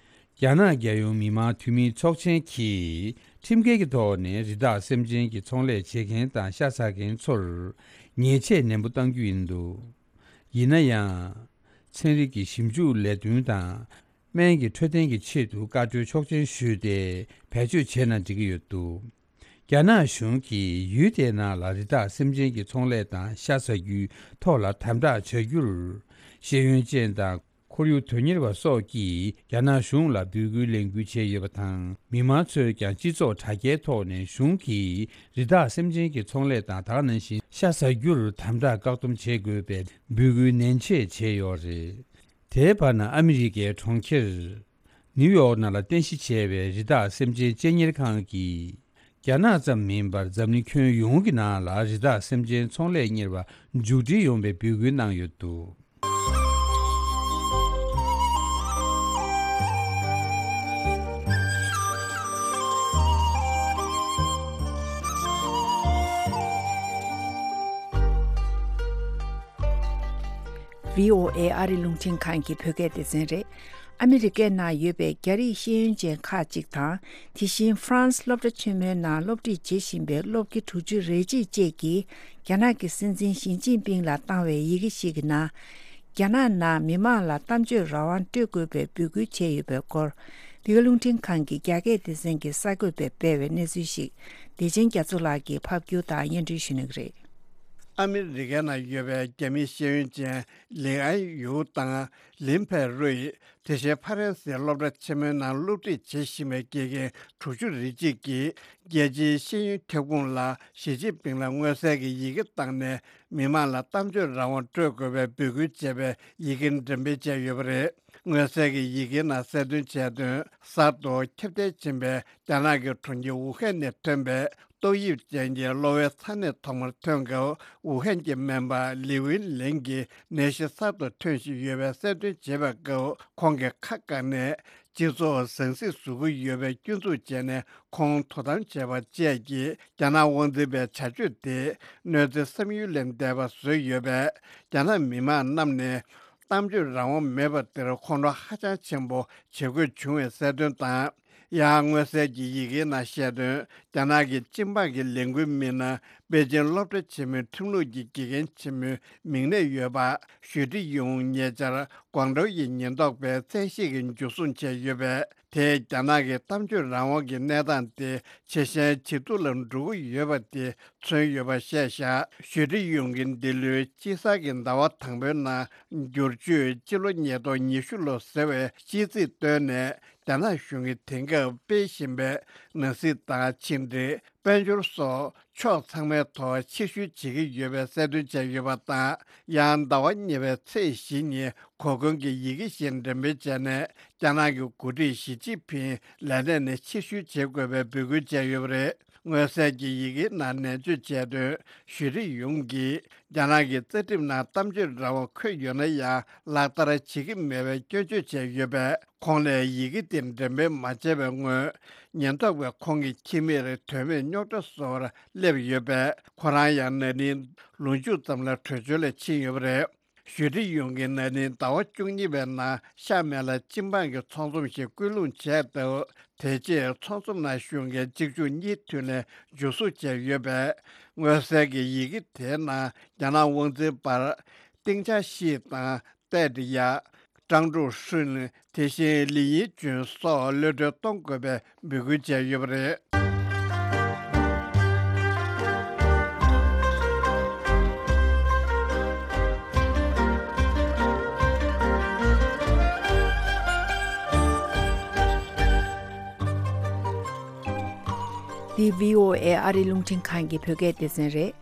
རྒྱ་ནག་རྒྱལ་ཡོངས་མི་དམངས་འཐུས་མིའི་ཚོགས་ཆེན་གྱིས་ཁྲིམས་འགལ་གྱི་ཐོག་ནས་རི་དྭགས་སེམས་ཅན་གྱི་ཚོང་ལས་བྱེད་མཁན་དང་ཤ་ཟ་མཁན་ཚོར་ཉེས་ཆད་ནན་པོ་གཏང་རྒྱུ་ཡིན་འདུག། ཡིན་ན་ཡང་། ཚན་རིག་གི་ཞིབ་འཇུག་ལས་དོན་དང་། སྨན་གྱི་འཕྲོད་བསྟེན་གྱི་ཆེད་དུ་བཀའ་འཁྲོལ་ཆོག་མཆན་ཞུས་ཏེ་བེད་སྤྱོད་བྱས་ན་འགྲིག་གི་ཡོད་འདུག། རྒྱ་ནག་གཞུང་གིས་ཡུལ་དེའི་ནང་ལ་རི་དྭགས་སེམས་ཅན་གྱི་ཚོང་ལས་དང་ཤ་ཟ་རྒྱུའི་ཐོག་ལ་དམ་དྲག་བྱ་རྒྱུར། ཤེས་ཡོན་ཅན་དང་ཁོར་ཡུག་དོན་གཉེར་བ་སོགས་ཀྱིས་རྒྱ་ནག་གཞུང་ལ་འབོད་སྐུལ་ལས་འགུལ་བྱས་ཡོད་པ་དང་། མི་མང་ཚོས་ཀྱང་སྤྱི་ཚོགས་དྲ་རྒྱའི་ཐོག་ནས་གཞུང་གིས་རི་དྭགས་སེམས་ཅན་གྱི་ཚོང་ལས་དང་། ད་ག་ནང་བཞིན་ཤ་ཟ་རྒྱུར་དམ་དྲག་བཀག་སྡོམ་བྱེད་དགོས་པའི་འབོད་སྐུལ་ནན་ཆེ་བྱས་ཡོད་རེད། དེའི་བར་ན། ཨ་མི་རི་ཀའི་གྲོང་ཁྱེར་ནིའུ་ཡོག་ནང་ལ་རྟེན་གཞི་བྱས་པའི་རི་དྭགས་སེམས་ཅན་གཅེས་གཉེར་ཁང་གིས། རྒྱ་ནག་ཙམ་མིན་པར་འཛམ་གླིང་ཁྱོན་ཡོངས་ཀྱི་ནང་ལ་རི་དྭགས་སེམས་ཅན་ཚོང་ལས་གཉེར་བ་མཇུག་སྒྲིལ་ཡོང་བའི་འབོད་སྐུལ་གནང་ཡོད་འདུག། བྷི་ཨོ་ཨེ་ཨ་རི་རླུང་འཕྲིན་ཁང་གི་བོད་སྐད་སྡེ་ཚན་རེད། ཨ་མི་རི་ཀའི་ནང་ཡོད་པའི་རྒྱ་རིགས་ཤེས་ཡོན་ཅན་ཁག་ཅིག་དང་། དེ་བཞིན་ཧྥ་རན་སི་སློབ་གྲྭ་ཆེན་མོའི་ནང་སློབ་ཁྲིད་བྱེད་བཞིན་པའི་སློབ་དགེ་དྲུག་ཅུ་རེ་གཅིག་བཅས་ཀྱིས་རྒྱ་ནག་གི་སྲིད་འཛིན་ཞི་ཅིན་ཕིང་ལ་བཏང་བའི་ཡི་གེ་ཞིག་གི་ནང་། རྒྱ་ནག་ནང་མི་མང་ལ་གཏམ་བརྗོད་རང་དབང་སྤྲོད་དགོས་པའི་འབོད་སྐུལ་བྱས་ཡོད་པའི་སྐོར། འདི་ག་རླུང་འཕྲིན་ཁང་གི་རྒྱ་སྐད་སྡེ་ཚན་གྱི་གསར་འགོད་པས་སྤེལ་བའི་གནས་ཚུལ་ཞིག་བདེ་ཆེན་རྒྱ་མཚོ་ལགས་ཀྱིས་ཕབ་སྒྱུར་དང་སྙན་སྒྲོན་ཞུ་གནང་གི་རེད། ཨ་མི་རི་ཀའི་ནང་ཡོད་པའི་རྒྱ་མི་ཤེས་ཡོན་ཅན་ལི་ཨན་ཡུའུ་དང་ལིན་ཕེ་རུའི། དེ་བཞིན་ཕ་རན་སིའི་སློབ་གྲྭ་ཆེན་མོའི་ནང་སློབ་ཁྲིད་བྱེད་བཞིན་པའི་དགེ་རྒན་དྲུག་ཅུ་རེ་གཅིག་གིས། རྒྱལ་སྤྱིའི་ཤེས་ཡོན་ཁྱབ་ཁོངས་ལ་ཞི་ཅིན་ཕིང་ལ་མངོན་གསལ་གྱི་ཡི་གེ་བཏང་ནས། མི་མང་ལ་གཏམ་བརྗོད་རང་དབང་སྤྲོད་དགོས་པའི་འབོད་སྐུལ་བྱས་པའི་ཡི་གེ་འགྲེམས་སྤེལ་བྱས་ཡོད་པ་རེད། མངོན་གསལ་གྱི་ཡི་གེའི་ནང་གསལ་སྟོན་བྱས་དོན། གསར་དུ་ཁྱབ་གདལ་ཕྱིན་པའི་རྒྱ་ནག་གི་གྲོང་ཁྱེར་ཝུ་ཧན་ནས་ཐོན་པའི་ཏོག་དབྱིབས་ཅན་གྱི་གློ་བའི་ཚ་ནད་ཐོག་མར་ཐོན་སྐབས། ཝུ་ཧན་གྱི་སྨན་པ་ལི་ཝིན་ལེང་གིས་ནད་གཞི་གསར་དུ་ཐོན་བཞིན་ཡོད་པའི་གསལ་སྟོན་བྱེད་པའི་སྐབས། ཁོང་གིས་ཁ་བཀག་ནས། སྤྱི་ཚོགས་ཟང་ཟིང་བཟོ་གི་ཡོད་པའི་སྐྱོན་འཛུགས་བྱས་ནས། ཁོང་དོ་དམ་བྱས་པ་བཅས་ཀྱིས། རྒྱ་ནག་དབང་འཛིན་པའི་བྱ་སྤྱོད་དེ། གནོད་འཚེ་བསམ་ཡུལ་ལས་འདས་པ་བཟོས་ཡོད་པས། རྒྱ་ནག་མི་མང་རྣམས་ནས། གཏམ་བརྗོད་རང་དབང་མེད་པ་དེར་ཁོང་ཁྲོ་ཧ་ཅང་ཆེན་པོ་བྱེད་དགོས་བྱུང་བའི་གསལ་སྟོན་དང་། ཡང་མངོན་གསལ་གྱི་ཡི་གེའི་ནང་བཤད་དོན། རྒྱ་ནག་གི་སྤྱི་འབངས་ཀྱི་ལས་འགུལ་མི་སྣ་པེ་ཅིང་སློབ་གྲྭ་ཆེན་མོའི་ཁྲིམས་ལུགས་ཀྱི་དགེ་རྒན་ཆེན་མོའི་མིང་ནས་ཡོད་པ་ཞུ་ཀྲི་ཡུང་ཉེ་ཆར་ཀོང་ཀྲོའུ་ཡི་ཉེན་རྟོག་པས་བཙན་ཤེད་ཀྱིས་འཇུ་བཟུང་བྱས་ཡོད་པས། དེས་རྒྱ་ནག་གི་གཏམ་བརྗོད་རང་དབང་གི་གནས་སྟངས་དེ་ཆེས་ཞན་ཇེ་སྡུག་ལ་འགྲོ་གི་ཡོད་པ་དེ་མཚོན་ཡོད་པ་བཤད་བཞག་ཞུ་ཀྲི་ཡུང་གིས་འདི་ལོའི་དཔྱིད་གསར་གྱི་ཟླ་བ་དང་པོའི་ནང་བསྒྱུར་བཅོས་སྤྱི་ལོ་ཉིས་སྟོང་ཉི་ཤུ་ལོ་ཟེར་བའི་ཤིས་ཚིག་བཏོན་ནས། རྒྱ་ནག་གཞུང་གིས་དེང་སྐབས་སྤེལ་བཞིན་པའི་ནང་སྲིད་དང་ཕྱི་འབྲེལ། དཔལ་འབྱོར་སོགས་ཕྱོགས་ཚང་མའི་ཐོག་ཕྱིར་བཤོལ་བྱེད་ཀྱི་ཡོད་པའི་གསལ་སྟོན་བྱས་ཡོད་པ་དང་། ཡང་ཟླ་བ་གཉིས་པའི་ཚེས་བཞི་ཉིན་གོ་སྐོན་གྱི་ཡི་གེ་ཞིག་འགྲེམས་སྤེལ་བྱས་ནས། རྒྱ་ནག་གི་འགོ་ཁྲིད་ཞི་ཅིན་ཕིང་ལས་གནས་ནས་ཕྱིར་བཤོལ་བྱེད་དགོས་པའི་འབོད་སྐུལ་བྱས་ཡོད་པ་རེད། མངོན་གསལ་གྱི་ཡི་གེའི་ནང་ནན་བརྗོད་བྱས་དོན། ཞུ་ཀྲི་ཡུང་གིས་རྒྱ་ནག་གི་རྩ་ཁྲིམས་ནང་གཏམ་བརྗོད་རང་དབང་འཁོད་ཡོད་ན་ཡང་། ལག་བསྟར་བྱེད་ཀྱི་མེད་པའི་སྐྱོན་བརྗོད་བྱས་ཡོད་པས། ཁོང་ལ་ཡི་གེ་དེ་འགྲེམས་སྤེལ་མ་བྱས་པའི་སྔོན། ཉེན་རྟོག་པས་ཁོང་གི་ཁྱིམ་མིར་དོན་མེད་རྙོག་དྲ་བཟོ་བར་སླེབས་ཡོད་པས། ཁོ་རང་ཡང་ན་ནིང་ལོ་མཇུག་ཙམ་ལ་བྲོས་བྱོལ་ལ་ཕྱིན་ཡོད་པ་རེད། ཞུ་ཀྲི་ཡུང་གིས་ན་ནིང་ཟླ་བ་བཅུ་གཉིས་པའི་ནང་ཤ་མེད་ལ་སྤྱི་འབངས་ཀྱི་ཚོགས་འཛོམས་ཤིག་སྐུལ་སློང་བྱས་སྟབས། དེ་རྗེས་ཚོགས་འཛོམས་ནང་ཞུགས་མཁན་གཅིག་མཇུག་གཉིས་མཐུད་ནས་འཇུ་བཟུང་བྱས་ཡོད་པས། མངོན་གསལ་གྱི་ཡི་གེ་དེའི་ནང་རྒྱ་ནག་དབང་འཛིན་པར། ཏེང་ཅཱ་ཤི་དང་། ཏད་ཡ། ཀྲང་ཀྲུའུ་ཧྲུན། དེ་བཞིན་ལི་ཡིན་ཅུན་སོགས་གློད་གྲོལ་གཏོང་དགོས་པའི་འབོད་སྐུལ་བྱས་ཡོད་པ་རེད། འདི་བྷི་ཨོ་ཨེ་ཨ་རིའི་རླུང་འཕྲིན་ཁང་གི་བོད་སྐད་སྡེ་ཚན་རེད།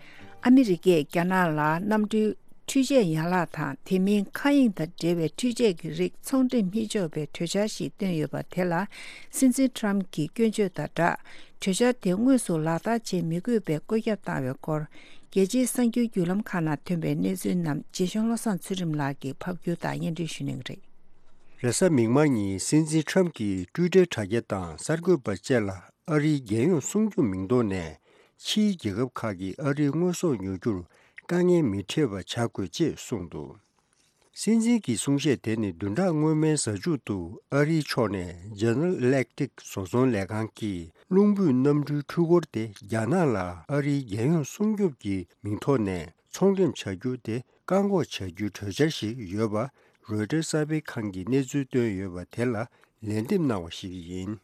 ཨ་མི་རི་ཀས་རྒྱ་ནག་ལ་གནམ་གྲུའི་འཕྲུལ་ཆས་ཡན་ལག་དང་། དེ་མིན་མཁའ་དབྱིངས་དང་འབྲེལ་བའི་འཕྲུལ་ཆས་ཀྱི་རིགས་ཚོང་འགྲེམས་མི་ཆོག་པའི་གྲོས་འཆར་ཞིག་བཏོན་ཡོད་པ་དེ་ལ། སྲིད་འཛིན་ཊམ་གྱི་སྐྱོན་བརྗོད་དང་སྦྲགས། གྲོས་འཆར་དེ་དངོས་སུ་ལག་བསྟར་བྱེད་མི་དགོས་པའི་བཀོད་ཁྱབ་བཏང་བའི་སྐོར། རྒྱལ་སྤྱིའི་གསར་འགྱུར་བརྒྱུད་ལམ་ཁག་ནང་ཐོན་པའི་གནས་ཚུལ་རྣམས། རྗེ་གཞུང་བློ་བཟང་ཚུལ་ཁྲིམས་ལགས་ཀྱིས་ཕབ་སྒྱུར་དང་སྙན་སྒྲོན་ཞུ་གནང་གི་རེད། རེས་གཟའ་མིག་དམར་ཉིན་སྲིད་འཛིན་ཊམ་གྱིས་ཊུའི་ཊར་དྲ་རྒྱ་དང་གསར་འགོད་པ་བཅས་ལ། ཨ་རིའི་རྒྱལ་ཡོངས་སྲུང་སྐྱོབ་མིང་ཐོག་ནས་ཕྱིའི་རྒྱལ་ཁབ་ཁག་གིས་ཨ་རིའི་དངོས་ཟོག་ཉོ་རྒྱུར་དཀའ་ངལ་མི་འཕྲད་པ་བྱ་དགོས་ཅེས་གསུངས་འདུག། སྲིད་འཛིན་གྱི་གསུང་བཤད་དེ་ནི་བདུན་ཕྲག་སྔོན་མའི་གཟའ་མཇུག་ཏུ་ཨ་རིའི་ཕྱོགས་ནས་General Electric བཟོ་ཚོང་ལས་ཁང་གིས་རླུང་འབུད་གནམ་གྲུའི་འཕྲུལ་འཁོར་དེ་རྒྱ་ནག་ལ་ཨ་རིའི་རྒྱལ་ཡོངས་སྲུང་སྐྱོབ་ཀྱི་མིང་ཐོག་ནས་ཚོང་འགྲེམས་བྱ་རྒྱུ་དེ་བཀག་འགོག་བྱ་རྒྱུའི་གྲོས་འཆར་ཞིག་ཡོད་པ། རོའི་ཊར་གསར་སྤེལ་ཁང་གིས་གནས་ཚུལ་བཏོན་ཡོད་པ་དེ་ལ་ལན་འདེབས་གནང་བ་ཞིག་ཡིན།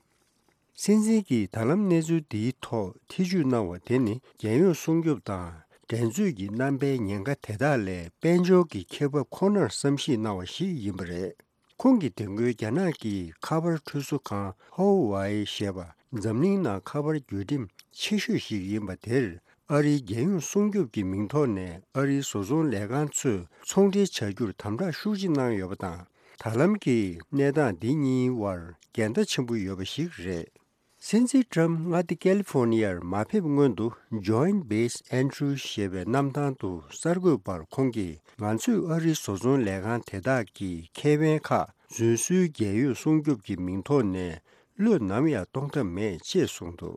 སྲིད་འཛིན་གྱིས་ད་ལམ་གནས་ཚུལ་འདིའི་ཐོག་ཐེ་ཇུས་གནང་བ་དེ་ནི། རྒྱལ་ཡོངས་སྲུང་སྐྱོབ་དང་འགྲན་རྩོད་ཀྱི་རྣམ་པའི་ཉེན་ཁ་དེ་དག་ལས་དཔལ་འབྱོར་གྱི་ཁེ་འབབ་ཁོ་ནར་བསམ་གཞིག་གནང་བ་ཞིག་ཡིན་པ་རེད། ཁོང་གིས་དེ་སྔོན་རྒྱ་ནག་གི་ཁ་པར་འཕྲུལ་བཟོ་ཁང་Huawei ཞེས་པ་འཛམ་གླིང་ནང་ཁ་པར་བརྒྱུད་འགྲེམས་ཆེ་ཤོས་ཤིག་ཡིན་པ་དེར། ཨ་རིའི་རྒྱལ་ཡོངས་སྲུང་སྐྱོབ་ཀྱི་མིང་ཐོག་ནས་ཨ་རིའི་བཟོ་ཚོང་ལས་ཁང་ཚོས་ཚོང་འབྲེལ་བྱ་རྒྱུར་དམ་དྲག་ཤུགས་ཆེ་གནང་ཡོད་པ་དང་། ད་ལམ་གྱི་གནས་སྟངས་འདི་གཉིས་དབར་འགལ་ཟླ་ཆེན་པོ་ཡོད་པ་ཞིག་རེད། སྲིད་འཛིན་ཊམ་མངའ་སྡེ་ཀལ་ལི་ཕོར་ནི་ཡར་མ་ཕེབས་སྔོན་དུ། Joint Base Andrews ཞེས་པའི་གནམ་ཐང་དུ་གསར་འགོད་པར་ཁོང་གིས། ང་ཚོས་ཨ་རིའི་བཟོ་ཚོང་ལས་ཁང་དེ་དག་གི་ཁེ་ཕན་ཁག་རྫུན་བཟོའི་རྒྱལ་ཡོངས་སྲུང་སྐྱོབ་ཀྱི་མིང་ཐོག་ནས་བློས་ནམ་ཡང་གཏོང་ཐབས་མེད་ཅེས་གསུངས་འདུག།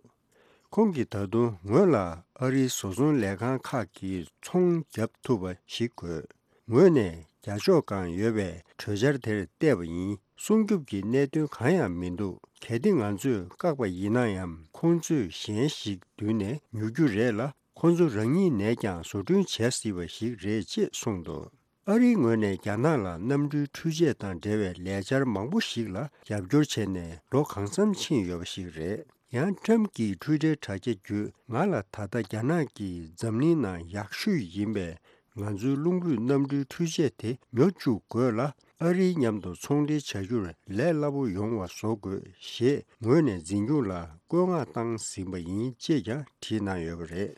ཁོང་གིས་ད་དུང་ངོས་ལ་ཨ་རིའི་བཟོ་ཚོང་ལས་ཁང་ཁག་གིས་ཚོང་བརྒྱབ་ཐུབ་པ་ཞིག་དགོས། ངོས་ནས་རྒྱ་ཕྱོགས་སྒང་ཡོད་པའི་གྲོས་འཆར་དེར་བལྟས་པ་ཡིན། སྲུང་སྐྱོབ་ཀྱི་གནད་དོན་གང་ཡང་མི་འདུག། གལ་ཏེ་ང་ཚོས་བཀག་པ་ཡིན་ན་ཡང་། ཁོང་ཚོས་གཞན་ཞིག་མདུན་ནས་ཉོ་རྒྱུ་རེད་ལ། ཁོང་ཚོ་རང་ཉིད་ནས་ཀྱང་བཟོ་སྐྲུན་བྱེད་སྲིད་པ་ཞིག་རེད་ཅེས་གསུངས་འདུག། ཨ་རིའི་ངོས་ནས་རྒྱ་ནག་ལ་གནམ་གྲུའི་འཕྲུལ་ཆས་དང་འབྲེལ་བའི་ལས་འཆར་མང་པོ་ཞིག་ལ་རྒྱབ་སྐྱོར་བྱས་ནས་ལོ་གང་འཚམ་ཕྱིན་ཡོད་པ་ཞིག་རེད། ཡང་ཁྲམ་གྱི་འཕྲུལ་འཕྲལ་དྲ་རྒྱ་བརྒྱུད་ང་ལ་ད་ལྟ་རྒྱ་ནག་གིས་འཛམ་གླིང་ནང་ཡག་ཤོས་ཡིན་པས། ང་ཚོའི་རླུང་འཕྲུལ་གནམ་གྲུའི་འཕྲུལ་ཆས་དེ་ཉོ་བཅུག་དགོས་ལ། ཨ་རིའི་མཉམ་དུ་ཚོང་འབྲེལ་བྱ་རྒྱུར་ལས་སླ་པོ་ཡོང་བ་བཟོ་དགོས་ཞེས་ངོས་ནས་འཛིན་སྐྱོང་ལ་བཀོད་མངགས་བཏང་ཟིན་པ་ཡིན་ཅེས་ཀྱང་བྲིས་གནང་ཡོད་པ་རེད།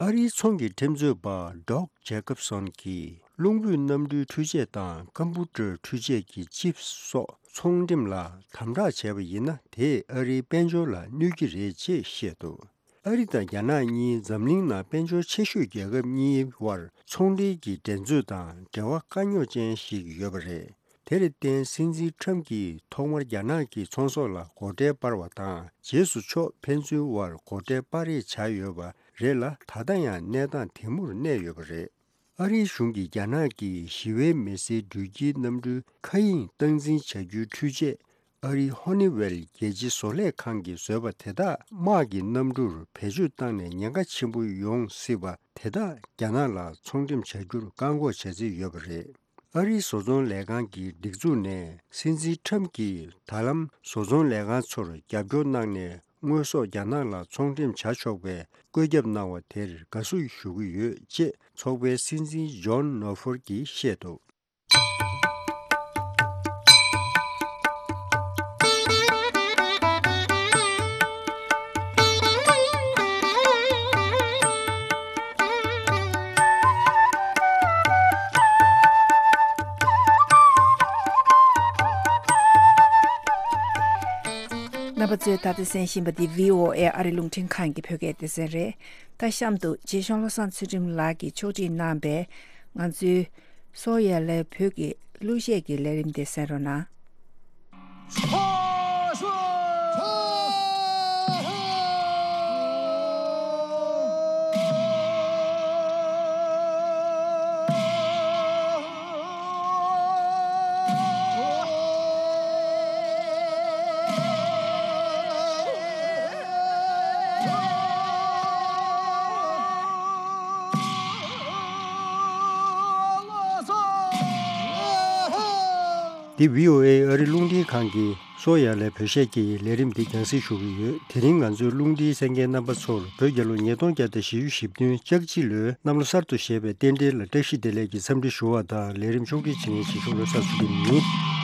ཨ་རིའི་ཚོང་གི་ཁྲིམས་རྩོད་པ་Doug Jacobson་གྱིས་རླུང་འཕྲུལ་གནམ་གྲུའི་འཕྲུལ་ཆས་དང་ཀམ་པུ་ཊར་འཕྲུལ་ཆས་ཀྱི་ཅིབ་སོགས་ཚོང་འགྲེམས་ལ་དམ་དྲག་བྱས་པ་ཡིན་ན། དེས་ཨ་རིའི་དཔལ་འབྱོར་ལ་གནོད་ཀྱི་རེད་ཅེས་བཤད་འདུག་ཨ་རི་དང་རྒྱ་ནག་གཉིས་འཛམ་གླིང་ནང་དཔལ་འབྱོར་ཆེ་ཤོས་རྒྱལ་ཁབ་གཉིས་དབར་ཚོང་འབྲེལ་གྱི་འགྲན་རྩོད་དང་འབྲེལ་བ་དཀའ་རྙོག་ཅན་ཞིག་ཡོད་པ་རེད། དེར་བརྟེན་སྲིད་འཛིན་ཁྲམ་གྱིས་ཐོག་མར་རྒྱ་ནག་གི་ཚོང་ཟོག་ལ་སྒོ་ཁྲལ་སྤར་བ་དང་། རྗེས་སུ་ཕྱོགས་ཕན་ཚུན་དབར་སྒོ་ཁྲལ་སྤར་རེས་བྱས་ཡོད་པ་རེད་ལ། ད་ལྟ་ཡང་གནས་སྟངས་དེ་མུར་གནས་ཡོད་པ་རེད། ཨ་རིའི་གཞུང་གིས་རྒྱ་ནག་གི་ཞི་བའི་མི་སེར་འགྲུལ་སྐྱེལ་གནམ་གྲུའི་མཁའ་དབྱིངས་སྟངས་འཛིན་བྱ་རྒྱུའི་འཕྲུལ་ཆས་ཨ་རིའི་ཧོ་ནི་ཝེལ་རྒྱལ་སྤྱིའི་བཟོ་ལས་ཁང་གིས་བཟོས་པ་དེ་དག་དམག་གི་གནམ་གྲུར་བེད་སྤྱོད་བཏང་ནས་ཉེན་ཁ་ཆེན་པོ་ཡོང་སྲིད་པ་དེ་དག་རྒྱ་ནག་ལ་ཚོང་འགྲེམས་བྱ་རྒྱུར་བཀག་འགོག་བྱ་རྩིས་ཡོད་པ་རེད། ཨ་རིའི་བཟོ་ཚོང་ལས་ཁང་གི་སྒྲིག་འཛུགས་ནས་སྲིད་འཛིན་ཁྲམ་གྱིས་ད་ལམ་བཟོ་ཚོང་ལས་ཁང་ཚོར་རྒྱབ་སྐྱོར་གནང་ནས། དངོས་ཟོག་རྒྱ་ནག་ལ་ཚོང་འགྲེམས་བྱ་ཆོག་པའི་བཀོད་ཁྱབ་གནང་བ་དེར་དགའ་བསུ་ཞུ་གི་ཡོད་ཅེས་ཚོགས་པའི་སྲིད་འཛིན་ཇོན་ནོ་ཧྥོར་གྱིས་བཤད་འདུག་རྣམ་པ་ཚོས་ད་ལྟ་གསན་བཞིན་པ་འདི་བྷི་ཨོ་ཨེ་ཨ་རི་རླུང་འཕྲིན་ཁང་གི་བོད་སྐད་སྡེ་ཚན་རེད། ད་གཤམ་དུ་རྗེ་གཞུང་བློ་བཟང་ཚུལ་ཁྲིམས་ལགས་ཀྱིས་ཕྱོགས་སྒྲིག་གནང་པའི་ང་ཚོའི་སོ་ཡ་ལའི་བོད་ཀྱི་གླུ་གཞས་ཀྱི་ལས་རིམ་དེ་གསན་རོགས་གནང་། འདི་བྷི་ཨོ་ཨེ་ཨ་རི་རླུང་འཕྲིན་ཁང་གི་སོ་ཡ་ལའི་བོད་སྐད་ཀྱི་ལས་རིམ་འདི་རྒྱང་སྲིང་ཞུ་གི་ཡོད། དེ་རིང་ང་ཚོའི་རླུང་འཕྲིན་གསན་མཁན་རྣམ་པ་ཚོར་བོད་རྒྱལ་ལོ་ཉིས་སྟོང་བརྒྱ་དང་བཞི་བཅུ་ཞེ་བདུན་ལྕགས་བྱི་ལོའི་གནམ་ལོ་གསར་དུ་བཞད་པའི་རྟེན་འབྲེལ་ལ་བཀྲ་ཤིས་བདེ་ལེགས་ཀྱི་འཚམས་འདྲི་ཞུ་བ་དང་། ལས་རིམ་ཕྱོགས་སྒྲིག་བྱེད་མཁན་རྗེ་གཞུང་བློ་བཟང་ཚུལ་ཁྲིམས་ཡིན།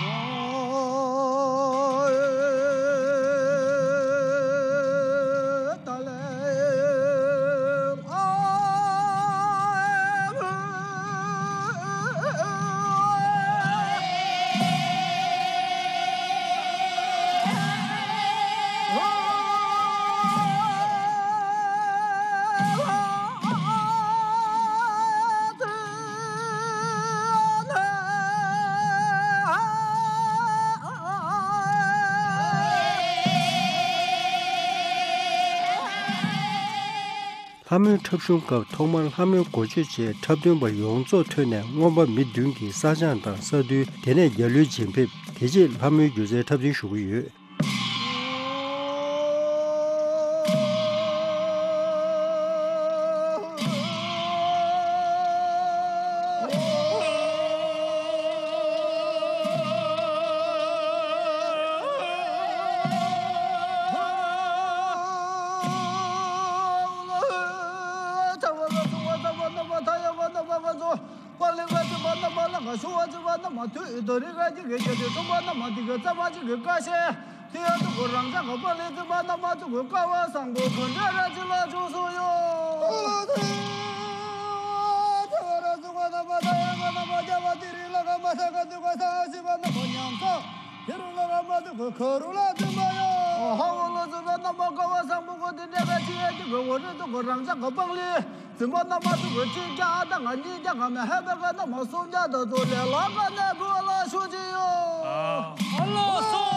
ལྷ་མོའི་འཁྲབ་གཞུང་སྐབས་ཐོག་མར་ལྷ་མོའི་འགོ་བརྗོད་བཅས་འཁྲབ་སྟོན་པ་ཡོངས་རྫོགས་ཐོན་ནས། རྔོན་པ་མི་བདུན་གྱིས་ས་ཆང་དང་ས་རྡུལ། དེ་ནས་རྒྱ་ལོའི་བྱེད་ཕེབས། དེ་རྗེས་ལྷ་མོའི་སྒྱུ་རྩལ་འཁྲབ་སྟོན་ཞུ་གི་ཡོད། འཛིན་པ་རྣམ་པ་ཚོ་གི་སྐལ་བ་བཟང་པོ་གོ་དེ་འདྲ་ག་ཅི་ཡོད་ཀྱི་གོ་འོ་རེ་དུ་གོ་རང་ཅག་གོ་པང་ལི་འཛིན་པ་རྣམ་པ་ཚོ་གི་ཅི་ཀྱ་ཨ་ད་ང་གཉིས་ཀྱ་ག་མེ་ཧེ་བེ་ག་རྣམ་པ་སུམ་ཀྱ་ད་ཚོ་ལེ་ལ་ག་ནེ་གོ་ལ་ཤུ་ཅི་ཡོ། ཨ་ལོ་སོ།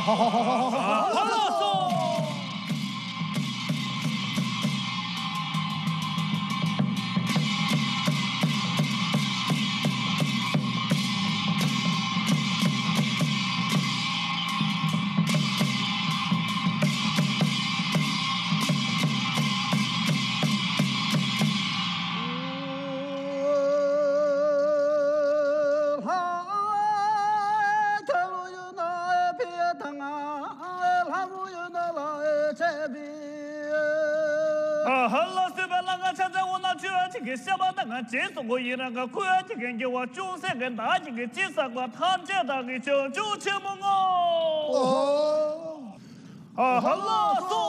ཧ་ལགས་སོ། ཨ་ཧ་ལ་སོས་པ་ལ་ང་ཆ་ཚང་འོ་ན་ཆོས་ཅིག་གི་བཤད་པ་དང་ང་རྗེས་སུ་གོ་ཡི་རང་ག་ཁུ་ཅིག་གི་འགྱུར་བ་ཅུང་ཟད་ཀྱི་བདག་ཅིག་གི་ཅི་བསགས་པ་ཐམས་ཅད་བདག་གི་བྱང་ཆུབ་ཆེན་མོ་ངོ་། ཨ་ཧ་ལ་སོ།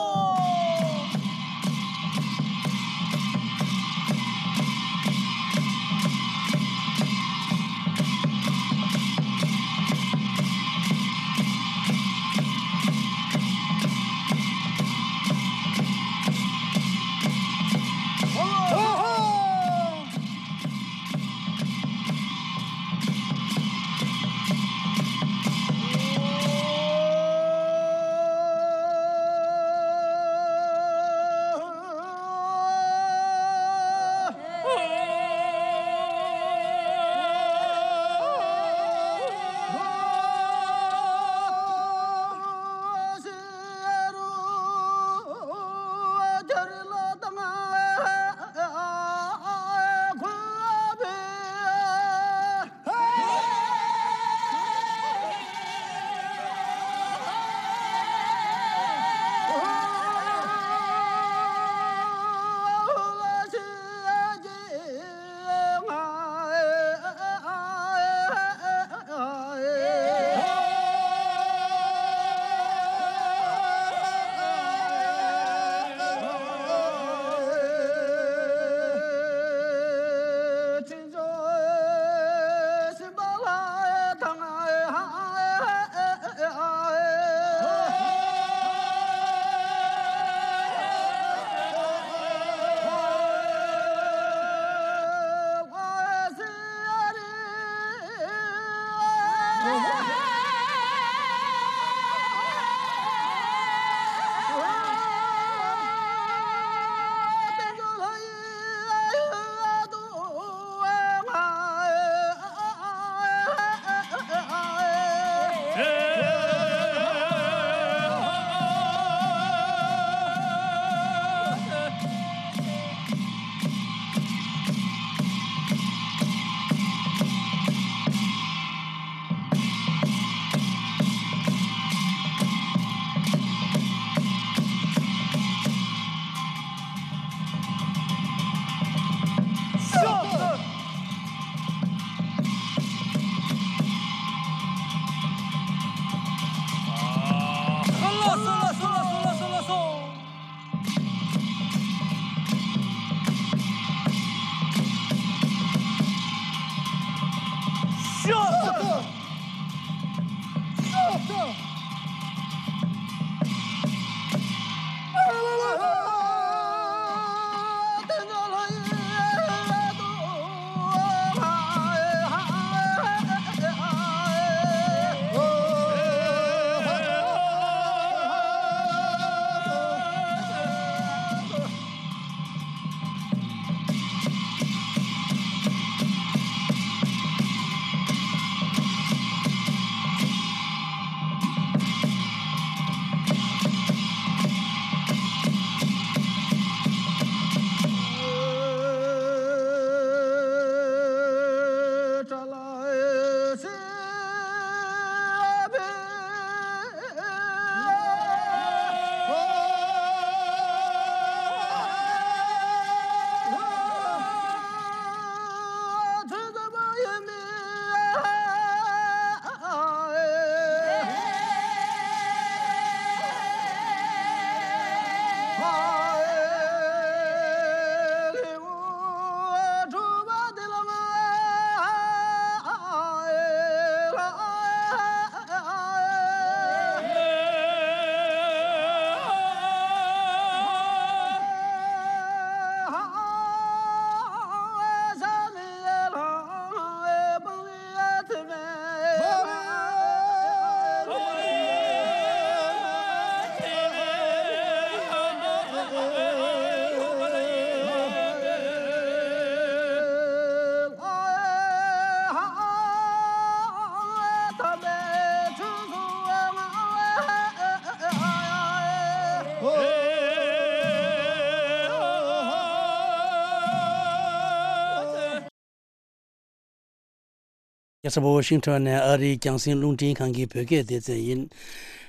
ས་ཝ་ཤིང་ཊོན་ནས་ཨ་རིའི་རྒྱང་སྲིང་རླུང་འཕྲིན་ཁང་གི་བོད་སྐད་སྡེ་ཚན་ཡིན།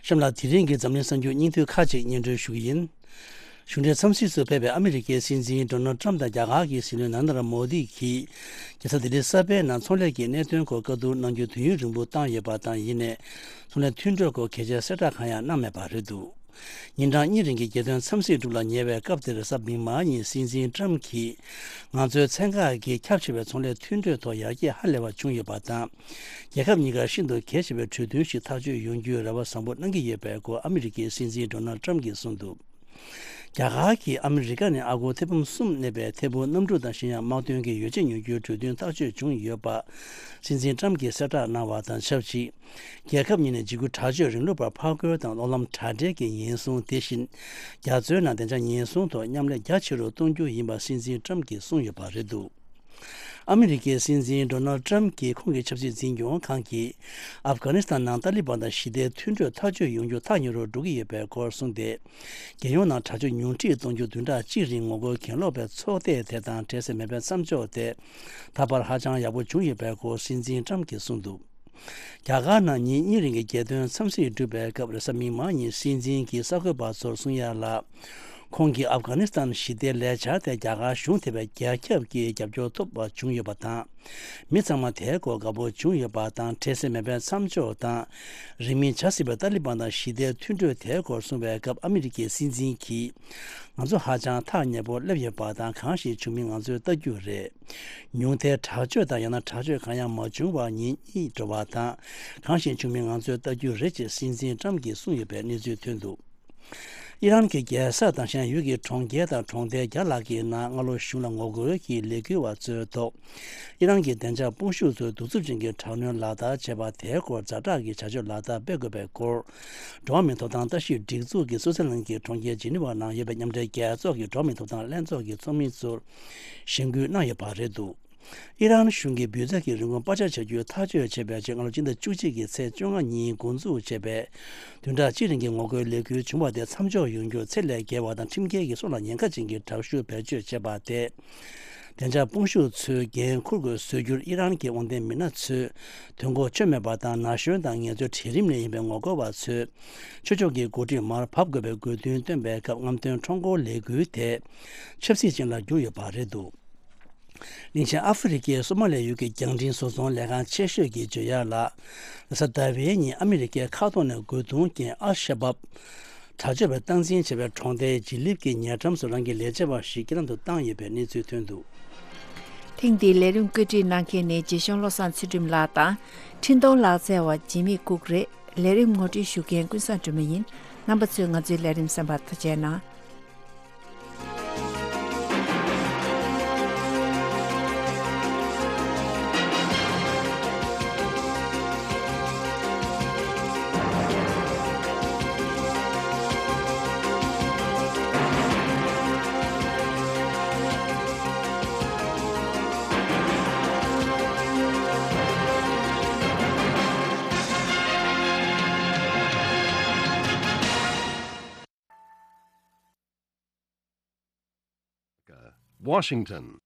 གཤམ་ལ་དེ་རིང་གི་འཛམ་གླིང་གསར་འགྱུར་སྙིང་བསྡུས་ཁག་ཅིག་སྙན་སྒྲོན་ཞུ་གི་ཡིན། གཞུང་འབྲེལ་འཚམས་གཟིགས་སུ་ཕེབས་པའི་ཨ་མི་རི་ཀའི་སྲིད་འཛིན་ཌོ་ནལ་ཊམ་དང་རྒྱ་གར་གྱི་སྲིད་བློན་ནཱ་རེན་དྲ་མོ་དི་གིས་རྒྱལ་ས་ལྡི་ལི་གསར་སྤེལ་ནང་ཚོང་ལས་ཀྱི་གནད་དོན་སྐོར་བཀའ་བསྡུར་གནང་རྒྱུ་དུས་ཡུན་རིང་པོ་བཏང་ཡོད་པ་དང་། ཡིན་ནའི་ཚོང་ལས་མཐུན་གྲོས་སྐོར་གལ་ཆེའི་གསལ་བསྒྲགས་གང་ཡང་གནང་མེད་པ་རེད་འདུག་ཉིན་གྲངས་གཉིས་རིང་གི་རྒྱལ་དོན་འཚམས་གཟིགས་དྲུག་ལ་ཉེ་བའི་སྐབས་དེར་གཟའ་མིག་དམར་ཉིན་སྲིད་འཛིན་ཊམ་གྱིས། ང་ཚོའི་ཚན་ཁག་གིས་ཁྱབ་ཆེ་བའི་ཚོང་ལས་མཐུན་གྲོས་ཐོག་ཡར་རྒྱས་ཧ་ལས་པ་བྱུང་ཡོད་པ་དང་། རྒྱལ་ཁབ་གཉིས་ཀར་ཤིན་ཏུ་གལ་ཆེ་བའི་གྲོས་མཐུན་ཞིག་ཐག་གཅོད་ཡོང་རྒྱུའི་རེ་བ་བཟང་པོ་གནང་གི་ཡོད་པའི་སྐོར་ཨ་མི་རི་ཀའི་སྲིད་འཛིན་ཌོ་ནལ་ཊམ་གྱིས་གསུངས་འདུག་རྒྱ་གར་གྱིས་ཨ་མི་རི་ཀ་ནས་ཨ་སྒོར་ཐེར་འབུམ་གསུམ་གནས་པའི་ཐད་འཕུར་གནམ་གྲུ་དང་གཞན་ཡང་དམག་དོན་གྱི་ཡོ་བྱད་ཉོ་རྒྱུའི་གྲོས་མཐུན་ཐག་གཅོད་བྱུང་ཡོད་པ། སྲིད་འཛིན་ཊམ་གྱིས་གསལ་བསྒྲགས་གནང་བ་དང་ཆབས་ཅིག་རྒྱལ་ཁབ་གཉིས་ནས་འཇིགས་སྐུལ་དྲག་སྤྱོད་རིང་ལུགས་པར་ཕར་རྒོལ་དང་གློག་ལམ་དྲ་སྦྲེལ་གྱི་ཉེན་སྲུང་། དེ་བཞིན་རྒྱ་མཚོའི་ནང་བདེ་འཇགས་ཉེན་སྲུང་ཐོག་མཉམ་ལས་རྒྱ་ཆེ་རུ་གཏོང་རྒྱུ་ཡིན་པ་སྲིད་འཛིན་ཊམ་གྱིས་གསུངས་ཡོད་པ་རེད་འདུག་ཨ་མི་རི་ཀའི་སྲིད་འཛིན་ཌོ་ནལ་ཊམ་གྱིས་ཁོང་གི་ཆབ་སྲིད་འཛིན་སྐྱོང་ཁང་གིས་ཨབ་གྷ་ནི་སི་ཐན་ནང་ཏཱ་ལི་བན་དང་ཞི་བདེའི་མཐུན་གྲོས་ཐག་གཅོད་ཡོང་རྒྱུ་ཐག་ཉེ་རུ་འགྲོ་གི་ཡོད་པའི་སྐོར་གསུངས་ཏེ། རྒྱལ་ཡོངས་ནང་དྲག་སྤྱོད་ཉུང་འཕྲི་གཏོང་རྒྱུ་བདུན་ཕྲག་གཅིག་རིང་ངོ་རྒོལ་གྱེན་ལོག་པའི་ཚོགས་སྡེ་དེ་དང་འཕྲལ་སེལ་མེད་པའི་མཚམས་འཇོག་དེ། ད་བར་ཧ་ཅང་ཡག་པོ་བྱུང་ཡོད་པའི་སྐོར་སྲིད་འཛིན་ཊམ་གྱིས་གསུངས་འདུག་རྒྱ་གར་ནང་ཉིན་གཉིས་རིང་གི་རྒྱལ་དོན་འཚམས་གཟིགས་གྲུབ་པའི་སྐབས་རེས་གཟའ་མིག་དམར་ཉིན་སྲིད་འཛིན་གྱིས་གསར་འགོད་པ་ཚོར་གསུང་ཡ་ལ། ཁོང་གིས་ཨབ་གྷ་ནི་སི་ཐན་ཞི་བདེའི་ལས་འཆར་དེ་རྒྱ་གར་གཞུང་དེ་བས་རྒྱ་ཁྱབ་ཀྱི་རྒྱབ་སྐྱོར་ཐོབ་པ་བྱུང་ཡོད་པ་དང་། མི་ཚང་མ་དེའི་སྐོར་དགའ་པོ་བྱུང་ཡོད་པ་དང་། འཕྲལ་སེལ་མེད་པའི་མཚམས་འཇོག་དང་། རིང་མིན་བྱ་སྲིད་པའི་ཏཱ་ལི་བན་དང་ཞི་བདེའི་མཐུན་གྲོས་དེའི་སྐོར་གསུངས་པའི་སྐབས་ཨ་མི་རི་ཀའི་སྲིད་འཛིན་གྱིས། ང་ཚོ་ཧ་ཅང་ཐག་ཉེ་པོར་སླེབས་ཡོད་པ་དང་། གང་ཞིག་བྱུང་མིན་ང་ཚོས་ལྟ་རྒྱུ་རེད། ཉུང་མཐའི་དྲག་སྤྱོད་དང་ཡང་ན་དྲག་སྤྱོད་གང་ཡང་མ་བྱུང་བར་ཉིན་གཉིས་འགྲོ་བ་དང་། གང་ཞིག་བྱུང་མིན་ང་ཚོས་ལྟ་རྒྱུ་རེད་ཅེས་སྲིད་འཛིན་ཊམ་གྱིས་གསུངས་ཡོད་པའི་གནས་ཚུལ་ཐོན་འདུག་ཨི་རན་གྱི་རྒྱལ་ས་དང་གཞན་ཡུལ་གྱི་གྲོང་ཁྱེར་དང་གྲོང་རྡལ་བརྒྱ་ལྷག་གི་ནང་སྔ་ལོ་གཞུང་ལ་ངོ་རྒོལ་གྱི་ལས་འགུལ་བ་ཚོའི་ཐོག་ཨི་རན་གྱི་བདེ་འཇགས་དཔུང་ཤུགས་ཚོས་གདུག་རྩུབ་ཅན་གྱི་དྲག་གནོན་ལག་བསྟར་བྱས་པ་དེའི་སྐོར་ཛ་དྲག་གི་བྱ་སྤྱོད་ལག་བསྟར་སྤེལ་དགོས་པའི་སྐོར། འགྲོ་བ་མིའི་ཐོབ་ཐང་ལྟ་ཞིབ་སྒྲིག་འཛུགས་ཀྱི་སུའུ་ཙེར་ལན་གྱི་གྲོང་ཁྱེར་ཇི་ནི་ཝར་ནང་ཡོད་པའི་མཉམ་འབྲེལ་རྒྱལ་ཚོགས་ཀྱི་འགྲོ་བ་མིའི་ཐོབ་ཐང་ལྷན་ཚོགས་ཀྱི་ཚོགས་མི་ཚོར་གཞེན་སྐུལ་གནང་ཡོད་པ་རེད་འདུག་ཨི་རན་གཞུང་གིས་འབུད་རྫས་ཀྱི་རིན་གོང་སྤར་ཆ་བྱ་རྒྱུ་ཐག་གཅོད་བྱས་པའི་རྗེས། སྔ་ལོ་སྤྱི་ཟླ་བཅུ་གཅིག་གི་ཚེས་བཅོ་ལྔ་ཉིན་འགོ་འཛུགས་བྱས་པའི་བདུན་ཕྲག་གཅིག་རིང་གི་ངོ་རྒོལ་ལས་འགུལ་བྱུང་བ་དེ་མཚམས་འཇོག་ཡོང་རྒྱུར་ཚད་ལས་བརྒལ་བ་དང་ཁྲིམས་འགལ་གྱི་སྲོག་ལ་ཉེན་ཁ་ཅན་གྱི་དྲག་ཤུགས་བེད་སྤྱོད་བྱས་པ་དེས། བདེ་འཇགས་དཔུང་ཤུགས་ཚོས་འགན་འཁུར་དགོས་བཟོ་རྒྱུར་ཨི་རན་གྱི་དབང་ལྡན་མི་སྣ་ཚོས་དོན་གོ་ཆོད་མེད་པ་དང་། ན་གཞོན་དང་ངལ་རྩོལ་གྲལ་རིམ་ནས་ཡིན་པའི་ངོ་རྒོལ་བ་ཚོས་ཆོས་ཕྱོགས་ཀྱི་འགོ་ཁྲིད་མར་བབས་དགོས་པའི་དགོས་འདུན་བཏོན་པའི་སྐབས། རྔམ་སྟོན་ཁྲོམ་སྐོར་ལས་འགུལ་དེ་ཆབ་སྲིད་ཅན་ལ་གྱུར་ཡོད་པ་རེད་འདུག་གླིང་ཆེན་ཨ་ཧྥེ་རི་ཁའི་སོ་མ་ལི་ཡུལ་གྱི་རྒྱང་འཕྲིན་བཟོ་ཚོང་ལས་ཁང་ཆེ་ཤོས་ཀྱིས་བརྗོད་ཡག་ལ། རེས་གཟའ་ཟླ་བའི་ཉིན་ཨ་མི་རི་ཀའི་མཁའ་ཐོག་ནས་རྒོལ་རྡུང་རྐྱེན་ཨལ་ཤ་བབ་དྲག་སྤྱོད་པས་སྟངས་འཛིན་བྱས་པའི་གྲོང་རྡལ་ཇི་ལིབ་ཀྱི་ཉེ་འགྲམ་དུ་རང་གི་ལས་བྱེད་པ་ཞིག་རྐྱེན་ལམ་དུ་བཏང་ཡོད་པའི་གནས་ཚུལ་ཐོན་འདུག་ཐེངས་འདིའི་ལས་རིམ་བཀོད་སྒྲིག་གནང་མཁན་ནི་རྗེ་གཞུང་བློ་བཟང་ཚུལ་ཁྲིམས་ལགས་དང་། འཕྲིན་གཏོང་ལག་རྩལ་བ་འཇིགས་མེད་ལྐུགས་རེད། ལས་རིམ་ངོ་སྤྲོད་ཞུ་མཁན་ཀུན་བཟང་སྒྲོལ་མ་ཡིན། རྣམ་པ་ཚོས་ང་ཚོའི་ལས་རིམ་གསན་པར་ཐུགས་རྗེ་གནང་། Washington.